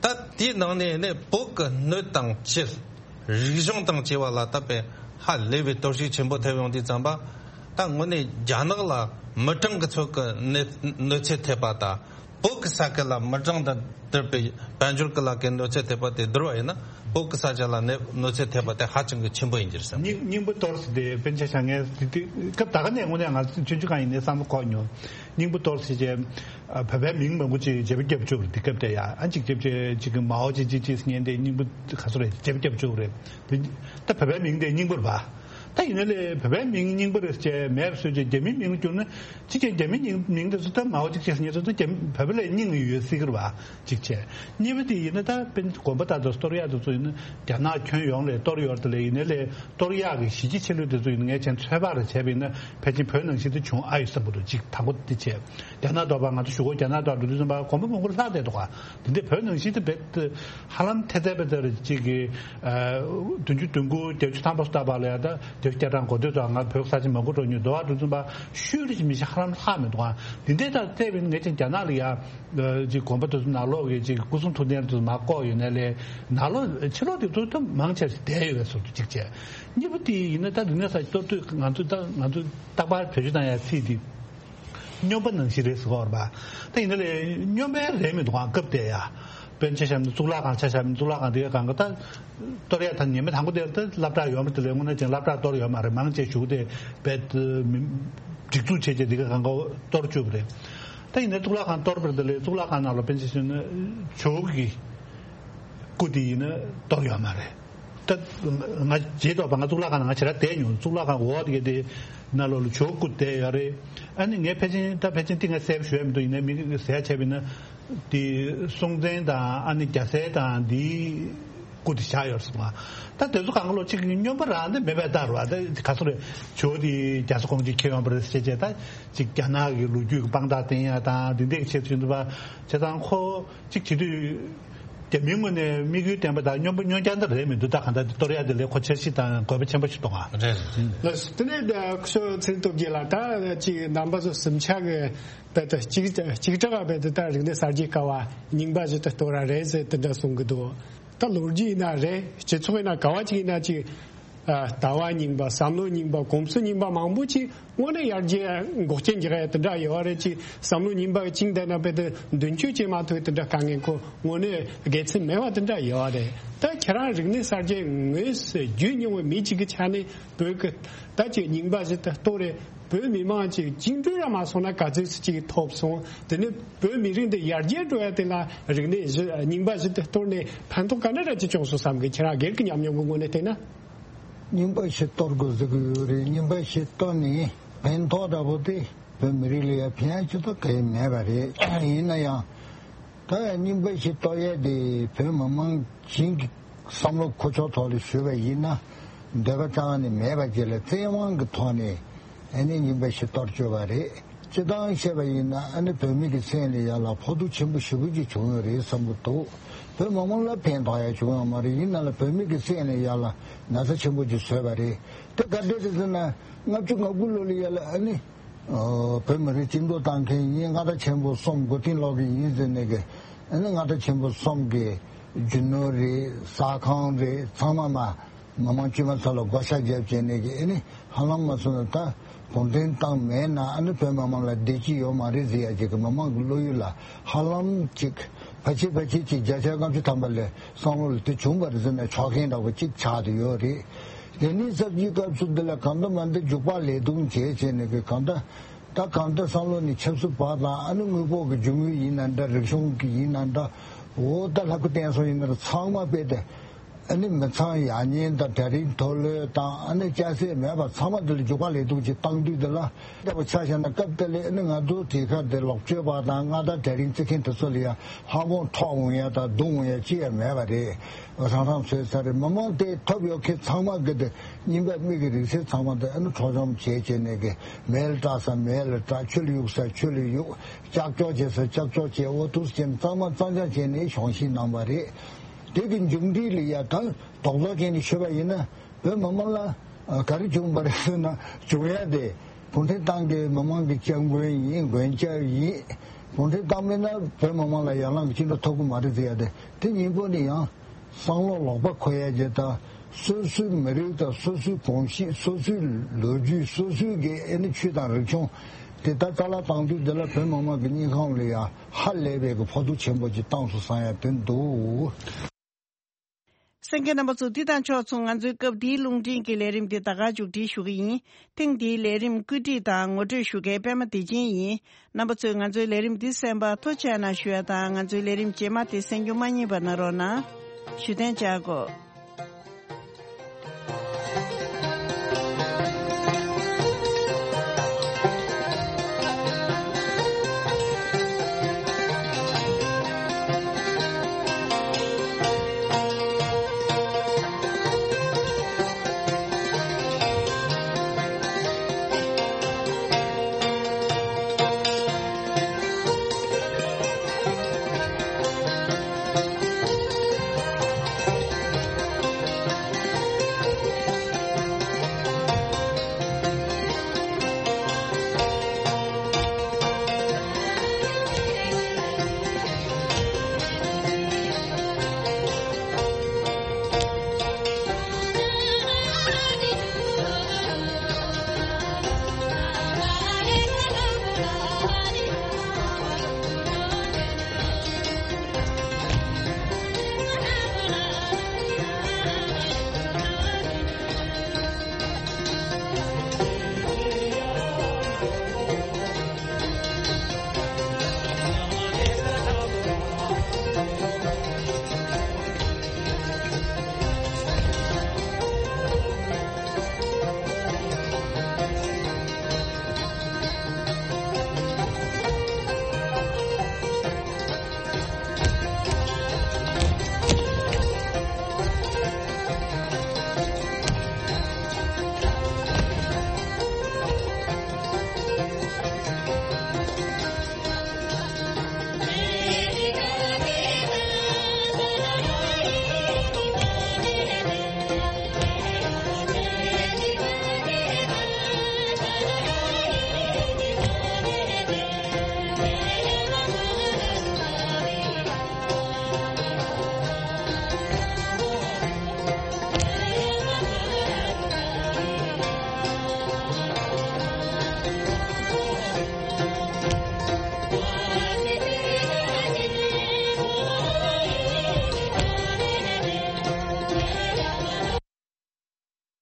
ད་ད་དེའི་ནང་ནས་ནས་བོད་ཀྱི་སྣོད་དང་བཅུད། རིག་གཞུང་དང་བཅས་པ་ལ་ད་དཔེ་ཧ་ལས་པའི་གཏོར་བཤིག་ཆེན་པོ་ཐེབས་ཡོང་དུས་ཙམ་པ། ད་དངོས་གནས་རྒྱ་ནག་ལ་མི་གྲངས་ཀྱི་ཚོད་ཀྱི་གནོད་གནོད་འཚེ་ཐེབས་པ་དང་བོད་ཀྱི་ས་ཁུལ་ལ་མི་གྲངས་དང་བསྡུར་བའི་དཔལ་འབྱོར་གྱི་ལ་ཀའི་གནོད་འཚེ་ཐེབས་པ་དེ་བསྡུར་བ་ཡིན་ན་བོད་ཀྱི་ས་ཆ་ལ་གནོད་གནོད་འཚེ་ཐེབས་པ་དེ་ཧ་ཅང་གི་ཆེན་པོ་ཡིན་གྱི་རེད་བསམ། སྙིང་སྙིང་པོ་གཏོར་ཟེར་དེ་དཔེར་ན་ཆ་བཞག་ངས་དེ་དུས་སྐབས་ད་ག་ནས་དངོས་གནས་ང་ཚོ་ཆུང་ཆུང་སྒང་ཡིན་ནའི་བསམ་བློ་འཁོར་མྱོང་། སྙིང་པོ་གཏོར་ཟེར་བྱས། ཨ། བོད་པའི་མིང་མང་པོ་ཅིག་བརྗེ་པོ་བརྒྱབ་བཅུག་རེད། དེ་སྐབས་དེ་ཡ་ཨ་ཅིག་བརྗེ་བྱས་ཅིག་གི་མའོ་ཅི་ཅི་ཅི་ཟེར་མཁན་དེ་སྙིང་པོ་ག་ཚོད་རེད་བརྗེ་པོ་བརྒྱབ་བཅུག་རེད། དེ་ད་བོད་པའི་མིང་དེ་སྙིང་པོ་རེད་པ། ད་ཡིན་ན་ལས་བོད་པའི་མིང་སྙིང་པོ་རེད་ཅེས་མེད་པ་བཟོས་བྱས་རྒྱ་མིའི་མིང་ལ་བསྒྱུར་ན་ཅི་བྱས་རྒྱ་མིའི་མིང་མིང་དེ་ཚོ་ད་མའོ་ཅི་ཅི་ཟེར་མཁན་དེ་ཚོ་ད་རྒྱ་མི་བོད་པ་ལ་སྙིང་ཡོད་སྲིད་ཀྱི་རེད་པ། གཅིག་བྱས། གཉིས་པ་དེ་ཡིན་ན་ད་དཔེར་ན་དགོན་པ་དང་དེ་གཏོར་ཡག་དེ་ཚོ་ཡིན་ན་རྒྱ་ནག་ཁྱོན་ཡོངས་ལ་གཏོར་ཡོད་རེད། དེ་ལས་ཡིན་ན་ལས་གཏོར་ཡག་གི་གཞི་རྒྱ་ཆེ་ལོས་དེ་ཚོ་ཡིན་ན་ངས་བྱས་ན་ཚོད་དཔག་རེ་བྱས་པ་ཡིན་ན་ཕལ་ཆེར་བོད་ནང་བཞིན་དུ་བྱུང་ཨ་ཡོད་བསམ་གྱི་འདུག་གཅིག་དང་པོ་དེ་བྱས། རྒྱ་ནག་དོག་པ་ང་ཚོ་གཞུག་གུ་རྒྱ་ནག་དོག་འགྲོ་དུས་ཙམ་པ་དགོན་པ་མང་པོ་ལྷག་བསྡད་འདུག་ག་དེ་འདྲའི་བོད་ནང་བཞིན་དུ་རྦད་དེ་ཧ་ལམ་ཐེ་ཚད་པ་དེར་གཅིག་གི་བདུན་ཅུ་དོན་དགུ་བརྒྱད་ཅུ་ཐམ་པ་སུ་ལྟ་བ་ལ་ཡ་ད་བརྒྱད་ཅུ་གྱ་གྲངས་འགོ་སྟོད་དུ་ང་བོད་ས་ཆ་མང་པོ་འགྲོ་མྱོང་། འདུག་ག་འགྲོ་དུས་ཙམ་པ་ཤུལ་རེ་ཅིག་མི་ཤེས་ཧ་ལམ་ལྷག་མི་འདུག་ག་དེ་འདྲའི་ད་བལྟས་པ་ཡིན་ན་ངས་ཀྱང་རྒྱ་ནག་ལ་ཡ། ཅིག་དགོན་པ་དེ་ཚོ་ནང་ལོགས་ཀྱི་ཅིག་སྐུ་གསུང་ཐུགས་རྟེན་དེ་ཚོ་མར་བཀོག་ཡོད་ནའི་ལས་ནང་ལོགས་ཕྱི་ལོགས་དེ་ཚོ་ད་མང་ཆེ་བསྡད་ཡོད་པའི་བཟོ་འདྲ་ཅིག་བྱས། གཉིས་པ་དེ་ཡིན་ན་ད་རིག་གནས་གསར་བརྗེ་གཏོར་དུས་ང་ཚོ་ད་ང་ཚོ་རྟག་པར་བེད་སྤྱོད་བཏང་ཡ་ཚིག་དེ་ སྨྱོན་པ་ནང་བཞིན་རེད་ཟེར་གྱི་ཡོད་རེད་པ། ད་ཡིན་ན་ལས་སྨྱོན་པ་རེད་མི་འདུག་ག་སྐབས་དེ་ཡ། དཔེར་ན་ཆ་བཞག་ན་གཙུག་ལག་ཁང་ཆ་བཞག་ན་གཙུག་ལག་ཁང་དེ་གའི་སྒང་ག་ད། གཏོར་ཡ་ད་ཉི་མ་དང་པོ་དེར་ད་སློབ་གྲྭ་ཡོད་མ་རེད། དེ་ལས་དངོས་གནས་ཀྱང་སློབ་གྲྭ་གཏོར་ཡོད་མ་རེད། མང་ཆེ་བཞུགས་དེ་བེད་མི་སྒྲིག་འཛུགས་བྱས་བྱས་དེ་གའི་སྒང་ག་གཏོར་བཅུག་པ་རེད། ད་ཡིན་ན་གཙུག་ལག་ཁང་གཏོར་བར་དེ་ལས་གཙུག་ལག་ཁང་ནང་ལ་དཔེར་ན་ཆ་བཞག་ན་ཇོ་གི་སྐུ་དེ་ཡིན་ན་གཏོར་ཡོད་མ་རེད། ད་ང་རྗེས་ཐོག་པ་ང་གཙུག་ལག་ཁང་ནང་ང་ཞེ་དྲག་བསྡད་མྱོང་། གཙུག་ལག་ཁང་འོག་དེ་གའི་དེ་ནང་ལོགས་ལ་ཇོ་སྐུ་བསྡད་ཡོད་རེད། ཨ་ནི་ངས་ཕལ་ཆེར་ད་ཕལ་ཆེར་ཏིང་ངེ་གསལ་པོ་ཞུ་ཡ་མི་འདུག་ཡིན་ནའི་མི་གིས་གསལ་བྱས་པ་ཡིན་ན། དེ་སྲོང་བཙན་དང་ཨ་ནི་རྒྱལ་སྲས་དང་དེའི་སྐུ་དེ་བཞག་ཡོད་སོང་ང་། ད་དེ་ཚོ་གང་ག་ལོ་གཅིག་སྨྱོན་པ་རང་དེ་མེད་པའི་ལྟར་བ། ད་ག་ཚོད་རེད། ཇོ་དེ་རྒྱ་བཟའ་ཁོང་ཅིག་ཁྱེར་ཡོང་པ་རེད་ཟེར་བྱས་ད་ཅིག་རྒྱ་ནག་གི་ལོ་རྒྱུས་ཀྱི་དཔང་རྟགས་བསྟན་ཡ་དང་དེ་འདྲའི་ཆེད་དུ་ཡིན་འདུག་པ། བྱས་ཙང་ཁོ་ཅིག་བྱེད་དུས་རྒྱ་མིའི་ངོས་ནས་དམིགས་ཡུལ་བསྟན་པ་དང་སྨྱོན་པ་སྨྱོན་རྐྱང་དེ་རེད་མི་འདུག་ད་གང་ལྟར་དེ་གཏོར་ཡ་དེ་ལས་ཁོ་འཆར་གཞི་དང་དགོས་པ་ཆེན་པོ་ཞིག་མཐོང་ང་། རེད་རེད་རེད། ལགས་སོ། དེ་ནས་ཁོ་ཚོ་ཚེ་རིང་སྟོབས་རྒྱལ་ལགས། ད་ཅིག་རྣམ་པ་ཚོ་གསུམ་ཆ་གི་རྦད་དེ་གཅིག་གཅིག་གྲགས་རྦད་དེ་ད་རིག་གནས་གསར་བརྗེའི་སྐབས་རྙིང་པ་ཞིག་ཏུ་གཏོར་ར་རེད་ཟེར་དེ་འདྲ་གསུང་གི་འདུག་ད་ལོ་རྒྱུས་ཡིན་ན་རེད། སྤྱི་ཚོགས་ཡིན་ན་ག་བ་ཅིག་ཡིན་ན་ཅིག་ཨ་ལྟ་བ་རྙིང་པ། བསམ་བློ་རྙིང་པ། གོམས་སྲོལ་རྙིང་པ་མང་པོ་ཅིག་དངོས་གནས་ཡར་རྒྱས་འགོག་རྐྱེན་རྒྱག་ཡ་དེ་འདྲ་ཡོད་རེད། ཅིག་བསམ་བློ་རྙིང་པ་གི་བཅིངས་བསྡད་ན་རྦད་དེ་མདུན་སྐྱོད་བྱེད་མ་ཐུབ་དེ་འདྲ་དཀའ་ངལ་ཁོ་དངོས་གནས་དགེ་མཚན་མེད་པ་དེ་འདྲ་ཡོད་རེད། ད་ཁྱེད་རང་རིག་གནས་གསར་བརྗེ་དངོས་སུ་བརྒྱུད་མྱོང་བའི་མི་གཅིག་གི་ཆ་ནས་བོད་ཀྱི་ད་ཅིག་རྙིང་པ་ཞིག་ཏུ་གཏོར་རེད། བོད་མི་མང་ཅིག་བཅིངས་འགྲོལ་ར་མ་སོང་ན་ག་ཚོད་ཅིག་ཐོབ་སོང་། དེ་ནས་བོད་མི་རིགས་འདི་ཡར་རྒྱས་འགྲོ་ཡ་དེ་ལ་རིག་གནས་གཞི་རྙིང་པ་ཞིག་ཏུ་གཏོར་ནས་ཕན་ཐོགས་ག་འདྲ་ར་ཅིག་བྱུང་སོང་བསམ་གི། ཁྱེད་རང་སྒེར་གྱི་ཉམས་མྱོང་གི་ངོས་ནས་བལྟས་ན། རྙིང་པ་ཞིག་གཏོར་དགོས་ཟེར་གི་ཡོད་རེད། རྙིང་པ་ཞིག་གཏོར་ནས་ཕན་ཐོགས་འདྲ་པོ་དེ་བོད་མི་རིགས་ལ་ཡང་ཕན་ཡ་ཅི་ཐོག་གང་ཡང་མེད་པ་རེད། ཡིན་ན་ཡང་ད་ཡང་རྙིང་པ་ཞིག་གཏོར་ཡས་དེ་བོད་མི་མང་གཞན་གྱི་བསམ་བློ་འཁོར་ཕྱོགས་ཐོག་ལ་ཞུས་པ་ཡིན་ན་འདོད་པ་རྩ་བ་ནས་མེད་པ་ཅིག་ལ་བཙན་དབང་གི་ཐོག་ནས་ཨ་ནི་རྙིང་པ་ཞིག་གཏོར་བཅུག་པ་རེད། སྤྱིར་བཏང་བཤད་པ་ཡིན་ན་ཨ་ནི་བོད་མི་གི་སེམས་ལ་ཡ་ལ་ཕོག་ཐུག་ཆེན་པོ་ཞེ་པོ་ཅིག་བྱུང་ཡོད་རེད་བསམ་གི་འདུག་བོད་མི་མང་ལ་ཕན་ཐོགས་ཡ་བྱུང་ཡོད་མ་རེད། ཡིན་ན་ལ་བོད་མི་གི་སེམས་ལ་ཡ་ལ་ན་ཚ་ཆེན་པོ་ཅིག་བཟོས་པ་རེད། དེ་ག་འདྲས་རེད་ཟེར་ན་ལྔ་བཅུ་ང་དགུ་ལོ་ལ་ཡ་ལ་ཨ་ནི་ཨོ་བོད་མི་རིགས་སྤྱི་འདོམས་བཏང་མཁན་ཡིན། མངའ་བདག་ཆེན་པོ་གསུམ་མགོ་རྟིང་སློག་གི་ཡིན་ཟེར་ནས་གི་ཨ་ནི་མངའ་བདག་ཆེན་པོ་གསུམ་གི་རྒྱུ་ནོར་རེད། ཟ་ཁང་རེད། ཚང་མ་མ་མི་མང་དཀྱུས་མ་ཚོ་ལ་བགོ་བཤའ་བརྒྱབ་བྱས་ནས་ཀྱི་ཨ་ནི་ཧ་ལམ་མ་སོང་ན་ད་གུང་ཁྲན་ཏང་མེད་ན་ཨ་ནི་བོད་མི་མང་ལ་བདེ་སྐྱིད་ཡོད་མ་རེད་ཟེར་ཡ་ཅིག་གི་མི་མང་གི་བློ་ཡུལ་ལ་ཧ་ལམ་ཅིག་ཕལ་ཆེར་ཕལ་ཆེར་ཅིག་བརྒྱ་ཆ་ལྔ་བཅུ་ཐམ་པ་ལས་བསམ་བློ་ལ་དེ་བྱུང་བ་རེད་ཟེར་ན་ཆོག་མཁན་འདྲ་པོ་ཅིག་ཆགས་བསྡད་ཡོད་རེད། དེ་ནི་གསར་བརྗེའི་སྐབས་སུ་འདི་ལ་གང་ལྟར་མ་འདི་འཇུག་པ་ལས་དུང་བྱས་བྱས་ནས་གི་གང་ལྟར་ད་གང་ལྟར་བསམ་བློ་ནི་ཆབ་སྲིད་པ་དང་ཨ་ནི་དངོས་པོ་གི་རྒྱུ་དངོས་ཡིན་ན་འདྲ། རིག་གཞུང་གི་ཡིན་ན་འདྲ། འོ་ད་ལྷ་སྐུ་བསྟན་སྲུང་ཡིན་ན་ཚང་མ་དཔེ་དེ། ཨ་ནི་མི་ཚང་ཡག་ཉེས་དང་གྲལ་རིམ་མཐོ་ལོས་དང་ཨ་ནི་སྐྱ་སེར་མེད་པར་ཚང་མ་འདི་ལ་འཇུག་པ་ལས་དུང་ཅིག་བཏང་དུས་འདི་ལ་ལྟ་བུ་ཆ་བཞག་ན་སྐབས་དེ་ལས་ཨ་ནི་ང་ཚོ་དེ་ཁར་དེ་ལོག་སྤྱོད་པ་དང་མངའ་བདག་གྲལ་རིམ་བརྩི་མཁན་དེ་ཚོ་ལ་ཡང་ལྷག་དབང་འཕྲོག་འོང་ཡ་དང་རྡུང་འོང་ཡ་ཅི་ཡང་མེད་པ་རེད། རང་རང་སོའི་ས་རེད། མི་མང་དེ་ཐོབ་ཡོད་མཁན་ཚང་མ་གི་དེ་རྙིང་པ་མི་གི་རིག་གསར་ཚང་མ་དེ་ཨ་ནི་འཕྲོག་བཅོམ་བྱས་བྱས་ནས་གི་མེ་ལ་སྲེག་ས་མེ་ལ་སྲེག་ཆུ་ལ་གཡུག་ས་ཆུ་ལ་གཡུག་ལྕགས་སྐྱོག་བྱེད་ས་ལྕགས་སྐྱོག་བྱས། འོ་ཐུགས་སུ་ཅན་གཙང་མ་གཙང་རྐྱང་བྱས་ནས་གཞུང་བཞེས་གནང་བ་རེད། དེ་གི་མཇུག་འབྲས་ལ་ཡ་ད་རྡོག་རྡོག་ཅན་ནས་ཤོད་པ་ཡིན་ན་བོད་མི་མང་ལ་ཨ་ག་རེ་བྱུང་བ་རེད་ཟེར་ན་བྱུང་ཡ་དེ་གུང་ཁྲན་ཏང་གི་མི་མང་གི་སྐྱབས་མགོན་ཡིན། མགོན་སྐྱབས་ཡིན། གུང་ཁྲན་ཏང་མེད་ན་བོད་མི་མང་ལ་ཡར་ལངས་ཀྱི་བཅིངས་འགྲོལ་ཐོབ་ཀྱི་མ་རེད་ཟེར་ཡ་དེ་དེ་གཉིས་པོ་ནི་ཡང་བསམ་བློ་ལོག་པ་འཁོར་ཡ་གྱི་ད་སོ་སོའི་མི་རིགས་དང་སོ་སོའི་གོམས་གཤིས། སོ་སོའི་ལོ་རྒྱུས། སོ་སོའི་གི་ཨེ་ནི་ཆོས་དང་རིག་གཞུང་དེ་ད་རྩ་བརླག་བཏང་དུས་དེ་ལ་བོད་མི་མང་གི་སྙིང་ཁམས་ལ་ཡང་ཧ་ལས་པའི་གི་ཕོག་ཐུག་ཆེན་པོ་ཅིག་བཏང་སོང་བསམ་ཡ་དེ་འདུག་གསན་མཁན་རྣམ་པ་ཚོ། འདི་དང་ཕྱོགས་མཚུངས་ང་ཚོའི་སྐབས་འདིའི་རླུང་འཕྲིན་གྱི་ལས་རིམ་འདི་ད་ག་མཇུག་སྒྲིལ་ཞུ་གི་ཡིན། ཐེངས་འདིའི་ལས་རིམ་བཀོད་སྒྲིག་དང་ངོ་སྤྲོད་ཞུ་མཁན་པད་མ་བདེ་ཆེན་ཡིན། རྣམ་པ་ཚོས་ང་ཚོའི་ལས་རིམ་འདི་གསན་པར་ཐུགས་རྗེ་གནང་ཞུ་ཡ་དང་། ང་ཚོའི་ལས་རིམ་རྗེས་མ་དེ་གསན་རྒྱུ་མ་བསྙེལ་བ་གནང་རོགས་གནང་། བཞུགས་གདན་འཇགས་དགོས།